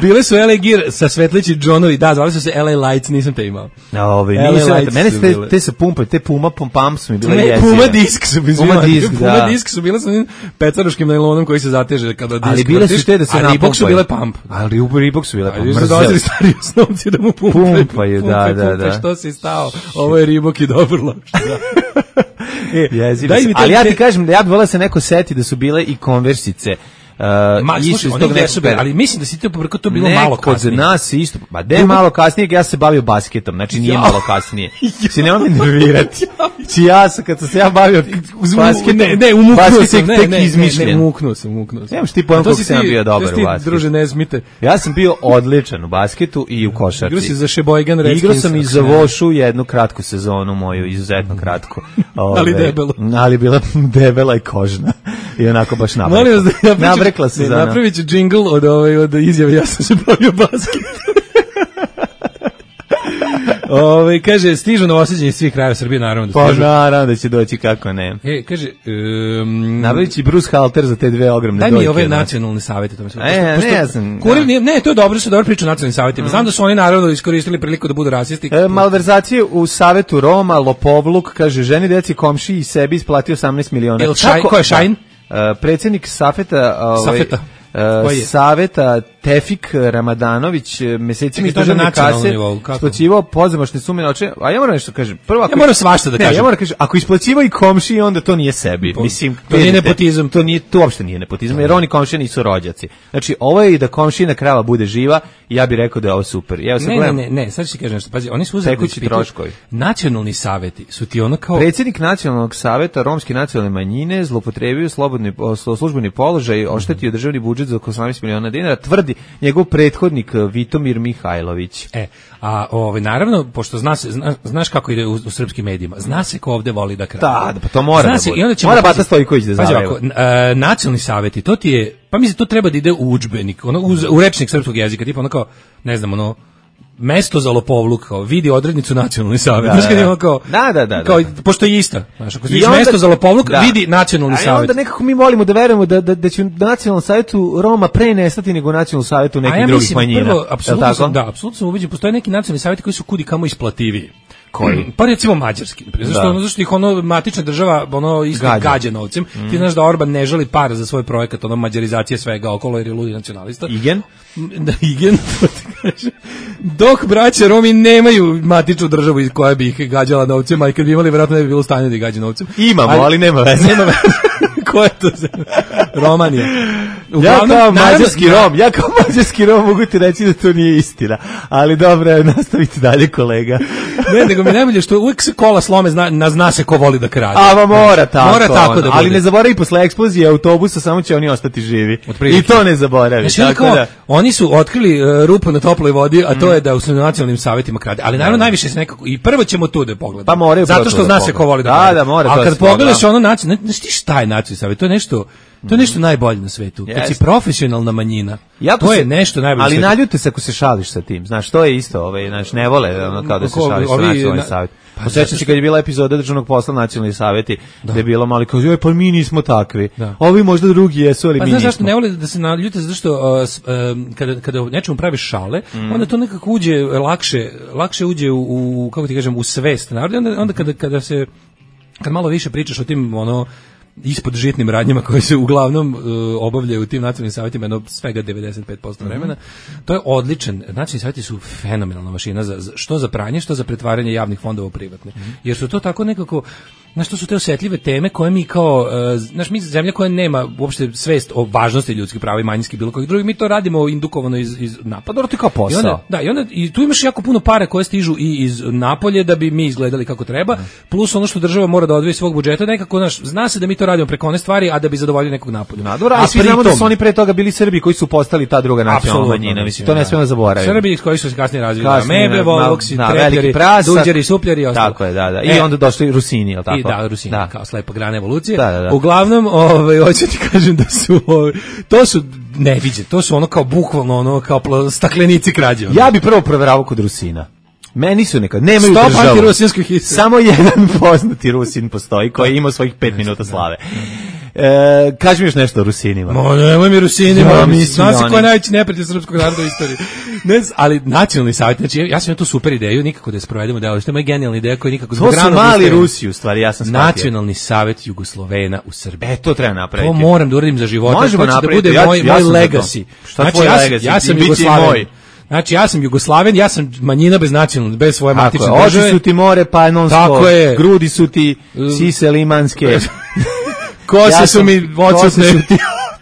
Speaker 5: Bile su L A Gear sa svetlići Johnovi, da, zvali su se L A Lights, nisam te imao.
Speaker 6: Ove,
Speaker 5: L A
Speaker 6: nisam,
Speaker 5: Lights
Speaker 6: mene
Speaker 5: su
Speaker 6: su te,
Speaker 5: bile.
Speaker 6: te sa pumpa, te puma pum pam su mi bile
Speaker 5: Ne,
Speaker 6: jezive.
Speaker 5: Puma disk su bile.
Speaker 6: Puma disk,
Speaker 5: Puma
Speaker 6: da.
Speaker 5: disk su bile sa onim pecaroškim najlonom koji se zateže kada disk
Speaker 6: Ali bile su
Speaker 5: vrtiš,
Speaker 6: te da se
Speaker 5: a Reebok su
Speaker 6: napumpaju.
Speaker 5: bile pump.
Speaker 6: Ali u Reebok su bile
Speaker 5: A
Speaker 6: pump.
Speaker 5: još su
Speaker 6: Mrzeo.
Speaker 5: dolazili stari osnovci da mu pumpaju.
Speaker 6: Pumpaju, da,
Speaker 5: Pumpaj,
Speaker 6: da,
Speaker 5: pumpaj,
Speaker 6: da.
Speaker 5: Što si stao? Ovo je Reebok i dobro loš. Da. E,
Speaker 6: Jezive
Speaker 5: daj
Speaker 6: su.
Speaker 5: mi te-
Speaker 6: Ali ja ti
Speaker 5: te-
Speaker 6: kažem da ja bih voleo da se neko seti da su bile i konversice. Uh,
Speaker 5: Ma,
Speaker 6: isto
Speaker 5: slušaj,
Speaker 6: iz
Speaker 5: oni
Speaker 6: tog
Speaker 5: jesu
Speaker 6: nekog-
Speaker 5: bili, ali mislim da si to pobrko to bilo
Speaker 6: Neko
Speaker 5: malo kasnije.
Speaker 6: za nas isto, ma de malo kasnije, ja se bavio basketom, znači nije
Speaker 5: Ja.
Speaker 6: malo kasnije. Si nema me nervirati. Či ja sam, kad sam se ja bavio basketom,
Speaker 5: ne, ne, umuknuo
Speaker 6: basket
Speaker 5: sam,
Speaker 6: je
Speaker 5: ne,
Speaker 6: tek
Speaker 5: ne, ne,
Speaker 6: izmišljen.
Speaker 5: ne, umuknuo sam, umuknuo sam.
Speaker 6: Nemaš ti pojma
Speaker 5: A to
Speaker 6: koliko
Speaker 5: si
Speaker 6: sam ja
Speaker 5: ti-
Speaker 6: bio dobar
Speaker 5: to si
Speaker 6: u
Speaker 5: ti,
Speaker 6: basketu.
Speaker 5: druže, ne smite.
Speaker 6: Ja sam bio odličan u basketu i u košarci.
Speaker 5: Igrao si za Sheboygan Redskins.
Speaker 6: Igrao sam i
Speaker 5: ako
Speaker 6: za
Speaker 5: se ne-
Speaker 6: Vošu jednu kratku sezonu moju, izuzetno kratku. Ove,
Speaker 5: Ali debelu.
Speaker 6: Ali bila debela i kožna. I onako baš nabrekla.
Speaker 5: Molim vas da ja pričam,
Speaker 6: Nabrekla se
Speaker 5: ne,
Speaker 6: za...
Speaker 5: napravit ću džingl od, ovaj, od izjave, ja sam se bavio basket. Ove, kaže, stižu novosađenje iz svih krajeva Srbije, naravno da
Speaker 6: Pa
Speaker 5: stižu.
Speaker 6: naravno da će doći, kako ne.
Speaker 5: E, kaže, um,
Speaker 6: Nabavit će Bruce Halter za te dve ogromne
Speaker 5: daj
Speaker 6: dojke.
Speaker 5: mi ove
Speaker 6: od nas.
Speaker 5: nacionalne savjete. To mi se-
Speaker 6: E,
Speaker 5: pošto- pošto-
Speaker 6: ne, ja sam-
Speaker 5: Kurir
Speaker 6: da.
Speaker 5: nije- ne, to je dobro, su dobro priča o nacionalnim savjetima. Znam da su oni naravno iskoristili priliku da budu rasisti.
Speaker 6: E, malverzacije u Savetu Roma, lopovluk, kaže, ženi, deci, komši i sebi isplatio osamnaest miliona.
Speaker 5: Jel Šaj-
Speaker 6: Kako-
Speaker 5: ko je Šajn?
Speaker 6: Da. E, predsjednik Safeta, ovaj,
Speaker 5: Safeta.
Speaker 6: e,
Speaker 5: Koji je?
Speaker 6: Saveta Tefik Ramadanović mesecima iz
Speaker 5: to je
Speaker 6: državne
Speaker 5: na nacionalnom
Speaker 6: kase
Speaker 5: nivou, kako?
Speaker 6: isplaćivao pozamašne sume novčane. A ja moram nešto da kažem. Prvo, ako
Speaker 5: Ja moram svašta da
Speaker 6: ne,
Speaker 5: kažem.
Speaker 6: Ja moram da kažem, ako isplaćivao i komšiji, onda to nije sebi. Mislim,
Speaker 5: to nije
Speaker 6: vidite,
Speaker 5: nepotizam.
Speaker 6: To nije, to uopšte nije nepotizam, jer oni komšije nisu rođaci. Znači, ovo je i da komšina krava bude živa, i ja bih rekao da je ovo super. Ja
Speaker 5: Ne, ne, ne, ne, sad ću ti kažem nešto. Pazi, oni su uzeli
Speaker 6: Tekući troškovi.
Speaker 5: Nacionalni saveti su ti ono kao
Speaker 6: Predsjednik Nacionalnog saveta romske nacionalne manjine zloupotrebio slobodni službeni položaj, oštetio državni budžet za oko osamnaest miliona dinara, tvrdi njegov prethodnik Vitomir Mihajlović.
Speaker 5: E, a ovaj naravno pošto zna se zna, znaš kako ide u, u srpskim medijima. Zna se ko ovde voli da krade.
Speaker 6: Da, pa to mora
Speaker 5: Zna
Speaker 6: da
Speaker 5: se,
Speaker 6: bude.
Speaker 5: i onda ćemo
Speaker 6: Mora
Speaker 5: pazi-
Speaker 6: Bata Stojković da
Speaker 5: pazi
Speaker 6: zaveva.
Speaker 5: ovako, e, nacionalni saveti, to ti je, pa mislim to treba da ide u udžbenik, ono u, u rečnik srpskog jezika, tipa ono kao, ne znam, ono mesto za lopovluk, kao vidi odrednicu nacionalni savet.
Speaker 6: Da,
Speaker 5: Znaš kad
Speaker 6: da,
Speaker 5: je
Speaker 6: da.
Speaker 5: ono kao,
Speaker 6: Da, da, da, da.
Speaker 5: kao, pošto je ista. Znaš, ako
Speaker 6: I
Speaker 5: vidiš
Speaker 6: onda-
Speaker 5: mesto za lopovluk,
Speaker 6: da.
Speaker 5: vidi nacionalni
Speaker 6: A i
Speaker 5: savet.
Speaker 6: onda nekako mi volimo da verujemo da, da, da će u nacionalnom savjetu Roma pre nestati nego u nacionalnom savjetu nekih
Speaker 5: A ja
Speaker 6: drugih
Speaker 5: mislim,
Speaker 6: manjina.
Speaker 5: prvo,
Speaker 6: Jel
Speaker 5: apsolutno
Speaker 6: tako?
Speaker 5: sam, da, apsolutno sam ubeđen, postoje neki nacionalni savjeti koji su kudi kamo isplativiji.
Speaker 6: Koji?
Speaker 5: Pa recimo mađarski. Zašto,
Speaker 6: Da.
Speaker 5: ono, zašto ih ono matična država ono isto
Speaker 6: Gađa.
Speaker 5: gađa novcem. Ti znaš da Orban ne žali para za svoj projekat, ono mađarizacije svega okolo jer je ludi nacionalista.
Speaker 6: Igen?
Speaker 5: Da, igen, to ti kažem. Dok braća Romi nemaju matičnu državu iz koja bi ih gađala novcem, a i kad bi imali, vjerojatno ne bi bilo u stanju da ih gađa novcem.
Speaker 6: Imamo, ali nema veze.
Speaker 5: Nema veze. Ko je to za... Romanija.
Speaker 6: Ja
Speaker 5: Uglavnom,
Speaker 6: kao
Speaker 5: naravno-
Speaker 6: mađarski Rom, ja kao mađarski Rom mogu ti reći da to nije istina. Ali dobro, nastavite dalje, kolega.
Speaker 5: Ne, nego mi najbolje što uvijek se kola slome, zna, na, zna se ko voli da krade.
Speaker 6: A va mora tako.
Speaker 5: Mora tako
Speaker 6: ono.
Speaker 5: da bude.
Speaker 6: Ali ne zaboravi posle eksplozije autobusa, samo će oni ostati živi.
Speaker 5: Otprilike.
Speaker 6: I to ne zaboravi.
Speaker 5: Znači, oni,
Speaker 6: Tako
Speaker 5: kao,
Speaker 6: da,
Speaker 5: oni su otkrili uh, rupu na toploj vodi, a to je da u nacionalnim savjetima krade. Ali naravno najviše se nekako, i prvo ćemo tu da pogledamo.
Speaker 6: Pa moraju
Speaker 5: Zato
Speaker 6: prvo
Speaker 5: što
Speaker 6: tu da
Speaker 5: zna se ko
Speaker 6: pogledamo.
Speaker 5: voli da
Speaker 6: Da,
Speaker 5: krade.
Speaker 6: da, mora,
Speaker 5: a
Speaker 6: to
Speaker 5: kad
Speaker 6: se
Speaker 5: pogledaš
Speaker 6: da.
Speaker 5: ono nacionalno, znaš ti šta je nacionalni savjet? To je nešto, to je nešto najbolje na svetu. Kad si
Speaker 6: Jeste.
Speaker 5: profesionalna manjina,
Speaker 6: jako
Speaker 5: to je
Speaker 6: se-
Speaker 5: nešto najbolje.
Speaker 6: Ali
Speaker 5: na svetu.
Speaker 6: naljute se ako se šališ sa tim. Znaš, to je isto, ovaj, znaš, ne vole ono kao da se
Speaker 5: Ko-
Speaker 6: šališ sa
Speaker 5: ovi
Speaker 6: nacionalnim
Speaker 5: na-
Speaker 6: savjet.
Speaker 5: Pa
Speaker 6: Posjećam
Speaker 5: zato
Speaker 6: se kad je bila epizoda državnog posla nacionalni savjeti, da je bilo malo kao, joj, pa mi nismo takvi.
Speaker 5: Da.
Speaker 6: Ovi možda drugi jesu, ali
Speaker 5: Pa
Speaker 6: mi
Speaker 5: znaš
Speaker 6: nismo.
Speaker 5: zašto ne vole da se naljute, zato što uh, s- um, kada, kada o nečemu praviš šale, onda to nekako uđe lakše, lakše uđe u, u kako ti kažem, u svest naroda. Onda, onda kada, kada se, kad malo više pričaš o tim, ono, ispod žitnim radnjama koje se uglavnom uh, obavljaju u tim nacionalnim savjetima, jedno svega devedeset pet posto vremena. To je odličan. Nacionalni savjeti su fenomenalna mašina za, za što za pranje, što za pretvaranje javnih fondova u privatne. Jer su to tako nekako, znaš, to su te osetljive teme koje mi kao, uh, znaš, mi zemlja koja nema uopšte svest o važnosti ljudskih prava i manjinskih bilo kojih drugih, mi to radimo indukovano iz, iz napada.
Speaker 6: Dobro, to je kao posao.
Speaker 5: I onda, da, i onda i tu imaš jako puno para koje stižu i iz napolje da bi mi izgledali kako treba, plus ono što država mora da odvoji iz svog budžeta, nekako, znaš, zna se da mi to radimo preko one stvari, a da bi zadovoljili nekog napolja.
Speaker 6: Na, dobro, a svi znamo da su oni pre toga bili Srbi koji su postali ta druga nacionalna manjina. Mislim, to ne smemo zaboraviti.
Speaker 5: Srbi koji su se kasnije razvili.
Speaker 6: Kasnije,
Speaker 5: Meble,
Speaker 6: na-
Speaker 5: Voloksi,
Speaker 6: na-
Speaker 5: Trepljari,
Speaker 6: veliki prasak.
Speaker 5: Duđari, Supljari i ostalo.
Speaker 6: Tako je, da, da. I
Speaker 5: E,
Speaker 6: onda došli Rusini, je li tako?
Speaker 5: I da, Rusini,
Speaker 6: Da.
Speaker 5: kao slepa grana evolucije.
Speaker 6: Da, da, da.
Speaker 5: Uglavnom, ovaj, hoću ti kažem da su, ovaj, to su neviđe, to su ono kao bukvalno ono kao pla- staklenici krađe. ono.
Speaker 6: Ja bi prvo proveravao kod Rusina. Meni su nekad, nemaju
Speaker 5: Stop
Speaker 6: državu.
Speaker 5: antirusinskoj histeri.
Speaker 6: Samo jedan poznati Rusin postoji koji ima svojih pet minuta slave. E, kaži mi još nešto o Rusinima.
Speaker 5: Ma nemoj mi Rusinima,
Speaker 6: Ja,
Speaker 5: mi
Speaker 6: mislim
Speaker 5: zna
Speaker 6: da
Speaker 5: se
Speaker 6: oni-
Speaker 5: ko je najveći neprijatelj srpskog naroda u istoriji. Ne, z- ali nacionalni savjet, znači ja sam imao tu super ideju, nikako da je sprovedemo delo, što je moja genijalna ideja koja nikako
Speaker 6: To
Speaker 5: zbog
Speaker 6: su
Speaker 5: ranog
Speaker 6: mali
Speaker 5: ustajanja-
Speaker 6: Rusi, u stvari, ja sam shvatio.
Speaker 5: Nacionalni savjet Jugoslovena u Srbiji.
Speaker 6: E, to treba napraviti.
Speaker 5: To moram da uradim za života.
Speaker 6: Možemo
Speaker 5: to će da
Speaker 6: napraviti,
Speaker 5: bude
Speaker 6: ja ću-
Speaker 5: moj,
Speaker 6: ja
Speaker 5: moj
Speaker 6: sam za to.
Speaker 5: legacy.
Speaker 6: Šta tvoj
Speaker 5: ja,
Speaker 6: legacy?
Speaker 5: Ja sam
Speaker 6: I bit će i
Speaker 5: Jugoslaven.
Speaker 6: moj.
Speaker 5: Znači, ja sam Jugoslaven, ja sam manjina bez nacionalne, bez svoje
Speaker 6: Tako
Speaker 5: matične
Speaker 6: je, oči
Speaker 5: države.
Speaker 6: su ti more panonsko,
Speaker 5: Tako je.
Speaker 6: grudi su ti sise limanske.
Speaker 5: Kose
Speaker 6: Ja
Speaker 5: su
Speaker 6: sam-
Speaker 5: mi
Speaker 6: kose
Speaker 5: odsutne.
Speaker 6: su ti-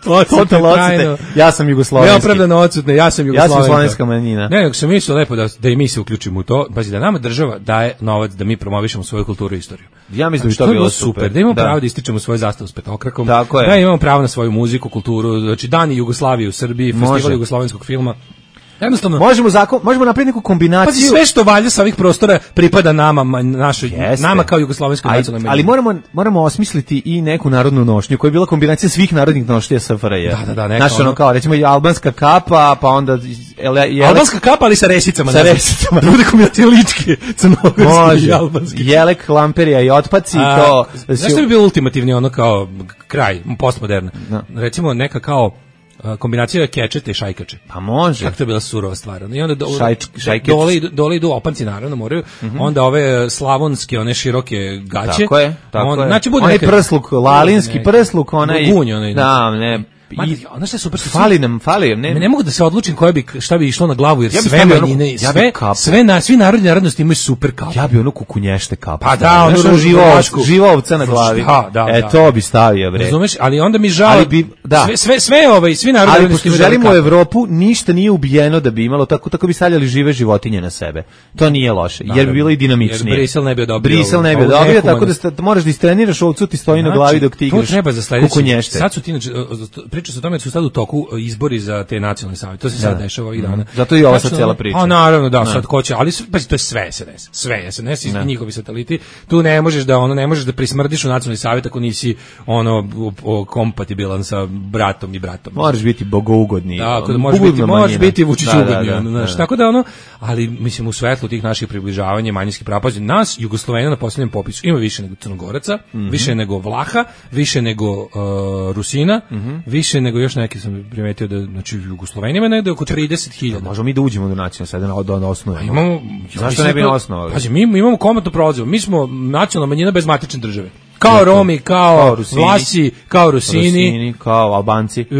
Speaker 5: Odsutne
Speaker 6: Total
Speaker 5: trajno.
Speaker 6: odsutne. Ja sam jugoslovenski.
Speaker 5: Neopravdano odsutne, ja sam Jugoslovenka.
Speaker 6: jugoslovenska manjina.
Speaker 5: Ne, nego sam mislio lepo da, da i mi se uključimo u to. Pazi, da nama država daje novac da mi promovišemo svoju kulturu i istoriju.
Speaker 6: Ja mislim da bi
Speaker 5: Znači,
Speaker 6: to
Speaker 5: je
Speaker 6: bilo super.
Speaker 5: Da imamo pravo da ističemo svoju zastavu s petokrakom.
Speaker 6: Tako je.
Speaker 5: Da imamo pravo na svoju muziku, kulturu, znači dani Jugoslavije u Srbiji,
Speaker 6: Može.
Speaker 5: festival jugoslovenskog filma. Jednostavno,
Speaker 6: Možemo zakon, možemo napraviti neku kombinaciju.
Speaker 5: pazi, sve što valja sa ovih prostora pripada nama, ma- našoj,
Speaker 6: Jeste.
Speaker 5: nama kao jugoslovenskoj
Speaker 6: Aj,
Speaker 5: nacionalnoj
Speaker 6: ali
Speaker 5: manjini.
Speaker 6: moramo moramo osmisliti i neku narodnu nošnju koja je bila kombinacija svih narodnih nošnji S F R J.
Speaker 5: Da, da, da, neka
Speaker 6: Znaš, ono
Speaker 5: ono-
Speaker 6: kao, recimo i albanska kapa, pa onda ele, jele,
Speaker 5: Albanska kapa, ali sa resicama.
Speaker 6: Sa
Speaker 5: ne znam.
Speaker 6: resicama.
Speaker 5: Da bude kombinacija ličke, crnogorske i
Speaker 6: može.
Speaker 5: albanske.
Speaker 6: Jelek, lamperija i otpaci,
Speaker 5: A,
Speaker 6: to...
Speaker 5: Znaš što bi bio ultimativni ono kao kraj, postmoderna?
Speaker 6: Da.
Speaker 5: Recimo neka kao a, kombinacija kečete i šajkače.
Speaker 6: Pa može.
Speaker 5: Kako to je bila surova stvar. ono. I onda do,
Speaker 6: Šajč- šajkec.
Speaker 5: dole, idu, dole idu opanci, naravno, moraju. Onda ove slavonske, one široke gaće.
Speaker 6: Tako je, tako
Speaker 5: On-
Speaker 6: je.
Speaker 5: Znači, bude
Speaker 6: onaj
Speaker 5: neka-
Speaker 6: prsluk, lalinski
Speaker 5: Bude
Speaker 6: prsluk, onaj...
Speaker 5: Gunj, onaj.
Speaker 6: Da, ne...
Speaker 5: I ona šta je super,
Speaker 6: fali nam, fali nam, ne,
Speaker 5: ne mogu da se odlučim koja bi šta bi išlo na glavu, jer
Speaker 6: ja
Speaker 5: sve manjine, ja sve, sve na svi narodni narodnosti imaju super kapu.
Speaker 6: Ja bi ono kukunješte kapu.
Speaker 5: Pa da, ono
Speaker 6: živa, živa ovca na glavi.
Speaker 5: Da, da,
Speaker 6: e, to bi stavio, bre.
Speaker 5: Razumeš, ali onda mi žao,
Speaker 6: bi, da.
Speaker 5: sve, sve, sve, ovaj, svi narodni
Speaker 6: ali
Speaker 5: narodnosti
Speaker 6: pošto želimo u Evropu, ništa nije ubijeno da bi imalo, tako, tako bi stavljali žive životinje na sebe. To nije loše, jer bi bilo i dinamičnije.
Speaker 5: Jer Brisel ne bi odobrio.
Speaker 6: Brisel ne bi odobrio, tako da sta, moraš da istreniraš ovcu, ti stoji na glavi dok ti igraš.
Speaker 5: To treba za sledeći. Sad su ti, priča se o tome da su sad u toku izbori za te nacionalne savete. To se sad dešava ovih dana.
Speaker 6: Zato i ova sad cela priča.
Speaker 5: A naravno, da, sad ko će, ali pa to je sve S N S. Sve S N S i njihovi sateliti. Tu ne možeš da ono ne možeš da prismrdiš u nacionalni savet ako nisi ono kompatibilan sa bratom i bratom.
Speaker 6: Moraš biti bogougodni.
Speaker 5: Tako da možeš biti, možeš biti Vučić ugodni, znaš. Tako da ono, ali mislim u svetlu tih naših približavanja manjinskih prava, nas Jugoslovena na poslednjem popisu ima više nego Crnogoraca, mm -hmm. više nego Vlaha, više nego uh, Rusina, mm -hmm. više nego još neki sam primetio da znači u Jugosloveni ima negde oko trideset hiljada.
Speaker 6: Možemo mi da uđemo do nacionalne sad da da osnovimo.
Speaker 5: Imamo,
Speaker 6: zašto ne bi osnovali?
Speaker 5: Pazi, mi imamo komotno prolazivo. Mi smo nacionalna manjina bez matične države. Kao Romi, kao, kao Rusini, Vlasi, kao Rusini,
Speaker 6: Rusini kao Albanci.
Speaker 5: Uh,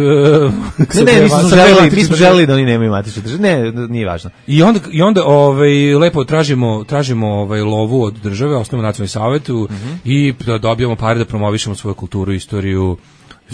Speaker 6: ne, ne, mi smo želeli, mi smo želeli da oni nemaju matične države. Ne, nije važno.
Speaker 5: I onda i onda ovaj lepo tražimo tražimo ovaj lovu od države, osnovno nacionalni savet mm -hmm. i da dobijemo pare da promovišemo svoju kulturu, istoriju,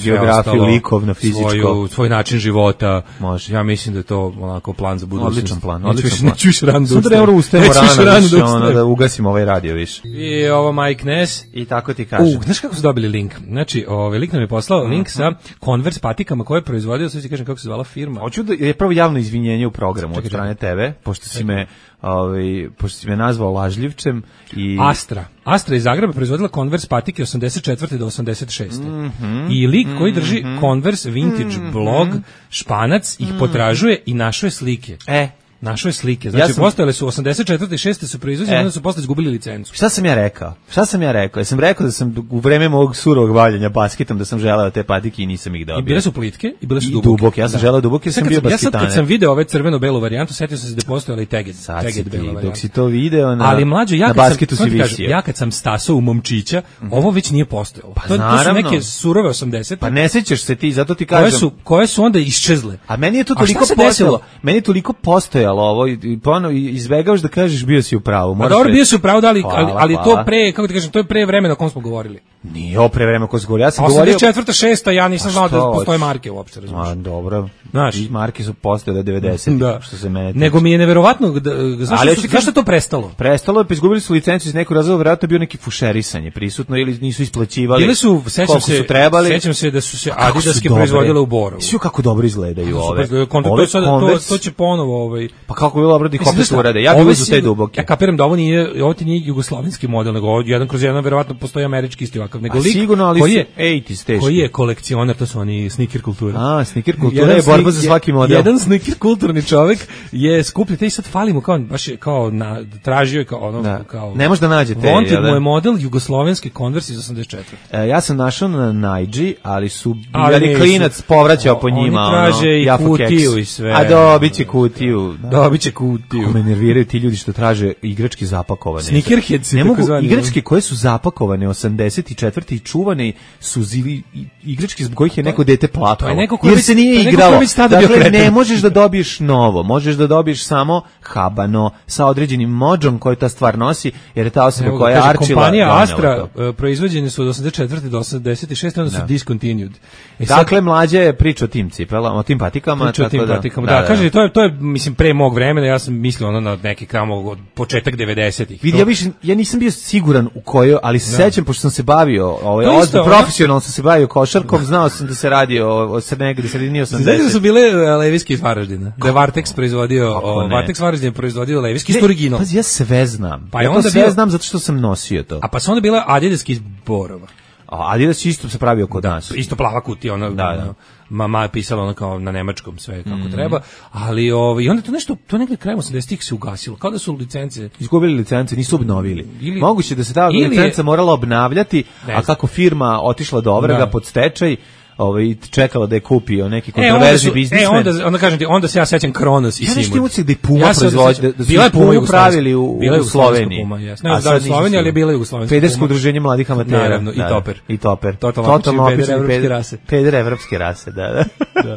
Speaker 6: geografiju, likovno, fizičko,
Speaker 5: svoju, svoj način života.
Speaker 6: Može.
Speaker 5: Ja mislim da je to onako plan za budućnost.
Speaker 6: Odličan plan, odličan plan.
Speaker 5: Neću više rano da
Speaker 6: ustajem. Sutra ne ustajemo rano, više, ono, da ugasimo ovaj radio više.
Speaker 5: I ovo Mike Ness.
Speaker 6: I tako ti kažem.
Speaker 5: U, znaš kako su dobili link? Znači, ovaj lik nam je poslao uh -huh. link sa Converse patikama koje je proizvodio, sad ti kažem kako se zvala firma.
Speaker 6: Hoću da je prvo javno izvinjenje u programu čekaj, od strane tebe, pošto si me ovaj pošto si me nazvao lažljivčem i
Speaker 5: Astra. Astra iz Zagreba proizvodila Converse patike osamdeset četvrte do osamdeset šeste. Mm -hmm. I lik koji drži mm -hmm. Converse vintage mm -hmm. blog Španac ih potražuje i našao je slike.
Speaker 6: E,
Speaker 5: našao je slike. Znači, ja sam... postojale su osamdeset četvrte i šeste su proizvođene,
Speaker 6: e.
Speaker 5: onda su posle izgubili licencu.
Speaker 6: Šta sam ja rekao? Šta sam ja rekao? Ja sam rekao da sam u vreme mog surovog bavljenja basketom da sam želeo te patike i nisam ih dobio.
Speaker 5: I bile su plitke i bile su
Speaker 6: I
Speaker 5: duboke.
Speaker 6: duboke. Ja sam da. želeo duboke, ja sam bio basketaner.
Speaker 5: Ja sad kad sam video ove crveno-belu varijantu, setio sam se da postojala i teget. Teget bela varijanta.
Speaker 6: Dok si to video na,
Speaker 5: ali mlađo, ja
Speaker 6: na basketu si visio.
Speaker 5: Ja kad sam stasao u momčića, mm -hmm. ovo već nije postojalo.
Speaker 6: Pa
Speaker 5: to, to su neke surove osamdesete.
Speaker 6: Pa ne sećaš se ti, zato ti kažem.
Speaker 5: Koje su, koje su onda iščezle.
Speaker 6: A meni je to toliko postojalo. Meni je toliko postojalo ovo i ono izbegavaš da kažeš bio si u pravu.
Speaker 5: A dobro, bio si u pravu, da, ali, ali, ali to pre, kako ti kažem, to je pre vremena o kom smo govorili.
Speaker 6: Nije o pre vremena o kom smo govorili. Ja sam govorio
Speaker 5: osamdeset četvrta šesta ja nisam znao da postoje marke uopšte, razumiješ.
Speaker 6: A dobro.
Speaker 5: Znaš,
Speaker 6: marke su postojale devedesetih,
Speaker 5: da.
Speaker 6: Što se mene tiče.
Speaker 5: Nego mi je neverovatno da znaš ali što, zašto to prestalo?
Speaker 6: Prestalo je, pa izgubili su licencu iz nekog razloga, verovatno bio neki fušerisanje prisutno ili nisu isplaćivali.
Speaker 5: Bili su, sećam se, sećam se da su se Adidaske proizvodile u Borovu.
Speaker 6: Sve kako dobro izgledaju ove.
Speaker 5: To sad to to će ponovo ovaj.
Speaker 6: Pa kako bilo dobro da ih opet urade. Ja bih uzeo te duboke.
Speaker 5: Ja kapiram da ovo nije, ovo ti nije jugoslovenski model, nego ovo jedan kroz jedan verovatno postoji američki isti ovakav, nego lik koji je
Speaker 6: osamdeset
Speaker 5: koji je kolekcioner, to su oni sneaker kultura.
Speaker 6: A, sneaker kultura je borba za svaki model.
Speaker 5: Jedan sneaker kulturni čovjek je skupljen, te i sad falimo kao baš je kao na tražio je kao ono
Speaker 6: da.
Speaker 5: kao
Speaker 6: ne može da nađe te.
Speaker 5: Wanted mu je model jugoslovenski Converse iz osamdeset četvrte.
Speaker 6: E, ja sam našao na Naiji, ali su bili klinac povraćao po njima,
Speaker 5: ono. Oni traže i kutiju i sve.
Speaker 6: A dobiće kutiju.
Speaker 5: Dobiće kutiju.
Speaker 6: Me nerviraju ti ljudi što traže igračke zapakovane.
Speaker 5: Sneakerheads,
Speaker 6: ne mogu igračke koje su zapakovane osamdeset četvrte i čuvane su zili igračke zbog kojih je neko dete plakalo. Jer se nije igralo. Dakle, ne možeš da dobiješ novo, možeš da dobiješ samo habano sa određenim modžom koju ta stvar nosi, jer je ta osoba koja je arčila.
Speaker 5: Kompanija Astra proizvođene su od osamdeset četvrte do osamdeset šeste, onda su discontinued.
Speaker 6: Dakle, mlađa je priča o tim cipelama, o tim patikama.
Speaker 5: Priča o tim patikama, da. Kaže, to je, to je, mislim, pre mog vremena, ja sam mislio ono na neki kamo početak devedesetih.
Speaker 6: Vidi, ja, više, ja nisam bio siguran u kojoj, ali se sećam, pošto sam se bavio, ovaj, ozbiljno, profesionalno sam se bavio košarkom, znao sam da se radi o, o negde sredini osamdesetih.
Speaker 5: Znači da su bile Leviski iz Varaždina, da je Vartex proizvodio, o, Vartex Varaždin je proizvodio Leviski, isto original.
Speaker 6: Pazi, ja sve znam, pa ja to sve bio, znam zato što sam nosio to.
Speaker 5: A pa su onda bila Adidaski iz Borova.
Speaker 6: A Adidas isto se pravio kod
Speaker 5: da,
Speaker 6: nas.
Speaker 5: Isto plava kutija, ona, da, da. Mama je pisala ono kao na nemačkom sve kako mm. treba, ali ovaj i onda to nešto to negde krajem osamdesetih se ugasilo, kao da su licence
Speaker 6: izgubili licence, nisu obnovili. Ili, moguće da se ta licenca morala obnavljati, a kako firma otišla do ovrga pod stečaj, ovaj čekala da je kupio neki kontroverzni biznismen.
Speaker 5: E, onda, onda kažem ti, onda se ja sećam Kronos i Simon.
Speaker 6: Ja nešto da i Puma ja proizvodi, da, da su bila Pumu pravili u, u Sloveniji.
Speaker 5: Puma, ne znam da u Sloveniji, ali je bila Jugoslovenska Puma.
Speaker 6: Pedersko udruženje mladih amatera.
Speaker 5: Naravno, i Toper.
Speaker 6: I Toper.
Speaker 5: Totalno peder evropske rase.
Speaker 6: Peder evropske rase, da, da.
Speaker 5: da.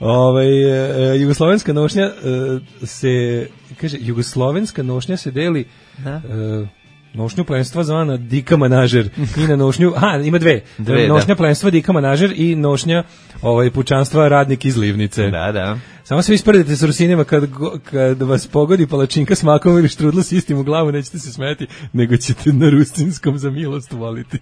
Speaker 5: Ovaj, jugoslovenska nošnja se, kaže, jugoslovenska nošnja se deli na nošnju plenstva zvana Dika Manažer i na nošnju, aha, ima dve, dve nošnja da. Plenstva Dika Manažer i nošnja ovaj, pučanstva Radnik iz Livnice.
Speaker 6: Da, da.
Speaker 5: Samo se vi ispredite s Rusinima kad, kad vas pogodi palačinka s makom ili štrudla s istim u glavu, nećete se smeti, nego ćete na rusinskom za milost voliti.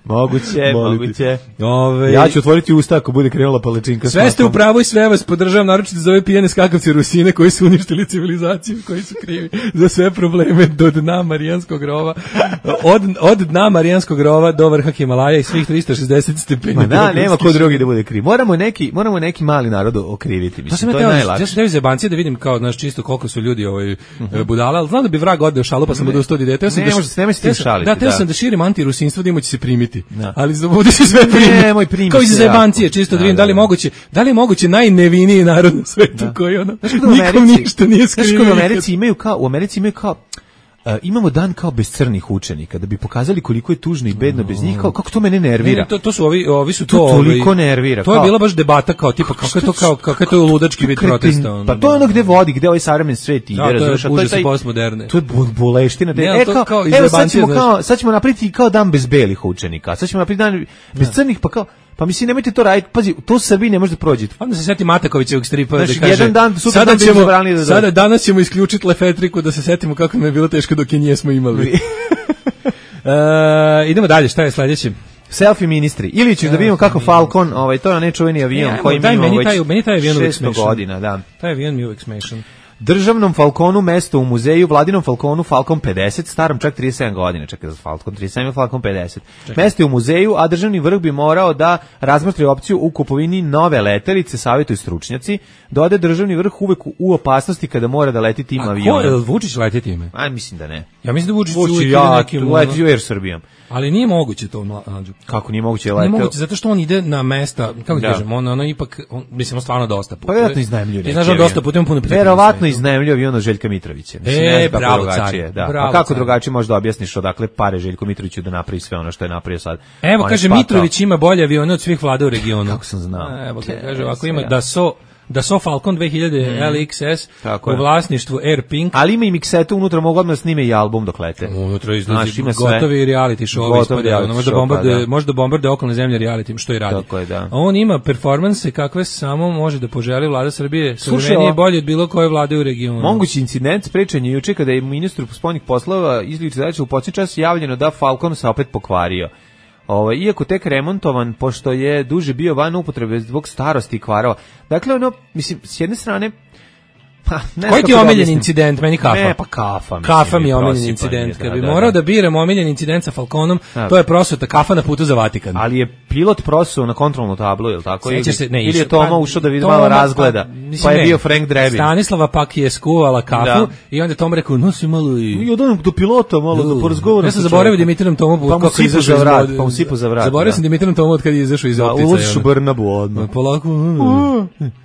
Speaker 6: Moguće, moguće.
Speaker 5: Ove,
Speaker 6: ja ću otvoriti usta ako bude krenula palačinka s makom.
Speaker 5: Sve ste u pravu i sve vas podržavam, naročito za ove pijene skakavce Rusine koji su uništili civilizaciju, koji su krivi za sve probleme do dna Marijanskog rova. Od, od dna Marijanskog rova do vrha Himalaja i svih trista šezdeset stepeni.
Speaker 6: Ma da, nema ko drugi da bude kriv. Moramo neki, moramo neki mali narod okriviti, mislim, to je najlakše.
Speaker 5: Ja sam teo iz jebancije da vidim kao, znaš, čisto koliko su ljudi ovaj, uh-huh. budala, ali znam da bi vrag odneo šalu, pa sam odustao od ideje. Teo sam
Speaker 6: ne,
Speaker 5: da,
Speaker 6: može, nemoj se tim šaliti.
Speaker 5: Da, teo
Speaker 6: da.
Speaker 5: sam da širim antirusinstvo, da ima će se primiti. Da. Ali ovdje se sve primi.
Speaker 6: Nemoj primiti.
Speaker 5: Kao iz jebancije, čisto da, da vidim da li moguće, da li je moguće najneviniji narod na svetu
Speaker 6: da.
Speaker 5: koji ono,
Speaker 6: znaš,
Speaker 5: nikom ništa nije skrivio.
Speaker 6: Znaš, u Americi imaju kao, u Americi imaju kao Uh, imamo dan kao bez crnih učenika da bi pokazali koliko je tužno i bedno bez njih, kao kako to mene nervira.
Speaker 5: Ne, to, to su ovi, ovi su to,
Speaker 6: to toliko ovi, nervira.
Speaker 5: To
Speaker 6: kao,
Speaker 5: je bila baš debata kao tipa kako je to kao kako je to ludački vid protesta. Ono,
Speaker 6: pa to je ono gde vodi, gde ovaj savremeni svet ide, razumeš,
Speaker 5: a to je taj postmoderne.
Speaker 6: To je boleština.
Speaker 5: Ne,
Speaker 6: e, kao,
Speaker 5: kao
Speaker 6: evo sad ćemo kao sad ćemo napraviti kao dan bez belih učenika. Sad ćemo napraviti dan bez crnih, pa kao pa mislim nemojte to raditi. Pazi, to u Srbiji ne može da prođe.
Speaker 5: Onda se seti Matakovićevog stripa da
Speaker 6: kaže.
Speaker 5: Jedan
Speaker 6: dan sutra
Speaker 5: sada ćemo
Speaker 6: da
Speaker 5: sada danas ćemo isključiti Lefetriku da se setimo kako nam je bilo teško dok je njesmo imali. uh, idemo dalje, šta je sledeće?
Speaker 6: Selfie ministri. Ili ćeš da vidimo kako Falcon, ovaj to je nečuveni avion
Speaker 5: ja,
Speaker 6: koji mi imamo već
Speaker 5: taj, meni taj avion
Speaker 6: šesto godina, da.
Speaker 5: Taj avion mi uvek smešan.
Speaker 6: Državnom Falconu mesto u muzeju, vladinom Falconu Falcon pedeset, starom čak trideset sedam godina, čekaj za Falcon trideset sedam, Falcon pedeset. Čekaj. Mesto je u muzeju, a državni vrh bi morao da razmotri opciju u kupovini nove letelice, savjetuju stručnjaci, dode državni vrh uvek u opasnosti kada mora da leti tim avionom.
Speaker 5: A ko je Vučić leti time?
Speaker 6: A mislim da ne.
Speaker 5: Ja mislim da Vučić,
Speaker 6: Vučić
Speaker 5: uvek
Speaker 6: ja,
Speaker 5: nekim
Speaker 6: leti u Air Srbijom.
Speaker 5: Ali nije moguće to, mlađu.
Speaker 6: Kako nije moguće leteti?
Speaker 5: Nije moguće, zato što on ide na mesta, kako da kažem, on, ono ipak, on, mislim, stvarno dosta puta.
Speaker 6: Pa vjerojatno iznajmljuje.
Speaker 5: Ti znaš, on dosta puta, on puno puta.
Speaker 6: Verovatno iznajmljuje avion od Željka Mitrovića.
Speaker 5: Mislim, e, bravo, car.
Speaker 6: Da. Pa kako drugačije možeš da objasniš odakle pare Željko Mitroviću da napravi sve ono što je napravio sad?
Speaker 5: Evo, kaže, Mitrović ima bolje avione od svih vlada u regionu.
Speaker 6: Kako sam znao.
Speaker 5: Evo, kaže, ako ima da so da so Falcon dve hiljade mm. L X S u vlasništvu Air Pink.
Speaker 6: Ali ima i miksetu unutra, mogu odmah snime i album dok lete.
Speaker 5: Unutra izlazi gotovi reality show, ispade, ono, možda bombarduje, možda bombarduje okolne zemlje reality, što i radi.
Speaker 6: Tako je, da.
Speaker 5: On ima performanse kakve samo može da poželi vlada Srbije, savremenije i bolje od bilo koje vlade u regionu.
Speaker 6: Mogući incident sprečen je juče kada je ministru spoljnih poslova izliči zadaća u posljednji čas javljeno da Falcon se opet pokvario. Ovo, iako tek remontovan, pošto je duže bio van upotrebe zbog starosti i kvarova. Dakle, ono, mislim, s jedne strane,
Speaker 5: pa, ne koji ti je omiljen incident, meni kafa?
Speaker 6: Ne, pa kafa.
Speaker 5: Mislim, kafa mi je omiljen incident. Kad bi da, morao da, da biram omiljen incident sa Falconom, da. To je prosuta kafa na putu za Vatikan.
Speaker 6: Ali je pilot prosuo na kontrolnu tablu, je li tako? Ili,
Speaker 5: se, ne,
Speaker 6: ili je Toma pa, ušao da vidi malo razgleda, pa, mislim, pa je ne, bio Frank Drebin.
Speaker 5: Stanislava pak je skuvala kafu da. I onda je Tom rekao, nosi malo i...
Speaker 6: I odam do pilota malo da porazgovaram.
Speaker 5: Ja sam zaboravio Dimitrijem Tomu
Speaker 6: pa kako izašao za vrat, pa mu sipu za vrat.
Speaker 5: Zaboravio sam Dimitrijem Tomu od kad je izašao iz optice.
Speaker 6: Ulaziš u Brnabu odmah.
Speaker 5: Polako,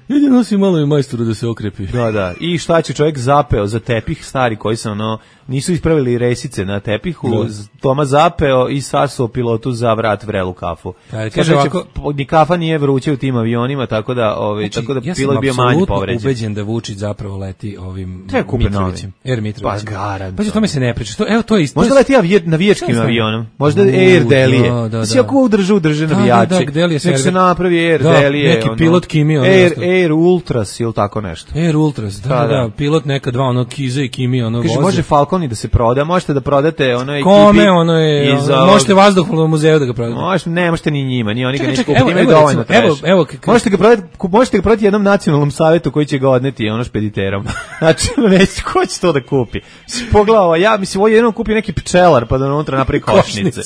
Speaker 5: idi nosi malo i majstoru da se okrepi.
Speaker 6: Da, da. I šta će čovjek zapeo za tepih stari koji se ono nisu ispravili resice na tepihu, no. Toma zapeo i sasuo pilotu za vrat vrelu kafu.
Speaker 5: Kaže, kaže ovako,
Speaker 6: ni kafa nije vruće u tim avionima, tako da, ovaj,
Speaker 5: znači,
Speaker 6: tako da
Speaker 5: ja
Speaker 6: pilot bio manje povređen.
Speaker 5: Ja sam ubeđen da Vučić zapravo leti ovim
Speaker 6: Mitrovićem.
Speaker 5: Air Mitrovićem.
Speaker 6: Pa garant.
Speaker 5: Pa to mi se ne priča. To, evo, to je isto.
Speaker 6: Možda leti avijet, navijačkim avionom. Možda uh, Air Delije. Da, da, da. Si ako udržu, drže navijače. Da, da, da, nek se napravi Air
Speaker 5: da,
Speaker 6: Delije.
Speaker 5: Neki ono, pilot Kimi.
Speaker 6: Air, Air Ultras ili tako nešto.
Speaker 5: Air Ultras, da, da, da. Pilot neka dva, ono, Kiza i Kimi, ono,
Speaker 6: kaže, može Falcon i da se proda, možete da prodate ono ekipi.
Speaker 5: Kome, ono je, iz, ono, možete vazduh u muzeju da ga prodate.
Speaker 6: Možete, ne, možete ni njima, ni oni ga neće
Speaker 5: kupiti,
Speaker 6: imaju dovoljno trash.
Speaker 5: Evo, evo,
Speaker 6: možete ga prodati, možete ga prodati jednom nacionalnom savetu koji će ga odneti, ono, špediterom. Znači, neće, ko će to da kupi? Pogledao, ja, mislim, ovo jednom kupi neki pčelar, pa da unutra napravi košnice.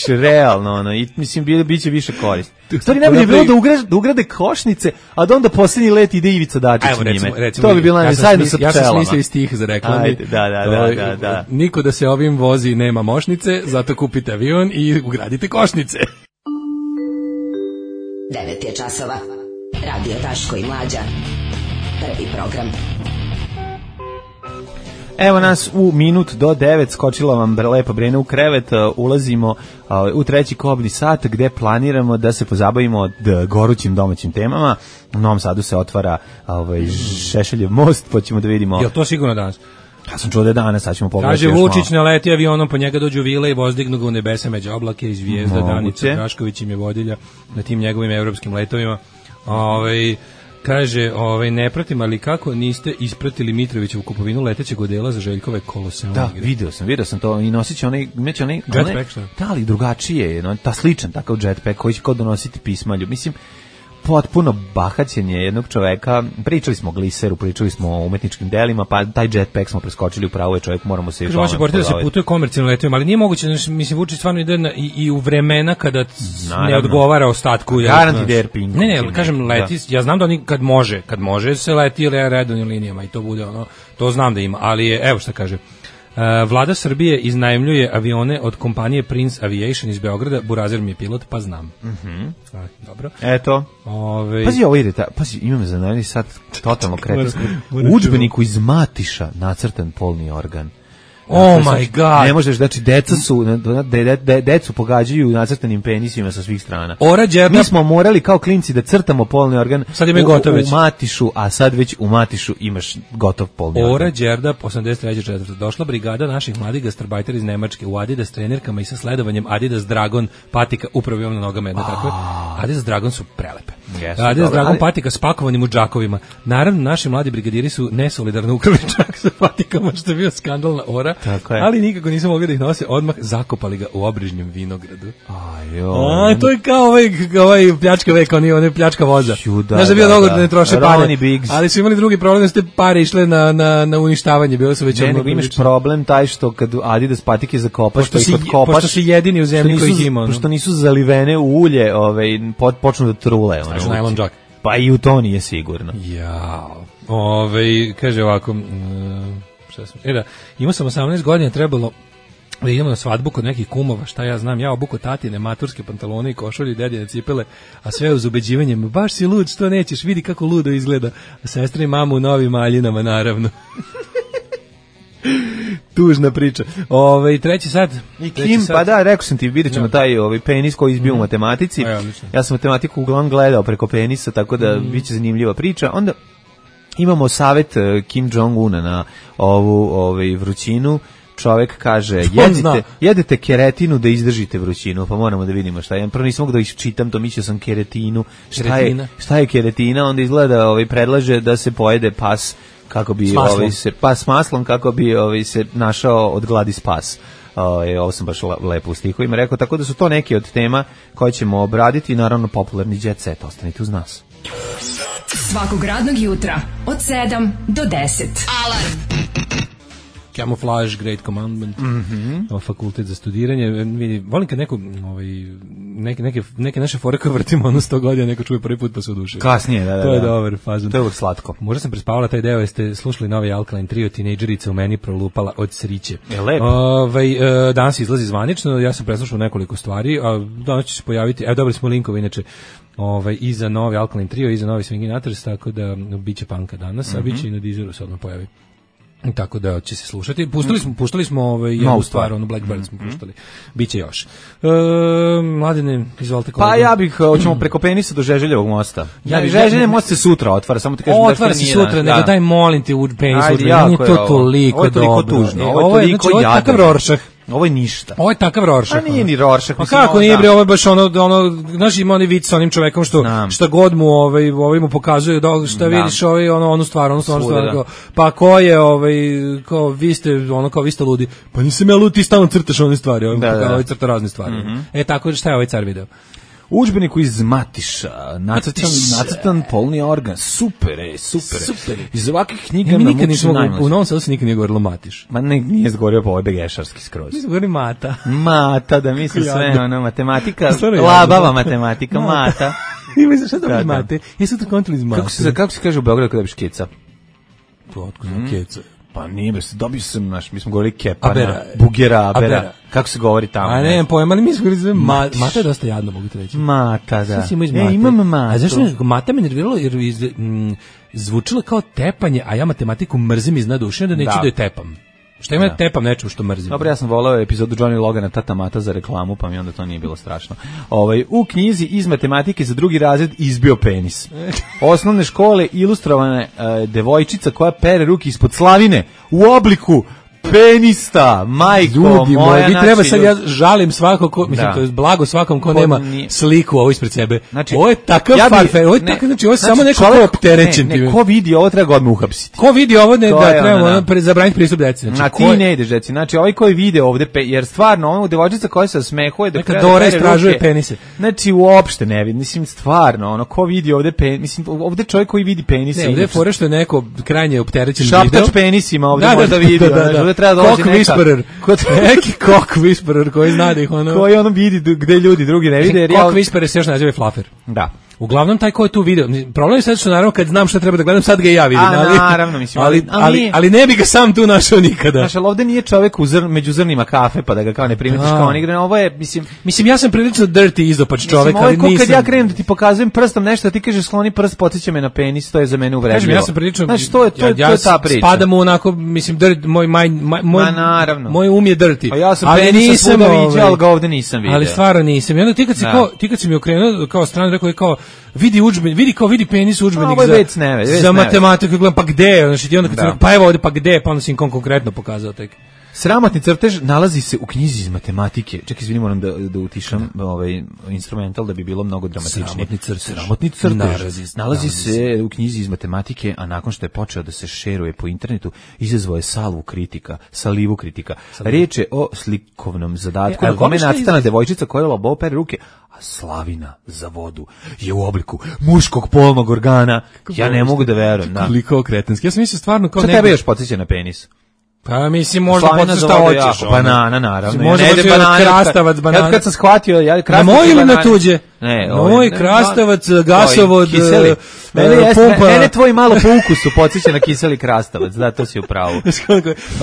Speaker 6: Realno, ono, i mislim, biće više korist. Stvari najbolje je bilo da ugrade, da ugrade košnice, a da onda posljednji let ide Ivica Dačić njime. Recimo, recimo, to bi bilo najbolje, zajedno sa pčelama.
Speaker 5: Ja sam smislio iz tih za reklami.
Speaker 6: Ajde, da, da, da, da, da.
Speaker 5: Niko da se ovim vozi nema mošnice, zato kupite avion i ugradite košnice.
Speaker 2: devet je časova. Radio Daško i Mlađa. Prvi program.
Speaker 6: Evo nas u minut do devet, skočila vam lepa Brena u krevet, ulazimo u treći kobni sat gde planiramo da se pozabavimo gorućim domaćim temama. U Novom Sadu se otvara ovaj, Šešeljev most, pa ćemo da vidimo...
Speaker 5: Je to sigurno danas?
Speaker 6: Ja sam čuo da je danas, sad ćemo pogledati.
Speaker 5: Kaže, Vučić naleti avionom, po njega dođu vile i vozdignu ga u nebesa među oblake i zvijezda. Danica Drašković im je vodilja na tim njegovim evropskim letovima. Ovaj... Kaže, ovaj, ne pratim, ali kako niste ispratili Mitrovićevu kupovinu letećeg odela za Željkove koloseum
Speaker 6: da,
Speaker 5: igre?
Speaker 6: video sam, video sam to i nosit će onaj, neće onaj,
Speaker 5: jetpack, šta?
Speaker 6: Da, ali drugačije, no, ta sličan takav jetpack koji će kao donositi pismalju. Mislim, potpuno bahaćenje jednog čoveka. Pričali smo o gliseru, pričali smo o umetničkim delima, pa taj jetpack smo preskočili, upravo je čovjek, moramo se i
Speaker 5: tome. Kaže, da se putuje komercijalno letovima, ali nije moguće, mislim, Vučić stvarno ide na, i, i u vremena kada Naravno. ne odgovara ostatku.
Speaker 6: Garanti da Airpink.
Speaker 5: Ne, ne, kažem, leti, da. ja znam da oni kad može, kad može se leti redovnim linijama i to bude ono, to znam da ima, ali je, evo šta kaže, Vlada Srbije iznajmljuje avione od kompanije Prince Aviation iz Beograda. Burazer mi je pilot, pa znam.
Speaker 6: Mm-hmm.
Speaker 5: A, dobro.
Speaker 6: Eto.
Speaker 5: Ove...
Speaker 6: Pazi, ovo ide, ta, pazi, imam za najbolji sad totalno kretinsko. U udžbeniku iz Matiša nacrtan polni organ.
Speaker 5: Oh my god.
Speaker 6: Ne možeš, znači deca su de, de, de, decu pogađaju nacrtanim penisima sa svih strana.
Speaker 5: Ora Đerda.
Speaker 6: Mi smo morali kao klinci da crtamo polni organ.
Speaker 5: Sad ima gotov već.
Speaker 6: U Matišu, a sad već u Matišu imaš gotov polni organ.
Speaker 5: Ora Đerda, osamdeset treće četvrte Došla brigada naših mladih gastarbajtera iz Nemačke u Adidas trenerkama i sa sledovanjem Adidas Dragon patika, upravo imam na nogama jedno tako. Adidas Dragon su prelepe. Yes, Adidas dobro, Dragon ali... patika spakovanim u džakovima. Naravno, naši mladi brigadiri su nesolidarno ukrali čak sa patikama, što je bio skandal na Ora. Ali nikako nisam mogli da ih nose, odmah zakopali ga u obližnjem vinogradu.
Speaker 6: Ajoj.
Speaker 5: A, to je kao ovaj, ovaj pljačka veka, oni onaj pljačka voza. Znaš da bio dogovor da, da ne troše pare, ali su imali drugi problem da ste pare išle na, na, na uništavanje, bilo su već...
Speaker 6: Ne, nego imaš problem taj što kad Adidas patike zakopaš,
Speaker 5: pošto,
Speaker 6: pa
Speaker 5: si,
Speaker 6: odkopaš,
Speaker 5: pošto si jedini u zemlji koji ih ima.
Speaker 6: Pošto nisu zalivene u ulje, ovaj, počnu da trule.
Speaker 5: Znaš najlon džak.
Speaker 6: Pa i u to nije sigurno.
Speaker 5: Jao. Ove, kaže ovako... Um, šta sam, e da, imao sam osamnaest godina, trebalo da idemo na svadbu kod nekih kumova, šta ja znam, ja obuko tatine, maturske pantalone i košulje i dedine cipele, a sve uz ubeđivanjem, baš si lud, što nećeš, vidi kako ludo izgleda, a sestra i mama u novim maljinama, naravno. Tužna priča. Ove, treći sad.
Speaker 6: I Kim, sad. Pa da, rekao sam ti, vidjet ćemo no. taj ovaj penis koji izbio mm. u matematici.
Speaker 5: Ja,
Speaker 6: ja sam matematiku uglavnom gledao preko penisa, tako da mm. bit će zanimljiva priča. Onda imamo savjet Kim Jong-una na ovu ovaj, vrućinu. Čovek kaže, jedite, jedete keretinu da izdržite vrućinu, pa moramo da vidimo šta je. Prvo nisam mogu da iščitam to, mislio sam keretinu. Šta je, šta je keretina? Onda izgleda, ovaj, predlaže da se pojede pas kako bi ovaj se pas s maslom kako bi ovaj se našao od gladi spas. Ovaj ovo sam baš lepo u stihovima rekao, tako da su to neke od tema koje ćemo obraditi i naravno popularni jet set, ostanite uz nas.
Speaker 9: Svakog radnog jutra od sedam do deset. Alarm.
Speaker 5: Camouflage, Great Commandment,
Speaker 6: mm-hmm.
Speaker 5: fakultet za studiranje. Vidi, volim kad neko, ovaj, neke, neke, neke naše fore koje vrtimo ono sto godina, neko čuje prvi put pa se odušuje.
Speaker 6: Kasnije, da, da.
Speaker 5: To je
Speaker 6: da.
Speaker 5: dobar fazon.
Speaker 6: To je uvijek slatko.
Speaker 5: Možda sam prespavala taj deo, jeste slušali novi Alkaline Trio, tinejdžerica u meni prolupala od sriće.
Speaker 6: Je lepo.
Speaker 5: Ovaj, danas izlazi zvanično, ja sam preslušao nekoliko stvari, a danas će se pojaviti, evo dobili smo linkove inače, ovaj, i za novi Alkaline Trio, i za novi Swingin' Atters, tako da biće panka danas, mm-hmm. a biće i na Deezeru se odmah pojavi. Tako da će se slušati. Pustili smo, puštali smo ovaj jednu no, stvar, ono Blackbird smo mm-hmm. puštali. Biće još. E, Mladine, izvolite kolega.
Speaker 6: Pa ja bih, hoćemo preko penisa do Žeželjevog mosta. Ja bih Žeželjev most se sutra otvara, samo ti kažem da
Speaker 5: otvara se sutra, nego daj molim te u penisu. Nije to toliko dobro.
Speaker 6: Ovo je toliko tužno.
Speaker 5: Ovo je toliko jadno. Ovo je takav Rorschach.
Speaker 6: Ovo je ništa.
Speaker 5: Ovo je takav Rorschach.
Speaker 6: A nije ni Rorschach.
Speaker 5: Pa kako nije bre, ovo je baš ono, ono, znaš ima onaj vic sa onim čovekom što, šta god mu ovaj, ovaj mu pokazuje, da, šta da. vidiš ovaj, ono, onu stvar, onu stvar, stvar kao, pa ko je, ovaj, kao, vi ste, ono, kao, vi ste ludi, pa nisam ja lud, ti stalno crtaš one stvari, ovaj, da, da. ovaj crta razne stvari. Mm-hmm. E, tako, šta je ovaj car video?
Speaker 6: U udžbeniku iz Matiša, nacrtan, nacrtan polni organ, super, ej, super. super. Iz ovakvih knjiga
Speaker 5: ja, mi nikad nismo, u Novom Sadu se nikad nije govorilo Matiš.
Speaker 6: Ma ne, nije zgovorio po ovoj begešarski skroz.
Speaker 5: Mi smo govorili Mata.
Speaker 6: Mata, da mislim sve, ono, matematika, labava matematika, Mata.
Speaker 5: I mislim, šta dobro Mate? Jesu to kontali iz Mate.
Speaker 6: Kako se, kako se kaže u Beogradu kada biš keca?
Speaker 5: To, otko znam, keca.
Speaker 6: Pa nije, dobio sam, naš, mi smo govorili kepana,
Speaker 5: abera,
Speaker 6: bugera, abera.
Speaker 5: abera.
Speaker 6: Kako se govori tamo?
Speaker 5: A ne, ne pojma, ali mi smo govorili, ma, mata je dosta jadno, mogu ti reći.
Speaker 6: Mata, da.
Speaker 5: E, imam mata. A zašto mi, mata me nerviralo, jer iz, m, zvučilo kao tepanje, a ja matematiku mrzim iz nadušenja, da neću da, da je tepam. Šta ima da tepam nečemu što mrzim?
Speaker 6: Dobro, ja sam voleo epizodu Johnny Logana Tata Mata za reklamu, pa mi onda to nije bilo strašno. Ovaj, u knjizi iz matematike za drugi razred izbio penis. Osnovne škole ilustrovane uh, devojčica koja pere ruke ispod slavine u obliku penista, majko
Speaker 5: ljudi
Speaker 6: moja,
Speaker 5: moja, vi
Speaker 6: znači,
Speaker 5: treba sad, ja žalim svako ko, mislim,
Speaker 6: da.
Speaker 5: to je blago svakom ko
Speaker 6: Pod
Speaker 5: nema
Speaker 6: nije.
Speaker 5: sliku ovo ispred sebe.
Speaker 6: Znači,
Speaker 5: ovo je takav
Speaker 6: ja bi,
Speaker 5: farfe, ovo je
Speaker 6: ne,
Speaker 5: takav, znači ovo je
Speaker 6: znači,
Speaker 5: samo neko ko opterećen.
Speaker 6: Ne, ne, ko vidi ovo treba ga odmah uhapsiti.
Speaker 5: Ko vidi ovo, ne,
Speaker 6: To
Speaker 5: da
Speaker 6: je
Speaker 5: trebamo
Speaker 6: ono,
Speaker 5: ono, pre, zabraniti pristup deci. Znači,
Speaker 6: Na ti
Speaker 5: ko je,
Speaker 6: ne ideš deci, znači ovaj koji vide ovde, pe, jer stvarno ono devojčica koja se smehuje da
Speaker 5: neka
Speaker 6: krene
Speaker 5: Dora
Speaker 6: da pere
Speaker 5: istražuje
Speaker 6: ruke,
Speaker 5: penise.
Speaker 6: Znači uopšte ne vidi, mislim stvarno, ono ko vidi ovde penis, mislim ovde čovjek koji vidi penise.
Speaker 5: ne, ovde je fora što je neko krajnje opterećen video.
Speaker 6: Šaptač penisima ovde
Speaker 5: Da, da,
Speaker 6: možda
Speaker 5: da,
Speaker 6: vidi,
Speaker 5: da, da,
Speaker 6: znači,
Speaker 5: da.
Speaker 6: ovde treba doći
Speaker 5: Cock
Speaker 6: neka.
Speaker 5: whisperer.
Speaker 6: Kod
Speaker 5: Neki cock whisperer koji zna da ih ono...
Speaker 6: koji ono vidi gde ljudi drugi ne vide. Jer
Speaker 5: Cock
Speaker 6: ja...
Speaker 5: whisperer se još naziva flafer.
Speaker 6: Da.
Speaker 5: Uglavnom taj ko je tu video, problem je sad što naravno kad znam šta treba da gledam, sad ga i ja vidim,
Speaker 6: A,
Speaker 5: ali,
Speaker 6: naravno, mislim,
Speaker 5: ali,
Speaker 6: ali-
Speaker 5: ali, ali ne bi ga sam tu našao nikada.
Speaker 6: Znaš, ali ovde nije čovek u zr, među zrnima kafe, pa da ga kao ne primetiš
Speaker 5: Da.
Speaker 6: kao on igra. Ovo je, mislim,
Speaker 5: Mislim, ja sam prilično dirty izopač čovek,
Speaker 6: mislim, ovo je
Speaker 5: ali
Speaker 6: ko
Speaker 5: nisam...
Speaker 6: kad ja krenem da ti pokazujem prstom nešto, a ti kažeš skloni prst, podsjeća me na penis, to je za mene uvredljivo.
Speaker 5: Kažem, ja sam prilično...
Speaker 6: Znaš, to je, to, je-
Speaker 5: ja,
Speaker 6: to je ta priča.
Speaker 5: spadam u onako, mislim, dirt, moj, moj, moj, moj,
Speaker 6: Ma, naravno.
Speaker 5: moj um je dirty.
Speaker 6: Pa ja sam
Speaker 5: ali
Speaker 6: penisa
Speaker 5: nisam,
Speaker 6: svuda
Speaker 5: ovaj,
Speaker 6: viđao, ali ga ovde nisam vidio.
Speaker 5: Ali stvarno nisam. I onda ti kad si,
Speaker 6: Da.
Speaker 5: kao, ti kad si mi okrenuo kao stranu, rekao je kao, vidi udžbenik, vidi kao vidi penis udžbenik
Speaker 6: ovo je
Speaker 5: za,
Speaker 6: već ne, već
Speaker 5: za
Speaker 6: ne.
Speaker 5: matematiku. Gledam, pa gde? Znači, ti onda kad
Speaker 6: Da.
Speaker 5: si rekao, pa evo ovde, pa gde? Pa onda si im kon- konkretno pokazao tek.
Speaker 6: Sramotni crtež nalazi se u knjizi iz matematike. Čekaj, izvini, moram da, da utišam ovaj instrumental da bi bilo mnogo dramatičnije.
Speaker 5: Sramotni crtež.
Speaker 6: Sramotni crtež.
Speaker 5: Nalazi,
Speaker 6: nalazi
Speaker 5: nalazi
Speaker 6: se u knjizi iz matematike, a nakon što je počeo da se šeruje po internetu, izazvao je salvu kritika, salivu kritika. Riječ je o slikovnom zadatku
Speaker 5: E, a
Speaker 6: na kome je
Speaker 5: šta
Speaker 6: nacrtana
Speaker 5: iz-
Speaker 6: devojčica koja labo pere ruke, a slavina za vodu je u obliku muškog polnog organa. Ja ne mogu da verujem. Da.
Speaker 5: Koliko kretenski. Ja sam mislio stvarno kao
Speaker 6: Šta
Speaker 5: nego-
Speaker 6: tebe još podsjeća na penis?
Speaker 5: Pa mislim, možda
Speaker 6: Slavina
Speaker 5: podsjeća
Speaker 6: za
Speaker 5: šta
Speaker 6: vodu
Speaker 5: hoćeš.
Speaker 6: jako.
Speaker 5: ono.
Speaker 6: Banana, naravno.
Speaker 5: Možda
Speaker 6: Ja ne idem
Speaker 5: hoće
Speaker 6: banane,
Speaker 5: krastavac,
Speaker 6: kad-
Speaker 5: banana.
Speaker 6: Ja kad sam shvatio, ja
Speaker 5: Na
Speaker 6: krastavac
Speaker 5: moj
Speaker 6: i
Speaker 5: ili na
Speaker 6: banane-
Speaker 5: tuđe?
Speaker 6: Ne,
Speaker 5: Na
Speaker 6: ovaj,
Speaker 5: moj
Speaker 6: ne,
Speaker 5: krastavac,
Speaker 6: no,
Speaker 5: gasovod,
Speaker 6: kiseli.
Speaker 5: e,
Speaker 6: Mene,
Speaker 5: e,
Speaker 6: jeste,
Speaker 5: pumpa.
Speaker 6: mene tvoj malo po ukusu podsjeća na kiseli krastavac, da, to si u pravu.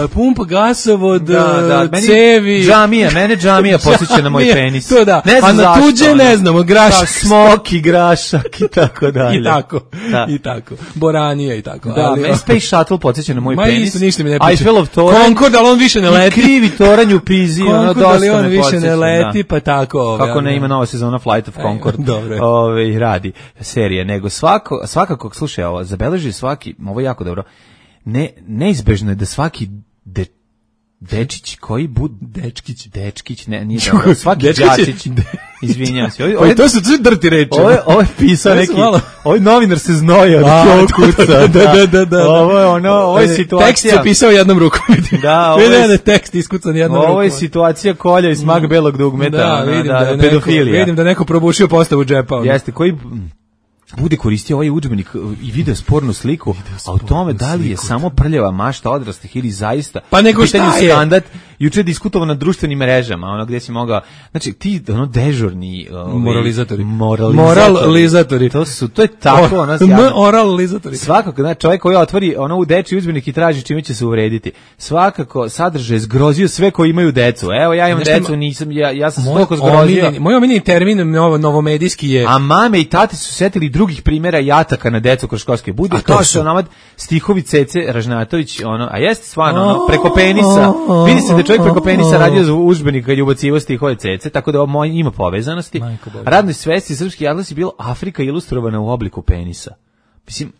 Speaker 5: Pumpa, gasovod,
Speaker 6: Da, da, meni
Speaker 5: cevi.
Speaker 6: džamija, mene džamija podsjeća na moj
Speaker 5: Džamija,
Speaker 6: penis.
Speaker 5: to da.
Speaker 6: Ne znam
Speaker 5: A na
Speaker 6: zašto,
Speaker 5: tuđe
Speaker 6: ono.
Speaker 5: ne znamo, grašak.
Speaker 6: Da, smoki, grašak i tako dalje.
Speaker 5: I tako,
Speaker 6: Da.
Speaker 5: i tako. Boranija i tako.
Speaker 6: Da,
Speaker 5: ali,
Speaker 6: meni Space Shuttle podsjeća na moj
Speaker 5: Ma
Speaker 6: penis.
Speaker 5: isto, ništa mi ne priča.
Speaker 6: Eiffelov toranj.
Speaker 5: Concord, ali on više ne
Speaker 6: I
Speaker 5: leti.
Speaker 6: krivi toranj u Pizi, ono
Speaker 5: Concord, ali
Speaker 6: dosta
Speaker 5: on
Speaker 6: me
Speaker 5: više
Speaker 6: podsjeća.
Speaker 5: ne leti,
Speaker 6: da.
Speaker 5: pa tako.
Speaker 6: Kako ne
Speaker 5: ja,
Speaker 6: ima nova sezona Flight of Concord.
Speaker 5: dobro je.
Speaker 6: Ove, radi serije, nego svako, svakako, slušaj, ovo, zabeleži svaki, ovo je jako dobro, ne, neizbežno je da svaki de, dečić koji bud...
Speaker 5: Dečkić.
Speaker 6: Dečkić, ne, nije dobro, svaki
Speaker 5: Dečkić je-
Speaker 6: đačić, izvinjam se. Ovo,
Speaker 5: Pa to su to drti reči.
Speaker 6: ovo, je- ovo je pisao
Speaker 5: To su
Speaker 6: neki,
Speaker 5: malo-
Speaker 6: ovaj novinar se znoja
Speaker 5: A,
Speaker 6: od kuca.
Speaker 5: da, da, da, da.
Speaker 6: Ovo je ono, ovo je
Speaker 5: E,
Speaker 6: situacija.
Speaker 5: Tekst je pisao jednom rukom. vidim.
Speaker 6: Da, ovo
Speaker 5: Vidim
Speaker 6: je-
Speaker 5: da je tekst iskucan jednom rukom.
Speaker 6: Ovo je situacija kolja i smak belog dugmeta,
Speaker 5: Da,
Speaker 6: ono,
Speaker 5: vidim
Speaker 6: da,
Speaker 5: da, je neko,
Speaker 6: pedofilija.
Speaker 5: vidim da je neko probušio postavu džepa. ono.
Speaker 6: Jeste, koji mm, bude koristio ovaj udžbenik i video spornu sliku, a u tome da li je samo prljava mašta odraslih ili zaista
Speaker 5: Pa nego
Speaker 6: u pitanju
Speaker 5: šta je?
Speaker 6: standard, juče je diskutovao na društvenim mrežama, ono gdje si mogao, znači ti ono dežurni ovaj,
Speaker 5: Moralizatori.
Speaker 6: moralizatori.
Speaker 5: Moralizatori.
Speaker 6: To su, to je tako, ono,
Speaker 5: M-
Speaker 6: javno.
Speaker 5: Oralizatori.
Speaker 6: Svakako, znači čovjek koji otvori ono u dečiji udžbenik i traži čime će se uvrediti. Svakako sadržaj zgrozio sve koji imaju decu. Evo ja imam
Speaker 5: Znaš šta
Speaker 6: decu,
Speaker 5: ma-
Speaker 6: nisam ja ja sam
Speaker 5: Moj
Speaker 6: toliko zgrozio.
Speaker 5: omiljeni- Moj omiljeni termin novo, novomedijski je...
Speaker 6: A mame i tate su setili drugih primjera jataka na decu kroz školske bude,
Speaker 5: A to
Speaker 6: kao
Speaker 5: su?
Speaker 6: što namad stihovi Cece Ražnatović, ono, a jeste stvarno, ono, preko penisa, vidi se da je čovjek preko penisa radio za udžbenik kad je ubacivo stihove Cece, tako da ovo moj ima povezanosti.
Speaker 5: Majko Božja.
Speaker 6: Radnoj svesti srpski atlas je bilo Afrika ilustrovana u obliku penisa. Mislim,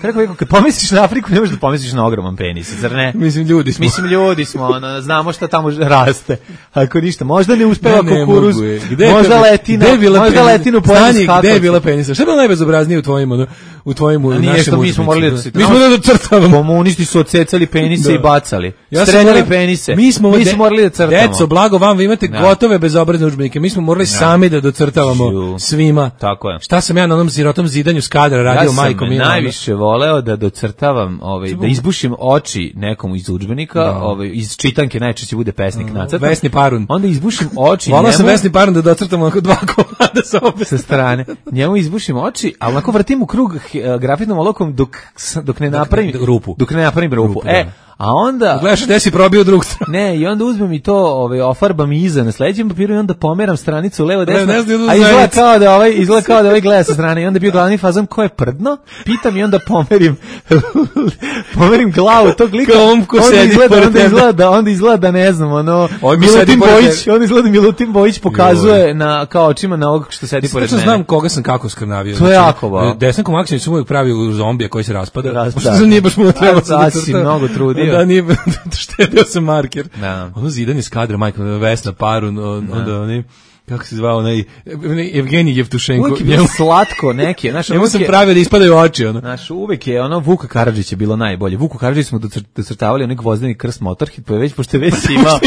Speaker 6: kako rekao, kad pomisliš na Afriku, ne možeš da pomisliš na ogroman penis, zar ne?
Speaker 5: Mislim, ljudi smo.
Speaker 6: Mislim, ljudi smo, ono, znamo šta tamo raste. Ako ništa, možda ne uspeva
Speaker 5: Ne, ne
Speaker 6: kukuruz,
Speaker 5: mogu je. Gde je
Speaker 6: možda
Speaker 5: to-
Speaker 6: letina,
Speaker 5: gde je bila
Speaker 6: možda
Speaker 5: penis-
Speaker 6: letinu pojede
Speaker 5: Stani,
Speaker 6: s kakavcem.
Speaker 5: gde je bila penisa? Šta je bilo najbezobraznije u tvojim, ono, u tvojim, u
Speaker 6: A nije
Speaker 5: našem
Speaker 6: što mi smo
Speaker 5: udžbeniku?
Speaker 6: morali da se...
Speaker 5: Mi smo da docrtavamo.
Speaker 6: Komunisti su odsecali penise
Speaker 5: Da.
Speaker 6: i bacali.
Speaker 5: Ja sam
Speaker 6: Streljali
Speaker 5: morao-
Speaker 6: penise.
Speaker 5: Mi smo,
Speaker 6: mi
Speaker 5: de-
Speaker 6: smo morali da crtamo.
Speaker 5: Deco, blago vam, vi imate
Speaker 6: Da.
Speaker 5: gotove bezobrazne udžbenike. Mi smo morali sami da docrtavamo
Speaker 6: Ču.
Speaker 5: svima.
Speaker 6: Tako je.
Speaker 5: Šta sam ja na onom sirotom zidanju s kadra radio
Speaker 6: Ja sam
Speaker 5: majkom?
Speaker 6: najviše volao voleo da docrtavam, ovaj, da izbušim oči nekom iz udžbenika, da. ovaj, iz čitanke najčešće bude pesnik nacrtan.
Speaker 5: Vesni Parun.
Speaker 6: Onda izbušim oči.
Speaker 5: Volao sam Vesni Parun da docrtam onako dva komada sa obe
Speaker 6: sa strane. Njemu izbušim oči, a onako vrtim u krug grafitnom olovkom dok, dok ne napravim
Speaker 5: dok, rupu.
Speaker 6: Dok ne napravim rupu. rupu e, a onda
Speaker 5: gledaš gde si probio drug stranu.
Speaker 6: Ne, i onda uzmem i to, ovaj ofarbam iza na sledećem papiru i onda pomeram stranicu levo desno.
Speaker 5: Ne, ne,
Speaker 6: a izgleda kao da ovaj izgleda kao da ovaj gleda sa strane i onda bio glavni fazon ko je prdno. Pitam i onda pomerim pomerim glavu tog lika.
Speaker 5: Ko sedi
Speaker 6: izgleda, onda izgleda da onda izgleda da ne znam, ono Milutin Bojić, on izgleda Milutin Bojić pokazuje na kao očima na ovog što sedi pored mene.
Speaker 5: Znam koga sam kako skrnavio.
Speaker 6: To je jako ba.
Speaker 5: Desanko Maksimović su uvijek pravi u zombija koji se raspada.
Speaker 6: Raspada.
Speaker 5: Što nije baš mu trebalo
Speaker 6: da se mnogo trudio.
Speaker 5: Da, nije, štedeo sam marker.
Speaker 6: Da.
Speaker 5: Ono zidanje s kadra, majka, Vesna Parun, on, onda oni, kako se zvao, onaj, Evgenij Jevtušenko.
Speaker 6: Uvijek je bilo slatko neki. Znaš,
Speaker 5: njemu sam pravio da ispadaju oči. Ono.
Speaker 6: Znaš, uvijek je, ono, Vuka Karadžić je bilo najbolje. Vuku Karadžić smo docrtavali onaj gvozdeni krst Motorhit, pa je već, pošto je već imao,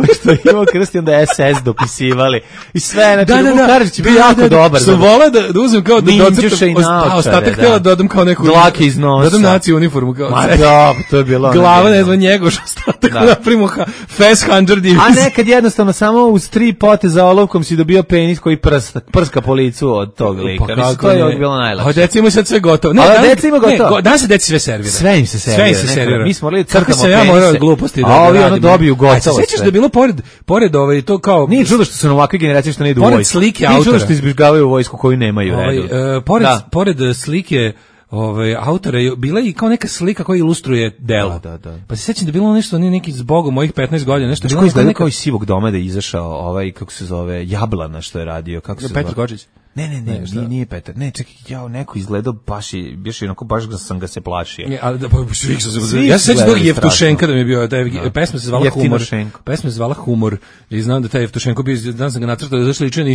Speaker 6: pošto je imao krst i onda S S dopisivali. I sve, znači,
Speaker 5: da, da,
Speaker 6: Vuka Karadžić je bio jako da, da, dobar.
Speaker 5: Što volao da, da uzem kao da docrtam,
Speaker 6: a
Speaker 5: ostatak htjela da dodam kao neku
Speaker 6: dlake iz nosa.
Speaker 5: Dodam naciju uniformu. Kao,
Speaker 6: Ma da, to je bilo.
Speaker 5: Glava, ne znam, njegoš, ostatak napravimo Fast Hundred Divis.
Speaker 6: A nekad jednostavno samo uz tri poteza olovkom si dobio penis koji prska, prska po licu od tog lika. Pa mislim, to je bilo najlakše.
Speaker 5: A deci ima sad sve gotovo.
Speaker 6: Ne, a deci ima gotovo.
Speaker 5: Ne, danas se deci sve servira.
Speaker 6: Sve im se servira.
Speaker 5: Sve im se servira.
Speaker 6: Mi smo morali crtamo
Speaker 5: penise. Kako se ja morao gluposti da
Speaker 6: a ovi ono dobiju gotovo sve.
Speaker 5: Sećaš da je bilo pored, pored ovaj, to kao...
Speaker 6: Nije čudo što su na ovakve generacije što ne idu u vojsku.
Speaker 5: Pored slike
Speaker 6: autora.
Speaker 5: Nije
Speaker 6: čudo što izbjegavaju u vojsku koju nemaju.
Speaker 5: Ovaj, uh, pored, pored slike ovaj autora je bila i kao neka slika koja ilustruje delo.
Speaker 6: Da, da, da.
Speaker 5: Pa se sećam da je bilo nešto neki zbogom mojih petnaest godina, nešto
Speaker 6: bilo izgleda neka... kao iz Sivog doma da je izašao ovaj kako se zove Jablana što je radio, kako se zove.
Speaker 5: Petar Kočić.
Speaker 6: Ne, ne, ne, ne nije, nije Petar. Ne, čekaj, ja neko izgledao baš i baš onako baš da sam ga se plašio.
Speaker 5: Ne, ali da pa svih se ja se sećam da Jevtušenka da mi je bio, da je pesma se zvala Humor. Pesma se zvala Humor. I znam da taj Jevtušenko bio, znam sam ga nacrtao da zašli ličan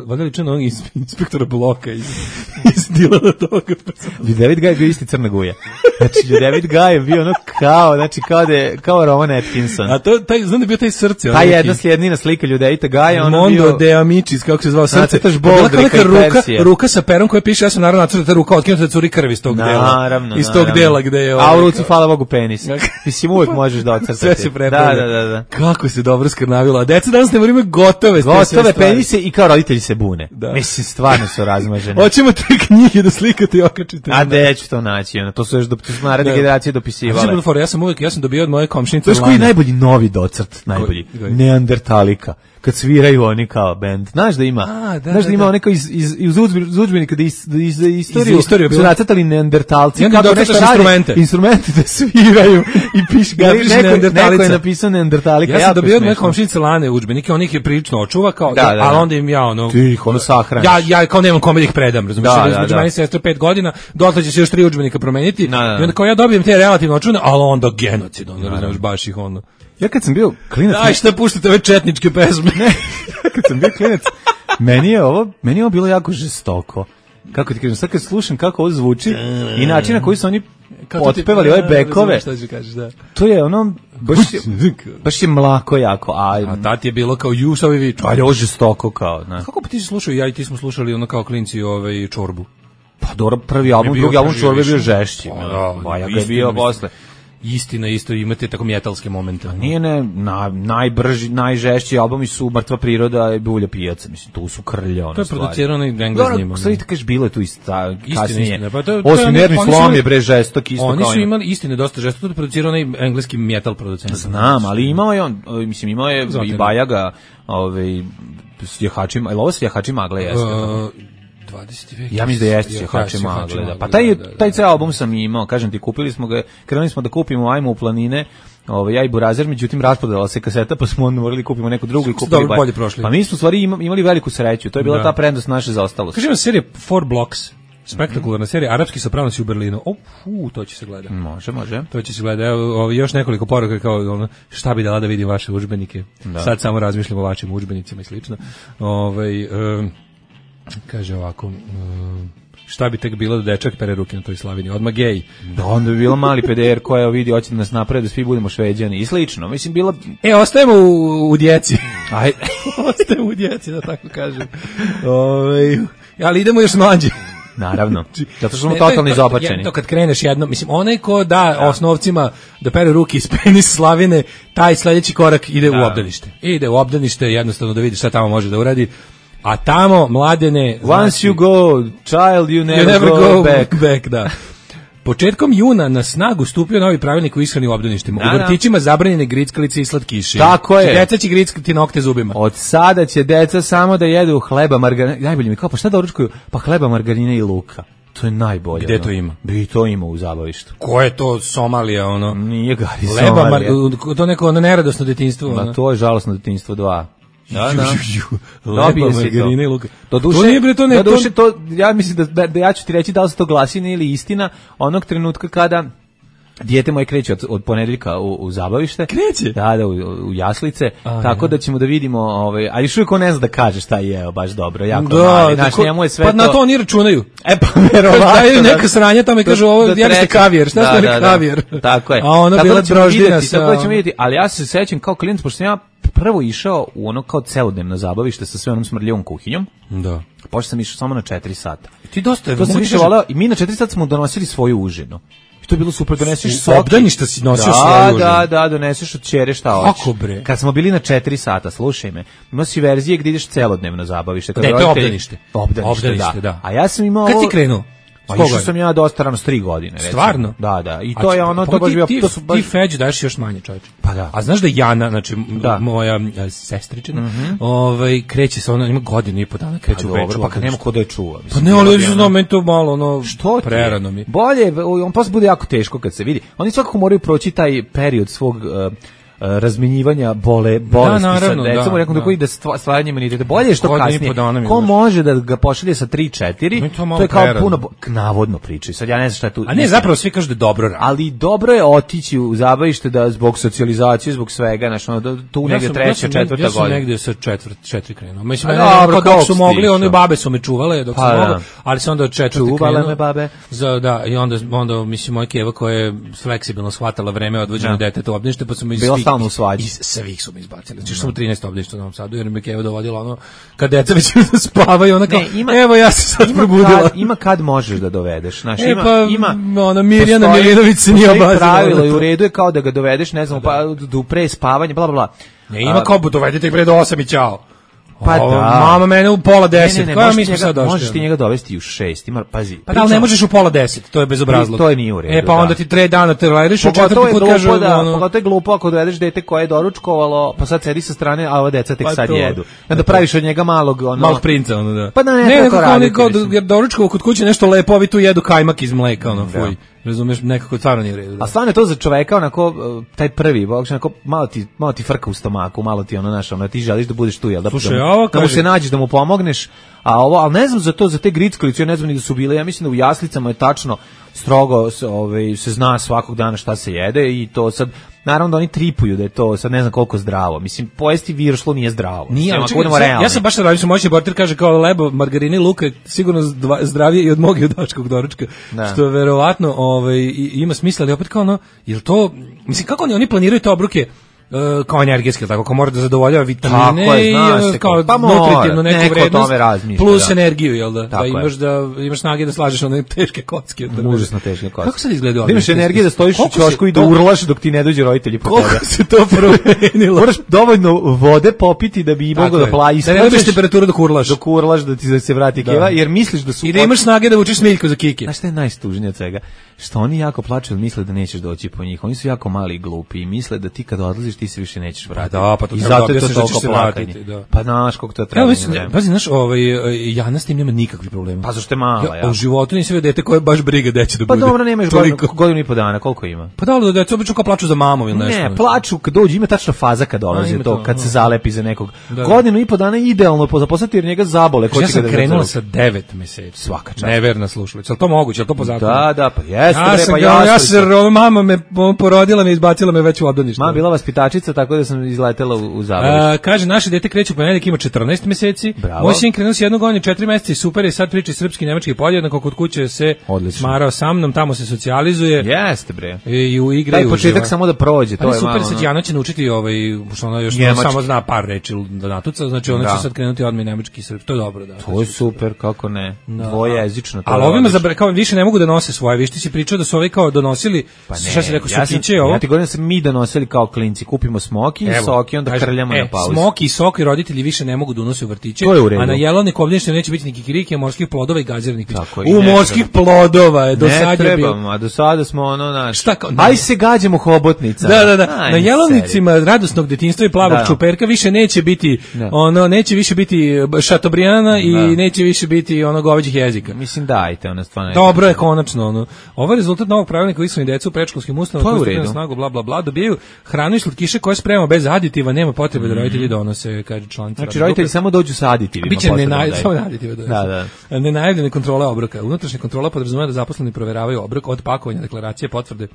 Speaker 5: valjda ličan onog inspektora bloka iz iz Dilana toga.
Speaker 6: David Gaj bio isti Crna Guja. Znači David Gaj je bio ono kao, znači kao da je, kao Rowan Atkinson.
Speaker 5: A to taj znam da je bio taj srce.
Speaker 6: Ta jedna sljednina slika Ljudevita Gaja, ono bio
Speaker 5: Mondo de Amicis, kako se zvao srce. Ruka, ruka sa perom koja piše, ja sam naravno nacrtao ta ruka otkinuta da curi krv iz tog dela.
Speaker 6: Naravno,
Speaker 5: iz tog dela gde je
Speaker 6: ovaj. A u ruci hvala Bogu penis. Mislim uvek možeš da ocrtati.
Speaker 5: Sve se prepravlja.
Speaker 6: Da, da, da, da.
Speaker 5: Kako se dobro skrnavilo. A deca danas ne moraju gotove,
Speaker 6: gotove penise i kao roditelji se bune. Da. Mislim stvarno su razmaženi.
Speaker 5: Hoćemo te knjige da slikate i okačite.
Speaker 6: A gde ću to naći? Ono, to su još do naredne generacije dopisivale.
Speaker 5: Ja sam uvek, ja sam dobio od moje komšinice.
Speaker 6: To je koji najbolji novi docrt, najbolji. Neandertalika. Kad sviraju oni kao bend. Znaš da ima?
Speaker 5: A, da,
Speaker 6: znaš da, da ima onako iz iz iz udžbenika da iz iz istoriju, istoriju su nacrtali neandertalci
Speaker 5: kako nešto instrumente.
Speaker 6: Instrumenti da sviraju i piše neandertalica. Neko je napisao neandertalika.
Speaker 5: Ja sam dobio od moje komšinice Lane udžbenike, on ih je prilično očuva kao,
Speaker 6: da, da, da.
Speaker 5: ali onda im ja ono
Speaker 6: ti ih ono sahraniš.
Speaker 5: Ja ja kao nemam kome da ih predam, razumiješ? Da, između mene i sestre pet godina, dotle će se još tri udžbenika promeniti
Speaker 6: da, da.
Speaker 5: I onda kao ja dobijem te relativno očuvane, ali onda genocid, onda razumiješ baš ih ono.
Speaker 6: Ja kad sam bio klinac,
Speaker 5: aj šta puštate ove četničke pesme.
Speaker 6: Kad sam bio klinac, meni je ovo, meni je ovo bilo jako žestoko. Kako ti kažem, sad kad slušam kako ovo zvuči i način na koji su oni otpevali ove bekove, to je ono, baš je, baš je mlako jako. A,
Speaker 5: a tati je bilo kao ju, šta ovi viču.
Speaker 6: Ali ovo žestoko kao. Ne.
Speaker 5: Kako pa ti si slušao, ja i ti smo slušali ono kao klinci ovaj, Čorbu.
Speaker 6: Pa dobro, prvi album, drugi album Čorbe je bio žešći. Pa ja ga je bio posle.
Speaker 5: Istina, isto imate tako metalske momente.
Speaker 6: A nije ne, na, najbrži, najžešći albumi su Mrtva priroda i Bulja pijaca, mislim, tu su krlje, ono
Speaker 5: to je producirao onaj Englez s njima.
Speaker 6: Stvari, kažeš, bilo je tu ista, kasnije.
Speaker 5: Istina, pa to,
Speaker 6: osim nervni slom je bre žestok, isto
Speaker 5: oni
Speaker 6: kao
Speaker 5: su imali, istine, dosta žestok, to je producirao onaj engleski metal producent.
Speaker 6: Znam, ali imao je on, mislim, imao je Zato i Bajaga, ovaj, s jahačima, ili ovo s jahačima magle jeste? Uh,
Speaker 5: dvadeseti vek.
Speaker 6: Ja mislim da jeste Jahači magle, da. Pa taj taj ceo album sam imao, kažem ti, kupili smo ga, krenuli smo da kupimo Ajmo u planine, ovaj ja i Burazer, međutim rasprodala se kaseta, pa smo morali kupimo neku drugu i kupili
Speaker 5: bolje prošli.
Speaker 6: Pa mi smo u stvari imali veliku sreću, to je bila da. Ta prednost naše zaostalosti.
Speaker 5: Kažemo serija Four Blocks. Spektakularna serija, Arapski sopranosi u Berlinu. O, fu, to će se gledati.
Speaker 6: Može, može.
Speaker 5: To će se gledati. Evo, još nekoliko poruka kao ono, šta bi dala da vidim vaše udžbenike. Da. Sad samo razmišljam o vašim udžbenicima i slično. Ovaj um, kaže ovako, um, šta bi tek bilo da dečak pere ruke na toj slavini, odmah gej.
Speaker 6: Da, onda bi bilo mali peder koja vidi, hoće da nas napravi da svi budemo Šveđani i slično. Mislim, bila...
Speaker 5: E, ostajemo u, u djeci. Aj, ostajemo u djeci, da tako kažem. Ove, ali idemo još mlađe.
Speaker 6: Naravno. Zato što smo
Speaker 5: Ne,
Speaker 6: totalno
Speaker 5: to je-
Speaker 6: izopačeni.
Speaker 5: To kad kreneš jedno, mislim, onaj ko da osnovcima da pere ruke iz penis slavine, taj sledeći korak ide u obdanište. Ide u obdanište jednostavno da vidi šta tamo može da uradi. A tamo, Mladene...
Speaker 6: Once you go, child, you never,
Speaker 5: you never
Speaker 6: go,
Speaker 5: go
Speaker 6: back.
Speaker 5: back, da. Početkom juna na snagu stupio novi pravilnik o ishrani u obdaništima.
Speaker 6: Da,
Speaker 5: U
Speaker 6: da.
Speaker 5: vrtićima zabranjene grickalice i slatkiši.
Speaker 6: Tako je.
Speaker 5: Deca će grickati nokte zubima.
Speaker 6: Od sada će deca samo da jedu hleba, margarine. Najbolje mi kao, pa šta da doručkuju? Pa hleba, margarine i luka. To je najbolje.
Speaker 5: Gde
Speaker 6: ono.
Speaker 5: to ima?
Speaker 6: Bi to ima u zabavištu.
Speaker 5: Ko je to Somalija, ono?
Speaker 6: Nije Gari
Speaker 5: Leba,
Speaker 6: Somalija.
Speaker 5: mar, to neko ono neradosno detinjstvo.
Speaker 6: Ma
Speaker 5: ono.
Speaker 6: to je žalosno detinjstvo dva. Da, da.
Speaker 5: Leba,
Speaker 6: Dobije se
Speaker 5: margarine i
Speaker 6: to.
Speaker 5: luka.
Speaker 6: To duše,
Speaker 5: To nije, bre, to ne-
Speaker 6: da duše,
Speaker 5: to-
Speaker 6: to, ja mislim da, da ja ću ti reći da li se to glasina ili istina onog trenutka kada dijete moje kreće od, od ponedeljka u, u zabavište.
Speaker 5: Kreće?
Speaker 6: Da, da, u, u jaslice.
Speaker 5: A,
Speaker 6: tako
Speaker 5: ja.
Speaker 6: da ćemo da vidimo, ovaj, a još uvijek on ne zna da kaže šta je jeo, baš dobro, jako
Speaker 5: Da,
Speaker 6: mali.
Speaker 5: da,
Speaker 6: Znaš,
Speaker 5: ko-
Speaker 6: njemu je sve
Speaker 5: pa
Speaker 6: to...
Speaker 5: na to oni računaju.
Speaker 6: E pa verovatno.
Speaker 5: Daju
Speaker 6: da-
Speaker 5: neka sranja tamo i
Speaker 6: do-
Speaker 5: kažu ovo,
Speaker 6: do
Speaker 5: jeli ste
Speaker 6: trećeg.
Speaker 5: kavijer, šta ste jeli kavijer?
Speaker 6: Tako je.
Speaker 5: A ono
Speaker 6: Tako
Speaker 5: bila
Speaker 6: da ćemo
Speaker 5: droždina
Speaker 6: vidjeti,
Speaker 5: sa-
Speaker 6: Tako da ćemo vidjeti, ali ja se sećam kao klijent, pošto sam ja prvo išao u ono kao celodnevno zabavište sa sve onom smrdljivom kuhinjom,
Speaker 5: Da.
Speaker 6: pošto sam išao samo na četiri sata.
Speaker 5: Ti dosta,
Speaker 6: To sam
Speaker 5: mogu ti
Speaker 6: više
Speaker 5: kažem,
Speaker 6: voleo i mi na četiri sata smo donosili svoju užinu. I to je bilo super, doneseš
Speaker 5: U
Speaker 6: soki.
Speaker 5: obdaništa si nosio
Speaker 6: da,
Speaker 5: svoju užinu.
Speaker 6: Da, da, doneseš od ćere šta hoćeš.
Speaker 5: Kako bre?
Speaker 6: Kad smo bili na četiri sata, slušaj me, imao si verzije gdje ideš celodnevno zabavište. Kad
Speaker 5: Ne, to je
Speaker 6: roditelji-
Speaker 5: obdanište.
Speaker 6: Obdanište,
Speaker 5: Obdanište,
Speaker 6: da.
Speaker 5: da.
Speaker 6: A ja sam imao
Speaker 5: Kad
Speaker 6: ovo-
Speaker 5: si krenuo?
Speaker 6: Pa
Speaker 5: S koga
Speaker 6: išao
Speaker 5: je?
Speaker 6: sam ja dosta rano, s tri godine. Recimo.
Speaker 5: Stvarno?
Speaker 6: Da, da. I
Speaker 5: A
Speaker 6: to je
Speaker 5: čekaj,
Speaker 6: ono,
Speaker 5: pa
Speaker 6: to baš
Speaker 5: ti-
Speaker 6: bio...
Speaker 5: ti,
Speaker 6: To su baš...
Speaker 5: ti feđ daješ još manje, čovječe.
Speaker 6: Pa da.
Speaker 5: A znaš da Jana, znači m-
Speaker 6: Da.
Speaker 5: moja e, sestričina, ovaj, kreće sa ona, ima godinu i po dana,
Speaker 6: Pa
Speaker 5: kreće u
Speaker 6: dobro,
Speaker 5: večer.
Speaker 6: pa kad nema ko da je čuva.
Speaker 5: Pa
Speaker 6: mislim,
Speaker 5: ne, ali
Speaker 6: bilo
Speaker 5: ja
Speaker 6: bi
Speaker 5: znam,
Speaker 6: ono-
Speaker 5: meni to malo, ono,
Speaker 6: Što ti je?
Speaker 5: prerano mi.
Speaker 6: Bolje, on posle bude jako teško kad se vidi. Oni svakako moraju proći taj period svog uh, uh, razmenjivanja bole, bolesti
Speaker 5: naravno,
Speaker 6: sa decom,
Speaker 5: da,
Speaker 6: rekao da
Speaker 5: da.
Speaker 6: koji da stva- stvaranje imuniteta. Bolje je što
Speaker 5: Godinu i
Speaker 6: kasnije.
Speaker 5: po dana mi
Speaker 6: Ko
Speaker 5: baš.
Speaker 6: može da ga pošalje sa tri četiri,
Speaker 5: Mi to
Speaker 6: to,
Speaker 5: malo
Speaker 6: je kao
Speaker 5: prerano.
Speaker 6: puno bo- navodno pričaju. Sad ja ne znam šta je tu.
Speaker 5: A ne, zapravo svi kažu da je dobro radi.
Speaker 6: Ali dobro je otići u zabavište da zbog socijalizacije, zbog svega, znači ono, da, tu negde
Speaker 5: sam-
Speaker 6: treća,
Speaker 5: sam,
Speaker 6: četvrta
Speaker 5: ja sam
Speaker 6: godina.
Speaker 5: negde sa četvrt, četiri krenuo. Mislim,
Speaker 6: A
Speaker 5: mene
Speaker 6: dobro,
Speaker 5: kao dok
Speaker 6: kako
Speaker 5: su
Speaker 6: si
Speaker 5: mogli,
Speaker 6: išao?
Speaker 5: one babe su me čuvale dok
Speaker 6: Pa
Speaker 5: sam
Speaker 6: da.
Speaker 5: mogao, ali sam onda od četvrte
Speaker 6: Čuvale
Speaker 5: krenuo.
Speaker 6: me babe.
Speaker 5: Za, da, i onda, onda, mislim, moja keva koja je fleksibilno shvatala vreme odvođenja
Speaker 6: Da.
Speaker 5: deteta u obdanište, pa su me iz
Speaker 6: Bila
Speaker 5: svih-
Speaker 6: stalno u svađi.
Speaker 5: iz svih su me izbacili. Znači, što sam u trinaestom obdaništu u Novom Sadu, jer me keva dovodila ono, kad deca već spavaju, ona kao,
Speaker 6: Ne, ima-
Speaker 5: evo ja se sad
Speaker 6: Ima
Speaker 5: probudila.
Speaker 6: kad, ima kad možeš da dovedeš, znači
Speaker 5: E,
Speaker 6: ima,
Speaker 5: pa,
Speaker 6: ima
Speaker 5: ona Mirjana
Speaker 6: postoji-
Speaker 5: Milinović se nije
Speaker 6: postoji
Speaker 5: obazirala
Speaker 6: pravilo
Speaker 5: na
Speaker 6: i
Speaker 5: to.
Speaker 6: u redu je kao da ga dovedeš, ne znam, pa do pre spavanja, bla bla bla.
Speaker 5: Ne, ima kao, dovedite ih pre do osam i ćao.
Speaker 6: Pa
Speaker 5: Ovo,
Speaker 6: da.
Speaker 5: Mama mene u pola deset.
Speaker 6: Ne, ne, ne,
Speaker 5: Koja
Speaker 6: možeš,
Speaker 5: mi
Speaker 6: ti
Speaker 5: smo sad
Speaker 6: njega,
Speaker 5: došli?
Speaker 6: možeš ti njega dovesti u šest, ima, pazi.
Speaker 5: Pa da, ali ne možeš u pola deset, to je bezobrazluk.
Speaker 6: To je nije u redu,
Speaker 5: E, pa onda
Speaker 6: da.
Speaker 5: ti tre dana terlajriš, u
Speaker 6: Pogotovo
Speaker 5: četvrti
Speaker 6: je
Speaker 5: put
Speaker 6: glupo,
Speaker 5: kaže,
Speaker 6: da,
Speaker 5: ono,
Speaker 6: pogotovo je glupo ako dovedeš dete koje je doručkovalo, pa sad sedi sa strane, a ova deca tek
Speaker 5: Pa
Speaker 6: sad
Speaker 5: to.
Speaker 6: jedu. I onda praviš od njega malog, ono...
Speaker 5: malog princa, ono da.
Speaker 6: Pa da, ne,
Speaker 5: ne,
Speaker 6: tako
Speaker 5: nekako oni
Speaker 6: raditi,
Speaker 5: kao,
Speaker 6: mislim.
Speaker 5: jer doručkovo kod kuće nešto lepo, ovi tu jedu kajmak iz mleka, ono,
Speaker 6: Da.
Speaker 5: fuj. Razumeš, nekako stvarno nije u redu. Da.
Speaker 6: A stvarno je to za čoveka onako uh, taj prvi, bog onako malo ti malo ti frka u stomaku, malo ti ono naš, ono ti želiš da budeš tu, jel da,
Speaker 5: Slušaj,
Speaker 6: da, mu-
Speaker 5: ovo
Speaker 6: da mu
Speaker 5: kaže-
Speaker 6: se nađeš, da mu pomogneš. A ovo, al ne znam za to, za te grickalice, ja ne znam ni da su bile. Ja mislim da u jaslicama je tačno strogo se, ovaj se zna svakog dana šta se jede i to sad naravno da oni tripuju da je to sad ne znam koliko zdravo. Mislim pojesti viršlo nije zdravo.
Speaker 5: Nije,
Speaker 6: Mislim,
Speaker 5: ali
Speaker 6: ako
Speaker 5: čekaj,
Speaker 6: budemo
Speaker 5: sad-
Speaker 6: realni.
Speaker 5: ja sam baš radio, moćni portir kaže kao lebo, margarine i luka je sigurno zdva- zdravije i od mog i od dačkog doručka,
Speaker 6: Da.
Speaker 5: što je verovatno ovaj, i- ima smisla, ali opet kao ono, jel to, mislim, kako oni, oni planiraju te obruke e, kao energetski, tako, kao mora da zadovoljava vitamine
Speaker 6: Tako je,
Speaker 5: i
Speaker 6: zna
Speaker 5: ono,
Speaker 6: se
Speaker 5: kao
Speaker 6: kako- pa mora,
Speaker 5: nutritivnu neku
Speaker 6: neko o
Speaker 5: vrednost,
Speaker 6: tome razmišlja,
Speaker 5: plus
Speaker 6: da.
Speaker 5: energiju, jel da,
Speaker 6: Tako
Speaker 5: da
Speaker 6: je.
Speaker 5: imaš da imaš snage da slažeš one teške kocke. Da,
Speaker 6: Užasno teške kocke.
Speaker 5: Kako sad izgleda?
Speaker 6: Da imaš energije da stojiš u
Speaker 5: Koliko se-
Speaker 6: ćošku i da
Speaker 5: to-
Speaker 6: urlaš dok ti ne dođu roditelji po tebe.
Speaker 5: Koliko se to promenilo?
Speaker 6: Moraš dovoljno vode popiti da bi
Speaker 5: Tako
Speaker 6: mogao da
Speaker 5: je.
Speaker 6: plavi.
Speaker 5: Da ne dobiš temperaturu dok urlaš.
Speaker 6: Dok urlaš da ti se vrati
Speaker 5: Da.
Speaker 6: keva, jer misliš da su...
Speaker 5: I da imaš snage da učiš smiljku za kiki.
Speaker 6: Znaš šta je najstužnije od svega? Što oni jako plaču jer misle da nećeš doći po njih. Oni su jako mali i glupi i misle da ti kad odlaziš ti se više nećeš vratiti.
Speaker 5: da, pa to
Speaker 6: I
Speaker 5: treba
Speaker 6: zato
Speaker 5: da
Speaker 6: je to
Speaker 5: objasniš da
Speaker 6: toliko
Speaker 5: ćeš se
Speaker 6: plakanje.
Speaker 5: vratiti, da.
Speaker 6: Pa znaš koliko to treba.
Speaker 5: Evo, mislim, pazi, znaš, ovaj, Jana s tim nema nikakvih problema.
Speaker 6: Pa zašto je mala,
Speaker 5: ja?
Speaker 6: ja?
Speaker 5: U životu nisam vidio dete koje baš briga gde će da
Speaker 6: Pa
Speaker 5: bude.
Speaker 6: dobro, nemaš
Speaker 5: Toliko.
Speaker 6: godinu, godinu i po dana, koliko ima?
Speaker 5: Pa da, ali da deca obično kao plaču za mamom ili nešto.
Speaker 6: Ne, plaču kad dođe, ima tačna faza kad
Speaker 5: A,
Speaker 6: dolazi
Speaker 5: ima
Speaker 6: to,
Speaker 5: to,
Speaker 6: kad
Speaker 5: da.
Speaker 6: se zalepi za nekog.
Speaker 5: Da.
Speaker 6: Godinu i po dana je idealno po zaposlati jer njega zabole. Ko
Speaker 5: Ja
Speaker 6: će
Speaker 5: sam
Speaker 6: ga da
Speaker 5: krenula
Speaker 6: ga
Speaker 5: sa devet meseci.
Speaker 6: Svaka čast.
Speaker 5: Neverna slušalica. Je li to moguće? Je li to po zakonu?
Speaker 6: Da, da, pa jeste,
Speaker 5: Ja
Speaker 6: bre,
Speaker 5: sam,
Speaker 6: pa
Speaker 5: ja, ja
Speaker 6: jasno.
Speaker 5: sam, ono, mama me porodila me, izbacila me već u obdanište.
Speaker 6: Mama bila vaspitačica letačica, tako da sam izletela u, u zabavište.
Speaker 5: Kaže, naše dete kreće u ponedeljak, ima četrnaest meseci. Bravo. Moj sin krenuo s jednog godine četiri meseca i super je, sad priča srpski, nemački podjednako, kod kuće se odlično smarao sa mnom, tamo se socijalizuje.
Speaker 6: Jeste, bre.
Speaker 5: I u igre
Speaker 6: taj početak samo da prođe, to je
Speaker 5: super,
Speaker 6: malo.
Speaker 5: Sad će Jana će naučiti ovaj, što ona još samo zna par reči da natuca, znači ona će sad krenuti odmah nemački i srpski, to je dobro. Da,
Speaker 6: to je super, kako ne, dvojezično.
Speaker 5: Ali ovima kao više ne mogu da nose svoje, vi si pričao da su ovi kao donosili,
Speaker 6: pa ne,
Speaker 5: šta si rekao,
Speaker 6: ja
Speaker 5: sokiće ovo?
Speaker 6: Ja ti govorim da se mi donosili kao klinci, kupimo smoki i soki, onda kažem, krljamo
Speaker 5: e,
Speaker 6: na pauzu.
Speaker 5: Smoki i soki roditelji više ne mogu da unose u vrtiće,
Speaker 6: a
Speaker 5: na jelovniku ovdje neće biti ni kikiriki, morskih plodova i gaziranih pića. U morskih plodova je do sada je bilo.
Speaker 6: A do sada smo ono naš.
Speaker 5: Šta kao?
Speaker 6: Aj se gađamo hobotnica.
Speaker 5: Da, da, da. Aj, na jelovnicima radosnog detinjstva i plavog da. čuperka više neće biti da. ono, neće više biti šatobrijana i da. neće više biti ono goveđih jezika.
Speaker 6: Mislim dajte, ona stvarno.
Speaker 5: Dobro je konačno ono. Ovo je rezultat novog pravilnika o ishrani dece u predškolskim ustanovama koji stupaju na snagu bla bla bla, dobijaju hranu i slatkiše koje spremamo bez aditiva, nema potrebe da roditelji donose, kaže članica.
Speaker 6: Znači roditelji samo dođu sa aditivima.
Speaker 5: Biće ne naj, samo aditive donose.
Speaker 6: Da, da.
Speaker 5: Nenajavljene kontrole obroka. Unutrašnja kontrola podrazumeva da zaposleni proveravaju obrok od pakovanja deklaracije, potvrde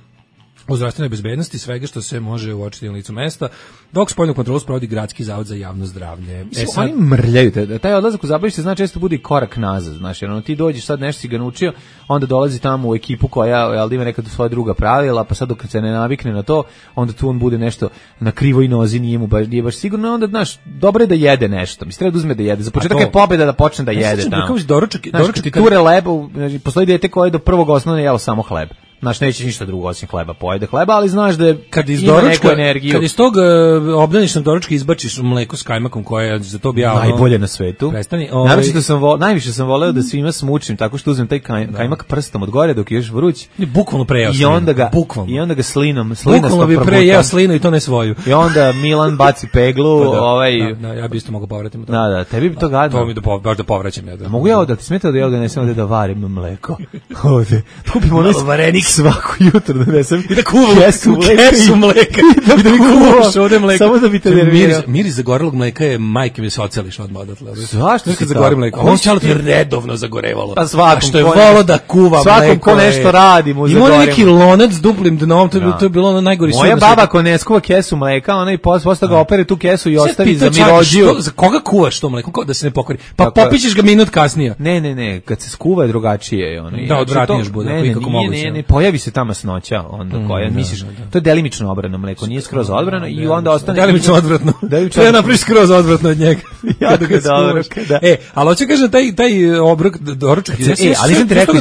Speaker 5: o zdravstvenoj bezbednosti, svega što se može uočiti na licu mesta, dok spoljnu kontrolu sprovodi Gradski zavod za javno zdravlje.
Speaker 6: E sad, oni mrljaju te, taj odlazak u zabavište znači često bude i korak nazad, znaš, jer ono, ti dođeš sad nešto si ga naučio, onda dolazi tamo u ekipu koja jel, ima nekad svoja druga pravila, pa sad dok se ne navikne na to, onda tu on bude nešto na krivoj nozi, nije mu baš, nije baš sigurno, onda, znaš, dobro je da jede nešto, mislim, treba da uzme da jede, za početak je pobeda da počne da jede ja tamo.
Speaker 5: Doručak,
Speaker 6: znaš, doručak, ti ture leba, znači, postoji dete koje do prvog osnovne jelo samo hleb. Znaš, nećeš ništa drugo osim hleba, pojede hleba, ali znaš da je,
Speaker 5: kad iz doručka, kad iz tog uh, obdaničnog doručka izbačiš mleko s kajmakom koje je za to bi ja ono,
Speaker 6: najbolje na svetu.
Speaker 5: Prestani,
Speaker 6: ovaj... Naravno sam vo, najviše sam voleo da svima smučim tako što uzmem taj kaj, kajmak prstom od gore dok je još vruć.
Speaker 5: I bukvalno prejeo
Speaker 6: I onda ga
Speaker 5: bukvalno.
Speaker 6: I onda ga slinom, slina
Speaker 5: bukvalno bi prejeo slinu i to ne svoju.
Speaker 6: I onda Milan baci peglu,
Speaker 5: pa da,
Speaker 6: ovaj
Speaker 5: da, da, ja bih isto mogao povratiti to.
Speaker 6: Da, da, tebi bi to gadno.
Speaker 5: To mi da pov, baš da povraćam ja da.
Speaker 6: Mogu ja da ti smeta da ja ga nesem da varim mleko. Ovde. Kupimo ono
Speaker 5: varenik
Speaker 6: svaku jutro da nesem
Speaker 5: i da kuvam kesu mleka, kesu mleka i da mi kuvaš ovde mleko.
Speaker 6: Samo da bi te nervirao.
Speaker 5: Miris, miris zagorelog mleka je majke mi socijališ odmah odatle.
Speaker 6: Zašto
Speaker 5: kad zagori mleko? On čalo ti redovno zagorevalo.
Speaker 6: Pa svakom
Speaker 5: što je volo da kuva mleko.
Speaker 6: Svakom ko nešto radi mu zagoreva.
Speaker 5: Ima neki lonac s duplim dnom, to je, to je bilo ono najgori sud.
Speaker 6: Moja baba ako ne skuva kesu mleka, ona i posle ga opere tu kesu i ostavi za mirođiju.
Speaker 5: Za koga kuvaš to mleko? Da se ne pokvari. Pa popićeš ga minut kasnije.
Speaker 6: Ne, ne, ne, kad se skuva je drugačije ono.
Speaker 5: Da, odvratniješ bude, kako moguće.
Speaker 6: Ne, ne, pojavi se ta masnoća onda koja misliš, to je delimično odbrano mleko, nije skroz odbrano i onda ostane
Speaker 5: delimično odvratno. Treba napraviš skroz odvratno od njega.
Speaker 6: Ja ga dobro.
Speaker 5: E, ali hoće kažem taj taj obrok doručak.
Speaker 6: E, ali sam ti rekao,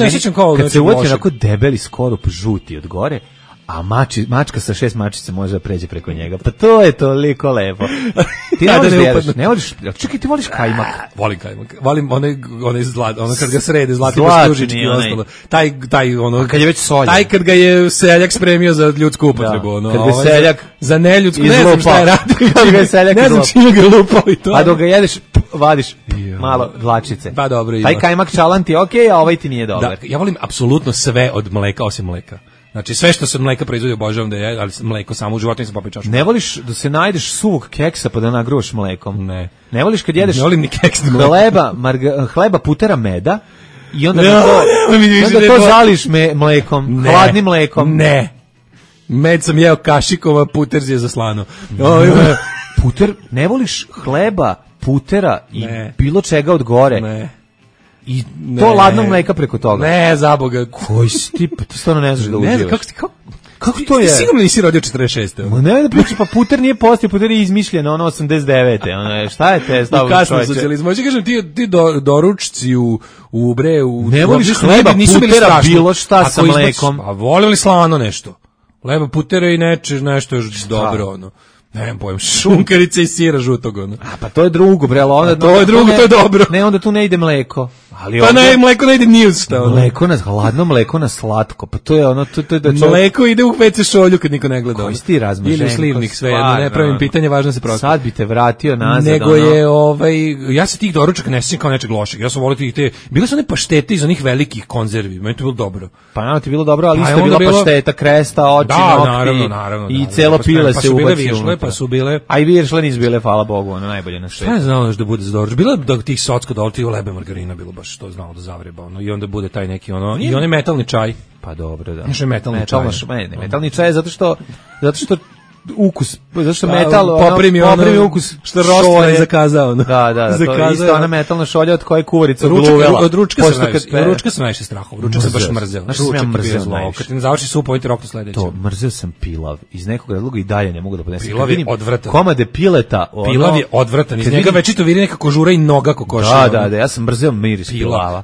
Speaker 6: kad se uvati onako debeli skorup žuti od gore, a mači, mačka sa šest mačica može da pređe preko njega. Pa to je toliko lepo. Ti ne voliš da jedeš, ne voliš, čekaj, ti voliš kajmak.
Speaker 5: Volim kajmak. Volim onaj, onaj zlat, ono kad ga srede, zlati bastužički i ostalo. Taj, taj, ono,
Speaker 6: kad je već soljen.
Speaker 5: Taj kad ga je seljak spremio za ljudsku upotrebu. Ono,
Speaker 6: kad ga seljak
Speaker 5: za neljudsku, ne znam šta je radio.
Speaker 6: Kad ga je seljak
Speaker 5: ne znam čime ga lupao i to.
Speaker 6: A dok ga jedeš, vadiš malo dlačice.
Speaker 5: Pa dobro.
Speaker 6: Taj kajmak čalan ti je okej, a ovaj ti nije dobar.
Speaker 5: Ja volim apsolutno sve od mleka, osim mleka. Znači sve što se od mleka proizvodi obožavam da je, ali mleko samo u životu nisam popio čašu.
Speaker 6: Ne voliš da se najdeš suvog keksa pa da nagruvaš mlekom?
Speaker 5: Ne.
Speaker 6: Ne voliš kad jedeš
Speaker 5: ne volim ni keks,
Speaker 6: hleba, marga, hleba putera meda i onda, no, da to, ne, onda to zališ me, mlekom, ne, hladnim mlekom?
Speaker 5: Ne. Med sam jeo kašikova, puter je za slano.
Speaker 6: Puter, ne voliš hleba, putera i ne. Bilo čega od gore?
Speaker 5: Ne.
Speaker 6: I ne, to ladnog mleka preko toga.
Speaker 5: Ne, za Boga.
Speaker 6: Koji si ti, pa ti stvarno ne znaš da uživaš.
Speaker 5: Ne, kako ti, kako,
Speaker 6: kako to je?
Speaker 5: Ti sigurno nisi rodio četrdeset šeste.
Speaker 6: Ma ne da priča, pa puter nije postao, puter je izmišljen, ono osamdeset devete. Ono je, šta je te stavno čovječe? U kasnom
Speaker 5: socijalizmu. Hoće kažem, ti, ti do, doručci u, u bre, u...
Speaker 6: Ne voliš hleba, putera, bilo šta sa mlekom.
Speaker 5: A voli li slano nešto? Leba, putera i neče, nešto još dobro, ono. Ne znam pojem, šunkarice i sira žutog, ono.
Speaker 6: A pa to je drugo, bre, onda
Speaker 5: to je drugo, ne, to je dobro.
Speaker 6: Ne, onda tu ne ide mleko. Ali
Speaker 5: pa ne, mleko ne ide ni uz šta.
Speaker 6: Mleko na hladno, mleko na slatko. Pa to je ono, to, to je da čovjek...
Speaker 5: Mleko ide u ve ce šolju kad niko ne gleda.
Speaker 6: Koji si ti razmaženko?
Speaker 5: Ili slivnik, sve jedno, ne pravim pitanje, važno se prosto.
Speaker 6: Sad bi te vratio nazad.
Speaker 5: Nego ono... je, ovaj, ja se tih doručaka ne sjećam kao nečeg lošeg. Ja sam volio tih te, bile su one paštete iz onih velikih konzervi, meni to bilo dobro.
Speaker 6: Pa naravno ti bilo dobro, ali isto je bila bilo... pašteta, kresta, oči,
Speaker 5: da,
Speaker 6: nokti.
Speaker 5: Naravno, naravno,
Speaker 6: i celo pile se
Speaker 5: ubacio. Pa su bile
Speaker 6: a i viršle nisu bile, hvala Bogu, ono najbolje na svetu.
Speaker 5: Šta je znalo da bude za doručak? Bilo da tih socko dole, ti lebe margarina bilo baš to znalo da zavreba, ono, i onda bude taj neki ono, i onaj metalni čaj.
Speaker 6: Pa dobro, da.
Speaker 5: Znači metalni
Speaker 6: Metalno,
Speaker 5: čaj.
Speaker 6: Ne, ne, metalni čaj zato što zato što ukus, zašto metal,
Speaker 5: poprimi
Speaker 6: ono,
Speaker 5: ono,
Speaker 6: poprimi ukus
Speaker 5: što Rostler je zakazao.
Speaker 6: Da, da, da, to je isto ona metalna šolja od koje kuvarica gluvela.
Speaker 5: Od ručka sam najviše, od ručka sam najviše strahom, ručak sam baš mrzeo.
Speaker 6: Znaš što sam ja mrzeo najviše?
Speaker 5: Kad ti ne završi sup, ovaj ti roknu sledeće.
Speaker 6: To, mrzeo sam pilav, iz nekog razloga i dalje ne mogu da podnesem.
Speaker 5: Pilav je odvratan.
Speaker 6: Komade pileta. Ono,
Speaker 5: pilav je odvratan, iz njega večito viri neka kožura i noga kokoša.
Speaker 6: Da, da, da, ja sam mrzeo miris pilava.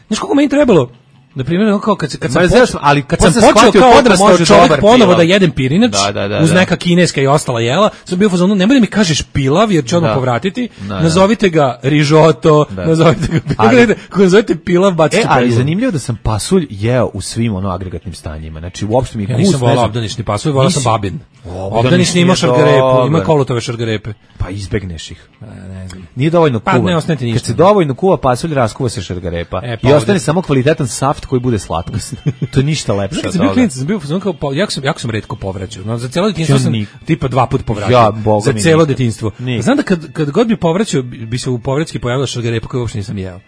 Speaker 5: Znaš kako meni trebalo? Na primjer, kao kad, kad sam,
Speaker 6: Mrzeo,
Speaker 5: počeo,
Speaker 6: ali
Speaker 5: kad sam počeo kao odrastao čovjek ponovo da jedem pirinač, da, da, da, uz neka kineska i ostala jela, sam bio u fazonu, nemoj da mi kažeš pilav, jer će odmah povratiti, da, nazovite ga rižoto, da. nazovite ga pilav, kako nazovite pilav, bacite
Speaker 6: e, ali zanimljivo da sam pasulj jeo u svim ono agregatnim stanjima, znači uopšte mi je
Speaker 5: ja nisam volao obdanišni pasulj, volao sam babin. Obdanišni ima šargarepu, ima kolutove šargarepe.
Speaker 6: Pa izbegneš ih. Ne znam. Nije dovoljno kuva.
Speaker 5: Pa ne ostane ti ništa.
Speaker 6: Kad se dovoljno kuva pasulj, raskuva se šargarepa. E, pa i ostane samo kvalitetan saft koji bude slatko. To je ništa lepše od toga. Klinic,
Speaker 5: sam bio kao pa jako sam jako sam retko povraćao. No, za celo detinjstvo sam tipa dva puta povraćao.
Speaker 6: Ja,
Speaker 5: za celo detinjstvo. Znam da kad kad god bi povraćao bi se u povratski pojavila šargarepa koju uopšte nisam jeo.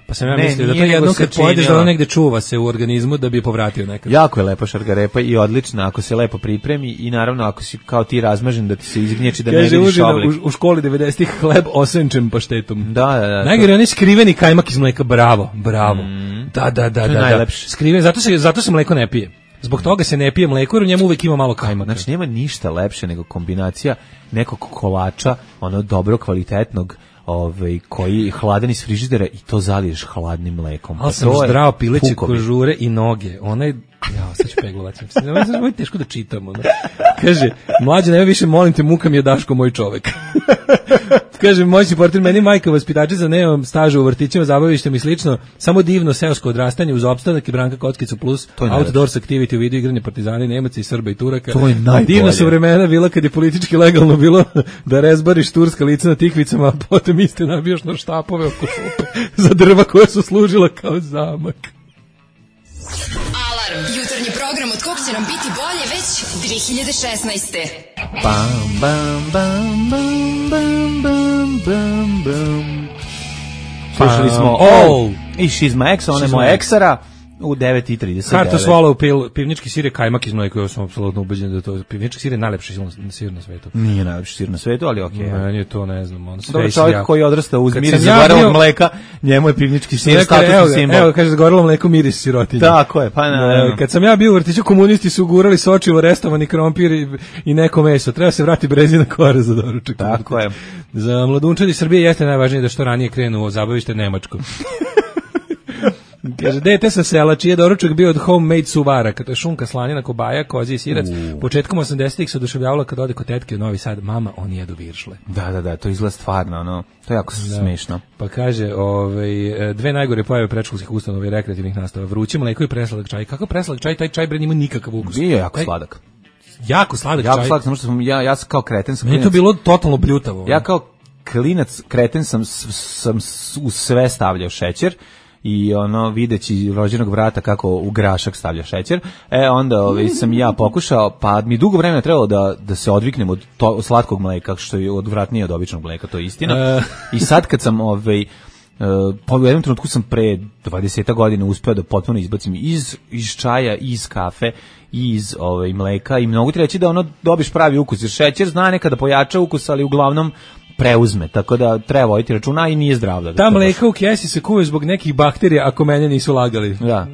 Speaker 5: Pa sam ja ne, mislio da to jednom kad pojedeš da ono negde čuva se u organizmu da bi je povratio nekad.
Speaker 6: Jako je lepa šargarepa i odlična ako se lepo pripremi i naravno ako si kao ti razmažen da ti se izgnječi da ne vidiš oblik.
Speaker 5: U, u školi devedesetih hleb osenčen paštetom.
Speaker 6: Da, da, da.
Speaker 5: Najgore onaj skriveni kajmak iz mleka, bravo, bravo. Mm. Da, da, da, da, da. Skriven, zato se zato se mleko ne pije. Zbog toga se ne pije mleko jer u njemu uvek ima malo kajmaka.
Speaker 6: Znači nema ništa lepše nego kombinacija nekog kolača, ono dobro kvalitetnog, ovaj koji hladan iz frižidera i to zaliješ hladnim mlekom.
Speaker 5: Ali sam zdrao pileće kožure i noge. Onaj ja sad ću peglovati. Ovo je teško da čitamo. No. Kaže, mlađe, ne više molim te, muka mi je Daško, moj čovek. Kaže, moćni portir, meni majka vaspitačica, nemam staža u vrtićima, zabavištem i slično, samo divno seosko odrastanje uz opstanak i Branka Kockicu plus outdoors activity u vidu igranje Partizani, Nemaca i Srba i Turaka.
Speaker 6: To je najbolje.
Speaker 5: Divna su vremena bila kad je politički legalno bilo da rezbariš turska lica na tikvicama, a potom iste nabijaš na štapove oko šupe za drva koja su služila kao zamak.
Speaker 9: Alarm, jutarnji program od kog će nam biti bolje već dve hiljade šesnaeste.
Speaker 6: Bam, bam, bam, bam, bam, bam, bam, bam. Slušali smo All i She's My Ex, ona je moja eksara. U devet i trideset devet.
Speaker 5: Karta Swallow pil, pivnički sir je kajmak iz mleka, ja sam apsolutno ubeđen da to pivnički sir je najlepši sir na svetu.
Speaker 6: Nije najlepši sir na svetu, ali okej.
Speaker 5: Okay. Meni je to, ne znam, on sve.
Speaker 6: Dobar čovjek ja, koji odrasta uz miris zagorelog mleka, njemu je pivnički sir statusni simbol.
Speaker 5: Evo, kaže zagorelo mleko miris sirotinje.
Speaker 6: Tako je, pa na.
Speaker 5: Kad sam ja bio u vrtiću, komunisti su gurali sočivo, restovani krompir i, i neko meso. Treba se vrati brezina kora za doručak.
Speaker 6: Tako je.
Speaker 5: Za mladunčadi Srbije jeste najvažnije da što ranije krenu u zabavište Nemačko. Kaže, dete sa sela, čiji je doručak bio od homemade suvaraka, to je šunka, slanina, kobaja, kozi i sirac. Uh. Početkom osamdesetih se oduševljavala kad ode kod tetke u Novi Sad, mama, oni jedu viršle.
Speaker 6: Da, da, da, to izgleda stvarno, ono, to je jako da. smešno.
Speaker 5: Pa kaže, ovaj, dve najgore pojave predškolskih ustanova i rekreativnih nastava, vruće mleko i presladak čaj. Kako presladak čaj? Taj čaj bre nima nikakav ukus.
Speaker 6: Bio je jako taj, sladak.
Speaker 5: Jako sladak
Speaker 6: jako
Speaker 5: čaj.
Speaker 6: Jako sladak, samo što sam, ja, ja sam kao kreten sam.
Speaker 5: Meni to bilo totalno bljutavo.
Speaker 6: Ja kao klinac kreten sam, sam u sve stavljao šećer. I ono videći rođenog vrata kako u grašak stavlja šećer. E onda ovaj sam ja pokušao, pa mi dugo vremena trebalo da da se odviknem od to, slatkog mleka, što je odvratnije od običnog mleka, to je istina. I sad kad sam ovaj Uh, po jednom trenutku sam pre dvadeset godina uspeo da potpuno izbacim iz, iz čaja, iz kafe, iz ovaj, mleka i mnogo ti reći da ono dobiš pravi ukus, jer šećer zna nekada pojača ukus, ali uglavnom preuzme, tako da treba voditi računa i nije zdrav. Da
Speaker 5: ta mleka u kesi se kuvaju zbog nekih bakterija, ako mene nisu lagali.
Speaker 6: Da.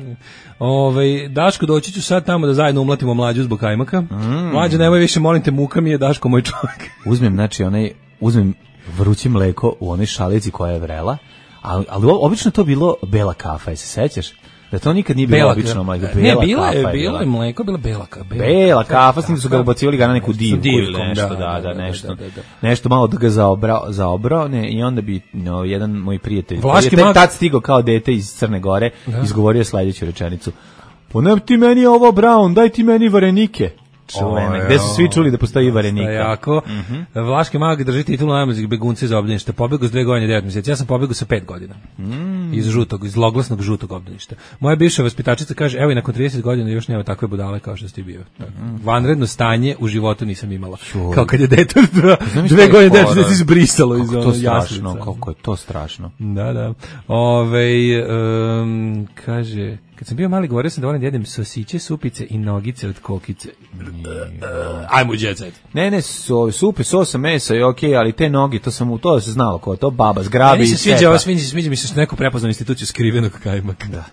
Speaker 5: Ove, Daško, doći ću sad tamo da zajedno umlatimo mlađu zbog kajmaka. Mm. Mlađa, nemoj više, molim te, muka mi je, Daško, moj čovjek.
Speaker 6: Uzmem, znači, onaj, uzmem vruće mleko u onoj šalici koja je vrela, ali, ali obično to bilo bela kafa, se sećaš? Da to nikad nije bilo obično mleko.
Speaker 5: Ne, bilo je, bilo je mleko, bila bela kafa.
Speaker 6: Bela, bela kafa, s tim da su ga ubacivali ga na neku divku ili nešto, da, da, da, nešto. Da, da, da. Nešto malo da ga zaobrao, zaobrao, ne, i onda bi no, jedan moj prijatelj,
Speaker 5: Vlaški
Speaker 6: je tad stigao kao dete iz Crne Gore, da. Izgovorio sledeću rečenicu. Ponem ti meni ovo Brown, daj ti meni varenike. Čuvene, gde su svi čuli da postoji varenika.
Speaker 5: Jako. Mm-hmm. Vlaški mag drži titulu najmlađeg begunca iz obdaništa. Pobegao s dve godine i devet mjeseci. Ja sam pobegao sa pet godina. Mm. Iz žutog, iz zloglasnog žutog obdaništa. Moja bivša vaspitačica kaže, evo i nakon trideset godina još nema takve budale kao što si ti bio. Mm. Vanredno stanje u životu nisam imala. Čuj. Kao kad je dete dva, dve godine i devet mjeseci izbrisalo iz ono jaslica.
Speaker 6: Kako je to strašno.
Speaker 5: Da, da. Ove, um, kaže... Kad sam bio mali, govorio sam da volim da jedem sosiće, supice i nogice od kokice. Ajmo u jet set.
Speaker 6: Ne, ne, so, supe, sosa, mesa je okej, okay, ali te noge, to sam u to se znalo ko, to baba zgrabi i
Speaker 5: se sviđa, ovo sviđa, sviđa mi se što neko prepoznao instituciju skrivenog kajmaka.
Speaker 6: Da.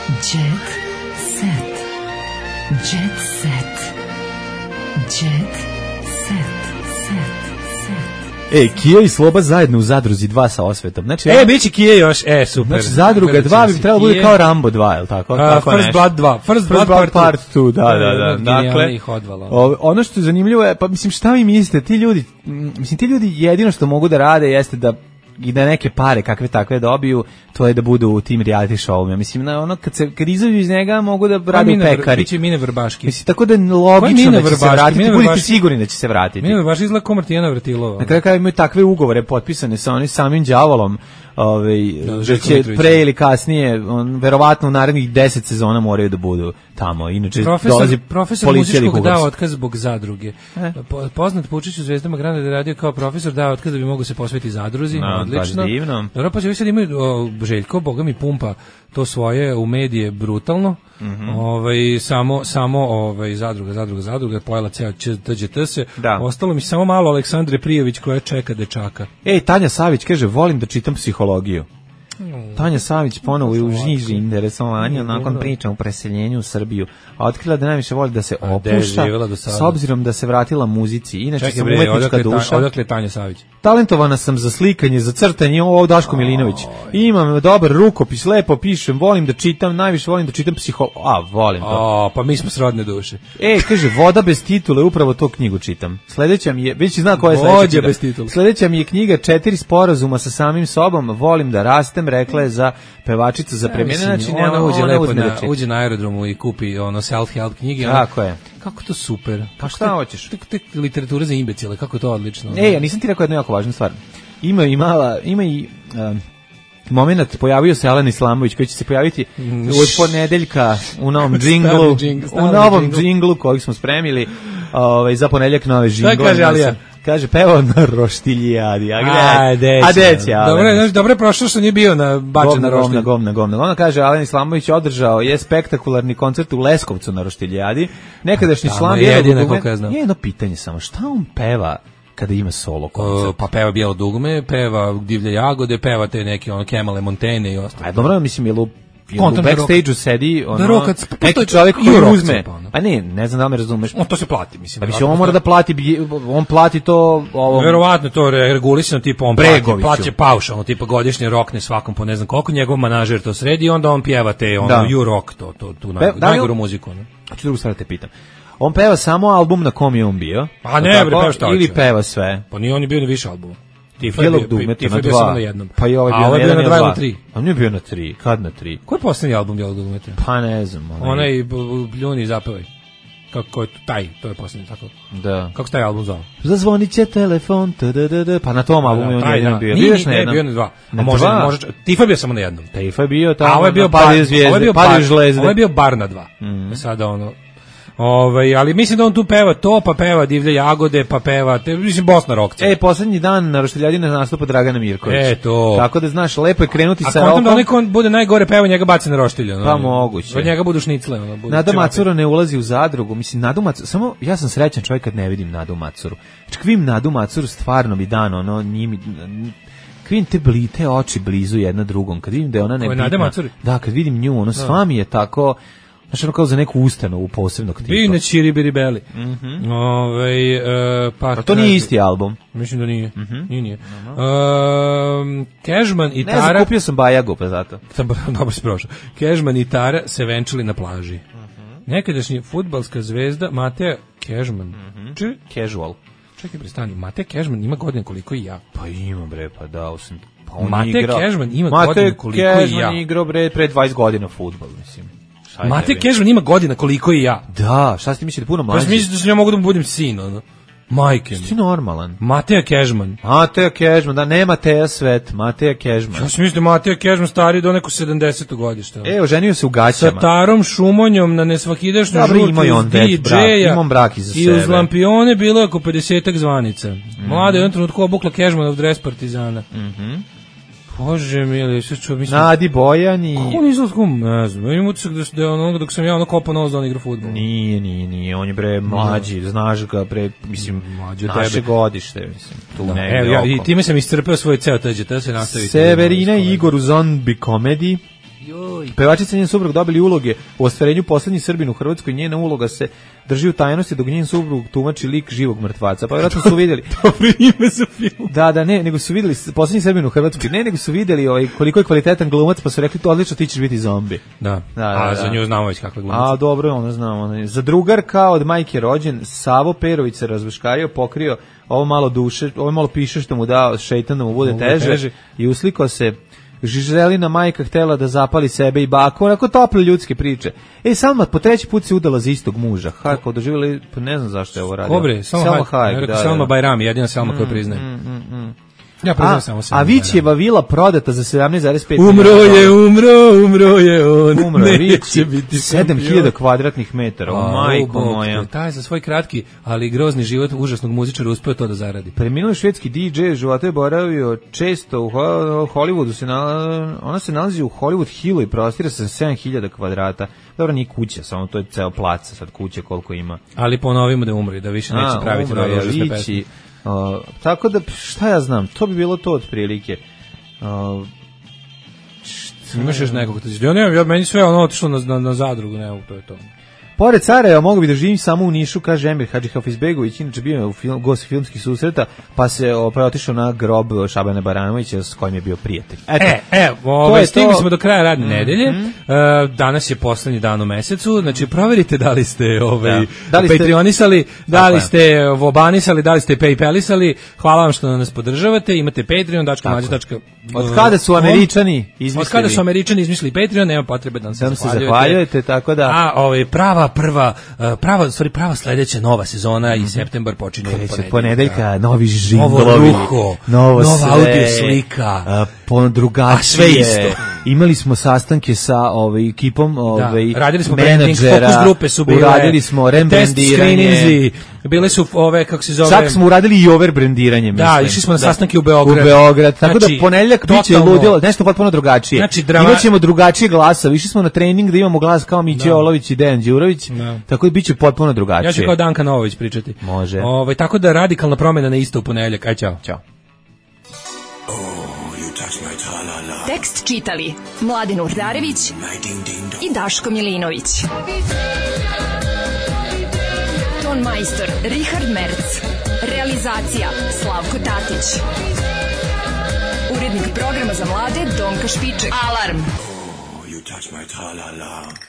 Speaker 9: Jet set. Jet set. Jet set.
Speaker 6: E, Kija i Sloba zajedno u zadruzi dva sa osvetom. Znači,
Speaker 5: e, biće Kija još, e, super.
Speaker 6: Znači, zadruga dva bi trebalo bude kao Rambo dva, je li tako?
Speaker 5: Uh, tako First Blood dva. First, First Blood, Blood
Speaker 6: Part dva, da, da, da.
Speaker 5: Dakle,
Speaker 6: o, ono što je zanimljivo je, pa mislim, šta vi mislite, ti ljudi, mislim, ti ljudi jedino što mogu da rade jeste da i da neke pare kakve takve dobiju, to je da budu u tim reality showima. Mislim, na ono, kad, se, kad izađu iz njega, mogu da rade u pekari.
Speaker 5: Biće Mine Vrbaški.
Speaker 6: Mislim, tako da je logično da će se vratiti, budite sigurni da će se vratiti.
Speaker 5: Mine Vrbaški izgleda ko Martijana Vrtilova.
Speaker 6: Na kraju kada imaju takve ugovore potpisane sa onim samim đavolom, ovaj, da, da će pre ili kasnije, on, verovatno u narednih deset sezona moraju da budu tamo. Inače,
Speaker 5: profesor,
Speaker 6: dolazi
Speaker 5: profesor muzičkog dao otkaz zbog zadruge. E? Poznat Pučić u Zvezdama Granda da je radio kao profesor, dao otkaz da bi mogu se posvetiti zadruzi.
Speaker 6: No,
Speaker 5: odlično. Dobro, pa će sad imaju o, Željko, boga mi pumpa to svoje u medije brutalno. Mm -hmm. Ovaj samo samo ovaj zadruga zadruga zadruga pojela ceo T Ž T se. Ostalo mi samo malo Aleksandre Prijović koja čeka dečaka.
Speaker 6: Ej, Tanja Savić kaže volim da čitam psihologiju. Mm. Tanja Savić ponovo je u žiži interesovanja nakon priča o preseljenju u Srbiju. A otkrila da najviše voli da se opušta s obzirom da se vratila muzici. Inače
Speaker 5: čekaj,
Speaker 6: sam
Speaker 5: bre,
Speaker 6: umetnička
Speaker 5: odakle,
Speaker 6: duša.
Speaker 5: Odakle Tanja Savić?
Speaker 6: Talentovana sam za slikanje, za crtanje, ovo Daško Milinović. Imam dobar rukopis, lepo pišem, volim da čitam, najviše volim da čitam psiho... A, volim to.
Speaker 5: A, pa mi smo srodne duše.
Speaker 6: E, kaže, Voda bez titule, upravo to knjigu čitam. Sledeća mi je, već zna koja je sledeća
Speaker 5: bez titule.
Speaker 6: Sledeća mi je knjiga Četiri sporazuma sa samim sobom, volim da rastem, rekla je za pevačica za premijene. Znači,
Speaker 5: ona, ona uđe lepo na, uđe na aerodromu i kupi ono self-help knjige.
Speaker 6: Tako je.
Speaker 5: Kako to super.
Speaker 6: Pa šta hoćeš?
Speaker 5: Tek tek literatura za imbecile, kako to odlično.
Speaker 6: Ej, ja nisam ti rekao jednu jako važnu stvar. Ima i mala, ima i um, moment, pojavio se Alen Islamović koji će se pojaviti od ponedeljka u novom džinglu, u novom džinglu kojeg smo spremili ovaj, za ponedeljak nove džingle.
Speaker 5: Šta kaže Alija?
Speaker 6: Kaže, pevao na roštiljadi. A gde? A deće, Alen.
Speaker 5: Dobro, znači, dobro je prošlo što nije bio na bačen na roštilj.
Speaker 6: Govna, govna, govna. Ona kaže, Alen Islamović održao je spektakularni koncert u Leskovcu na roštiljadi. Nekadašnji član
Speaker 5: jedino koliko ja znam.
Speaker 6: Jedno pitanje samo, šta on peva kada ima solo koncert?
Speaker 5: Uh, pa peva Bijelo dugme, peva Divlje jagode, peva te neke ono Kemale Montene i ostalo.
Speaker 6: A dobro, mislim, je lu u backstage-u sedi ono,
Speaker 5: rokac, pa
Speaker 6: neki čovjek koji uzme. Pa ne, ne znam da li me razumeš.
Speaker 5: On to se plati, mislim.
Speaker 6: Pa mislim, on mora da plati, on plati to... Ovom...
Speaker 5: Verovatno to regulisano, tipa on plati, plati paušalno, tipa godišnje rokne svakom po ne znam koliko, njegov manažer to sredi i onda on pjeva te, ono, you rock, to, to, tu najgoru muziku. Ne?
Speaker 6: A ću drugu stvar te pitam. On peva samo album na kom je on bio?
Speaker 5: A ne, bre, peva šta hoće.
Speaker 6: Ili peva sve?
Speaker 5: Pa nije on je bio ni više albuma. Tifa
Speaker 6: je bio,
Speaker 5: Tifa je bio samo na jednom.
Speaker 6: Pa i ovaj
Speaker 5: bio,
Speaker 6: bio
Speaker 5: na dva ili tri.
Speaker 6: A nije bio na tri, kad na tri?
Speaker 5: Koji je posljednji album Bijelog dugmeta?
Speaker 6: Pa ne znam.
Speaker 5: Onaj, onaj Bljuni zapevaj. Kako je taj, to je posljednji, tako.
Speaker 6: Da.
Speaker 5: Kako se taj album zove?
Speaker 6: Zazvonit će telefon, tdd, pa na tom albumu je on jednom bio.
Speaker 5: Nije, nije, bio na dva. A može, može, Tifa je bio samo na jednom.
Speaker 6: Tifa je bio tamo,
Speaker 5: a ovo je bio
Speaker 6: bar, ovo je bio bar,
Speaker 5: ovo je bio bar na dva. Sada ono... Ove, ali mislim da on tu peva to, pa peva Divlje jagode, pa peva, te, mislim, Bosna rokca.
Speaker 6: E, poslednji dan na roštiljadi nastupa Dragana Mirković.
Speaker 5: E, to.
Speaker 6: Tako da, znaš, lepo je krenuti
Speaker 5: a
Speaker 6: sa rokom. A
Speaker 5: da onaj kon bude najgore peva, njega baci na roštilje. No,
Speaker 6: pa moguće.
Speaker 5: Od njega budu šnicle. No, budu
Speaker 6: Nada Macura ne ulazi u zadrugu. Mislim, Nadu Macuru, samo ja sam srećan čovjek kad ne vidim Nadu Macuru. Čak vidim Nadu Macuru, stvarno mi dan, ono, njimi... vidim te blite oči blizu jedna drugom. Kad vidim da je ona nebitna. Da, kad vidim nju, ono, sva mi je tako... Znači ono kao za neku ustanovu posebnog tipa.
Speaker 5: Vi ne čiri biribeli.
Speaker 6: Mm -hmm.
Speaker 5: Ove, e, pa,
Speaker 6: pa to nije isti album.
Speaker 5: Mislim da nije.
Speaker 6: Mm -hmm.
Speaker 5: Nije, nije. Uh -huh. e, Cashman i
Speaker 6: ne
Speaker 5: Tara...
Speaker 6: Ne znam, kupio sam Bajagu pa zato.
Speaker 5: Dobro si prošao. Cashman i Tara se venčali na plaži. Uh -huh. Nekadašnji fudbalska zvezda Mateja Cashman.
Speaker 6: Mm -hmm. Či? Casual.
Speaker 5: Čekaj, prestani. Mateja Cashman ima godine koliko i ja.
Speaker 6: Pa ima bre, pa dao sam. Pa on
Speaker 5: Mateja Cashman ima godine koliko i ja.
Speaker 6: Mateja Cashman igrao bre pre dvadeset godina fudbal, mislim.
Speaker 5: Mate Cashman ima godina koliko i ja.
Speaker 6: Da, šta ste mislili da puno mlađi?
Speaker 5: Pa mislim da ja mogu da mu budem sin, ono. Majke mi.
Speaker 6: Ti normalan.
Speaker 5: Mateja Kežman.
Speaker 6: Mateja Kežman, da ne Mateja Svet, Mateja Kežman.
Speaker 5: Ja sam mislim da Mateja Kežman stari do neko sedamdeseto godište.
Speaker 6: E, oženio se u gaćama.
Speaker 5: Sa Tarom Šumonjom na nesvakidašnju
Speaker 6: žurku
Speaker 5: iz D J-a.
Speaker 6: Imam brak iza
Speaker 5: sebe. I uz lampione bilo oko pedesetak zvanica. Mm. Mlada je u jednom trenutku obukla Kežmanov dres Partizana.
Speaker 6: Mhm.
Speaker 5: Bože mili, sve čuo, mislim...
Speaker 6: Nadi Bojan i...
Speaker 5: Kako on izgleda, ne znam, imam utisak da, da je ono, dok sam ja ono kopao nos da on igra fudbal.
Speaker 6: Nije, nije, nije, on je bre mlađi, no. Znaš ga bre, mislim, mlađi naše tebe. Godište, mislim, tu da. Negde
Speaker 5: Evo, ja, i time sam iscrpeo svoj ceo teđe, to se nastaviti.
Speaker 6: Severina i Igor u Zombie Comedy. Pevačica i njen suprug dobili uloge u ostvarenju Poslednji Srbin u Hrvatskoj. Njena uloga se drži u tajnosti dok njen suprug tumači lik živog mrtvaca. Pa vjerojatno su vidjeli.
Speaker 5: Dobro ime za film.
Speaker 6: Da, da, ne, nego su vidjeli Poslednji Srbin u Hrvatskoj. Ne, nego su vidjeli ovaj, koliko je kvalitetan glumac, pa su rekli to odlično, ti ćeš biti zombi.
Speaker 5: Da, da, da a da, za nju znamo već kakva glumac.
Speaker 6: A dobro, ona znamo. Ona. Za drugarka od majke rođen, Savo Perović se razveškario, pokrio ovo malo duše, ovo malo piše što mu dao šejtan da mu bude teže, teže i uslikao se. Žiželina majka htela da zapali sebe i baku, onako tople ljudske priče. E, Salma po treći put se udala za istog muža. Hajko, doživjeli, pa ne znam zašto je ovo radio.
Speaker 5: Kobre, Salma Hayek, da, Salma Bajrami, jedina Salma mm, koju priznaje. Mm, mm, mm. Ja priznam samo Salma.
Speaker 6: A Vićeva vila prodata za sedamnaest zarez pet
Speaker 5: Umro je, umro, umro je on.
Speaker 6: Umro je, neće biti sedam hiljada kvadratnih metara. O, majko moja.
Speaker 5: Taj za svoj kratki, ali grozni život užasnog muzičara uspeo to da zaradi.
Speaker 6: Preminuli švedski D J života je boravio često u Hollywoodu. Se nalazi, ona se nalazi u Hollywood Hillu i prostira sa sedam hiljada kvadrata. Dobro, nije kuća, samo to je ceo plac, sad kuće koliko ima.
Speaker 5: Ali ponovimo da umri, da više neće praviti nove užasne pesme.
Speaker 6: Uh, tako da, šta ja znam, to bi bilo to otprilike. Uh,
Speaker 5: Imaš još nekog? Ja nemam, ja, meni sve ono otišlo na, na, na zadrugu, ne, to je to.
Speaker 6: Pored Sarajeva mogu bi da živim samo u Nišu, kaže Emir Hadžihafizbegović, inače bio u film, gost filmskih susreta, pa se opet otišao na grob Šabana Baranovića s kojim je bio prijatelj. Eto,
Speaker 5: e, e, ove, stigli smo do kraja radne mm, nedelje, mm. Uh, danas je poslednji dan u mesecu, znači proverite da li ste ovaj, da. Da Patreonisali, da li ste vobanisali, da li ste paypalisali, hvala vam što nas podržavate, imate Patreon, dačka mađa, dačka...
Speaker 6: Od kada su Američani izmislili?
Speaker 5: Od kada su Američani izmislili Patreon, nema potrebe da nam se
Speaker 6: da zahvaljujete. zahvaljujete, tako da...
Speaker 5: A, ovaj, prava, prva, prava, stvari, prava sledeća nova sezona i septembar počinje od ponedeljka.
Speaker 6: ponedeljka, novi žinglovi,
Speaker 5: novo ruho,
Speaker 6: novo
Speaker 5: nova
Speaker 6: sve,
Speaker 5: audio slika,
Speaker 6: a, po drugačije. A sve isto. Imali smo sastanke sa ovaj, ekipom ovaj,
Speaker 5: da, radili smo
Speaker 6: menadžera,
Speaker 5: branding, fokus grupe su bile,
Speaker 6: uradili smo rebrandiranje,
Speaker 5: bile su ove, kako se zove...
Speaker 6: Čak smo uradili i overbrandiranje, mislim.
Speaker 5: Da, išli smo na sastanke u Beograd.
Speaker 6: U Beograd, tako znači, da ponedeljak biće ludilo, nešto potpuno drugačije. Znači, drama... Imaćemo drugačije glasa, išli smo na trening da imamo glas kao Miće Olović i Dejan Đurović, no. Tako da biće potpuno drugačije.
Speaker 5: Ja ću kao Danka Novović pričati.
Speaker 6: Može.
Speaker 5: Ovaj, tako da radikalna promjena na isto u ponedeljak. Aj, čao.
Speaker 6: Ćao.
Speaker 9: Tekst čitali Mladin Urdarević i Daško Milinović. Ton majstor Richard Merc. Realizacija Slavko Tatić. Urednik programa za mlade Donka Špiček. Alarm! Oh, you touch my tra-la-la.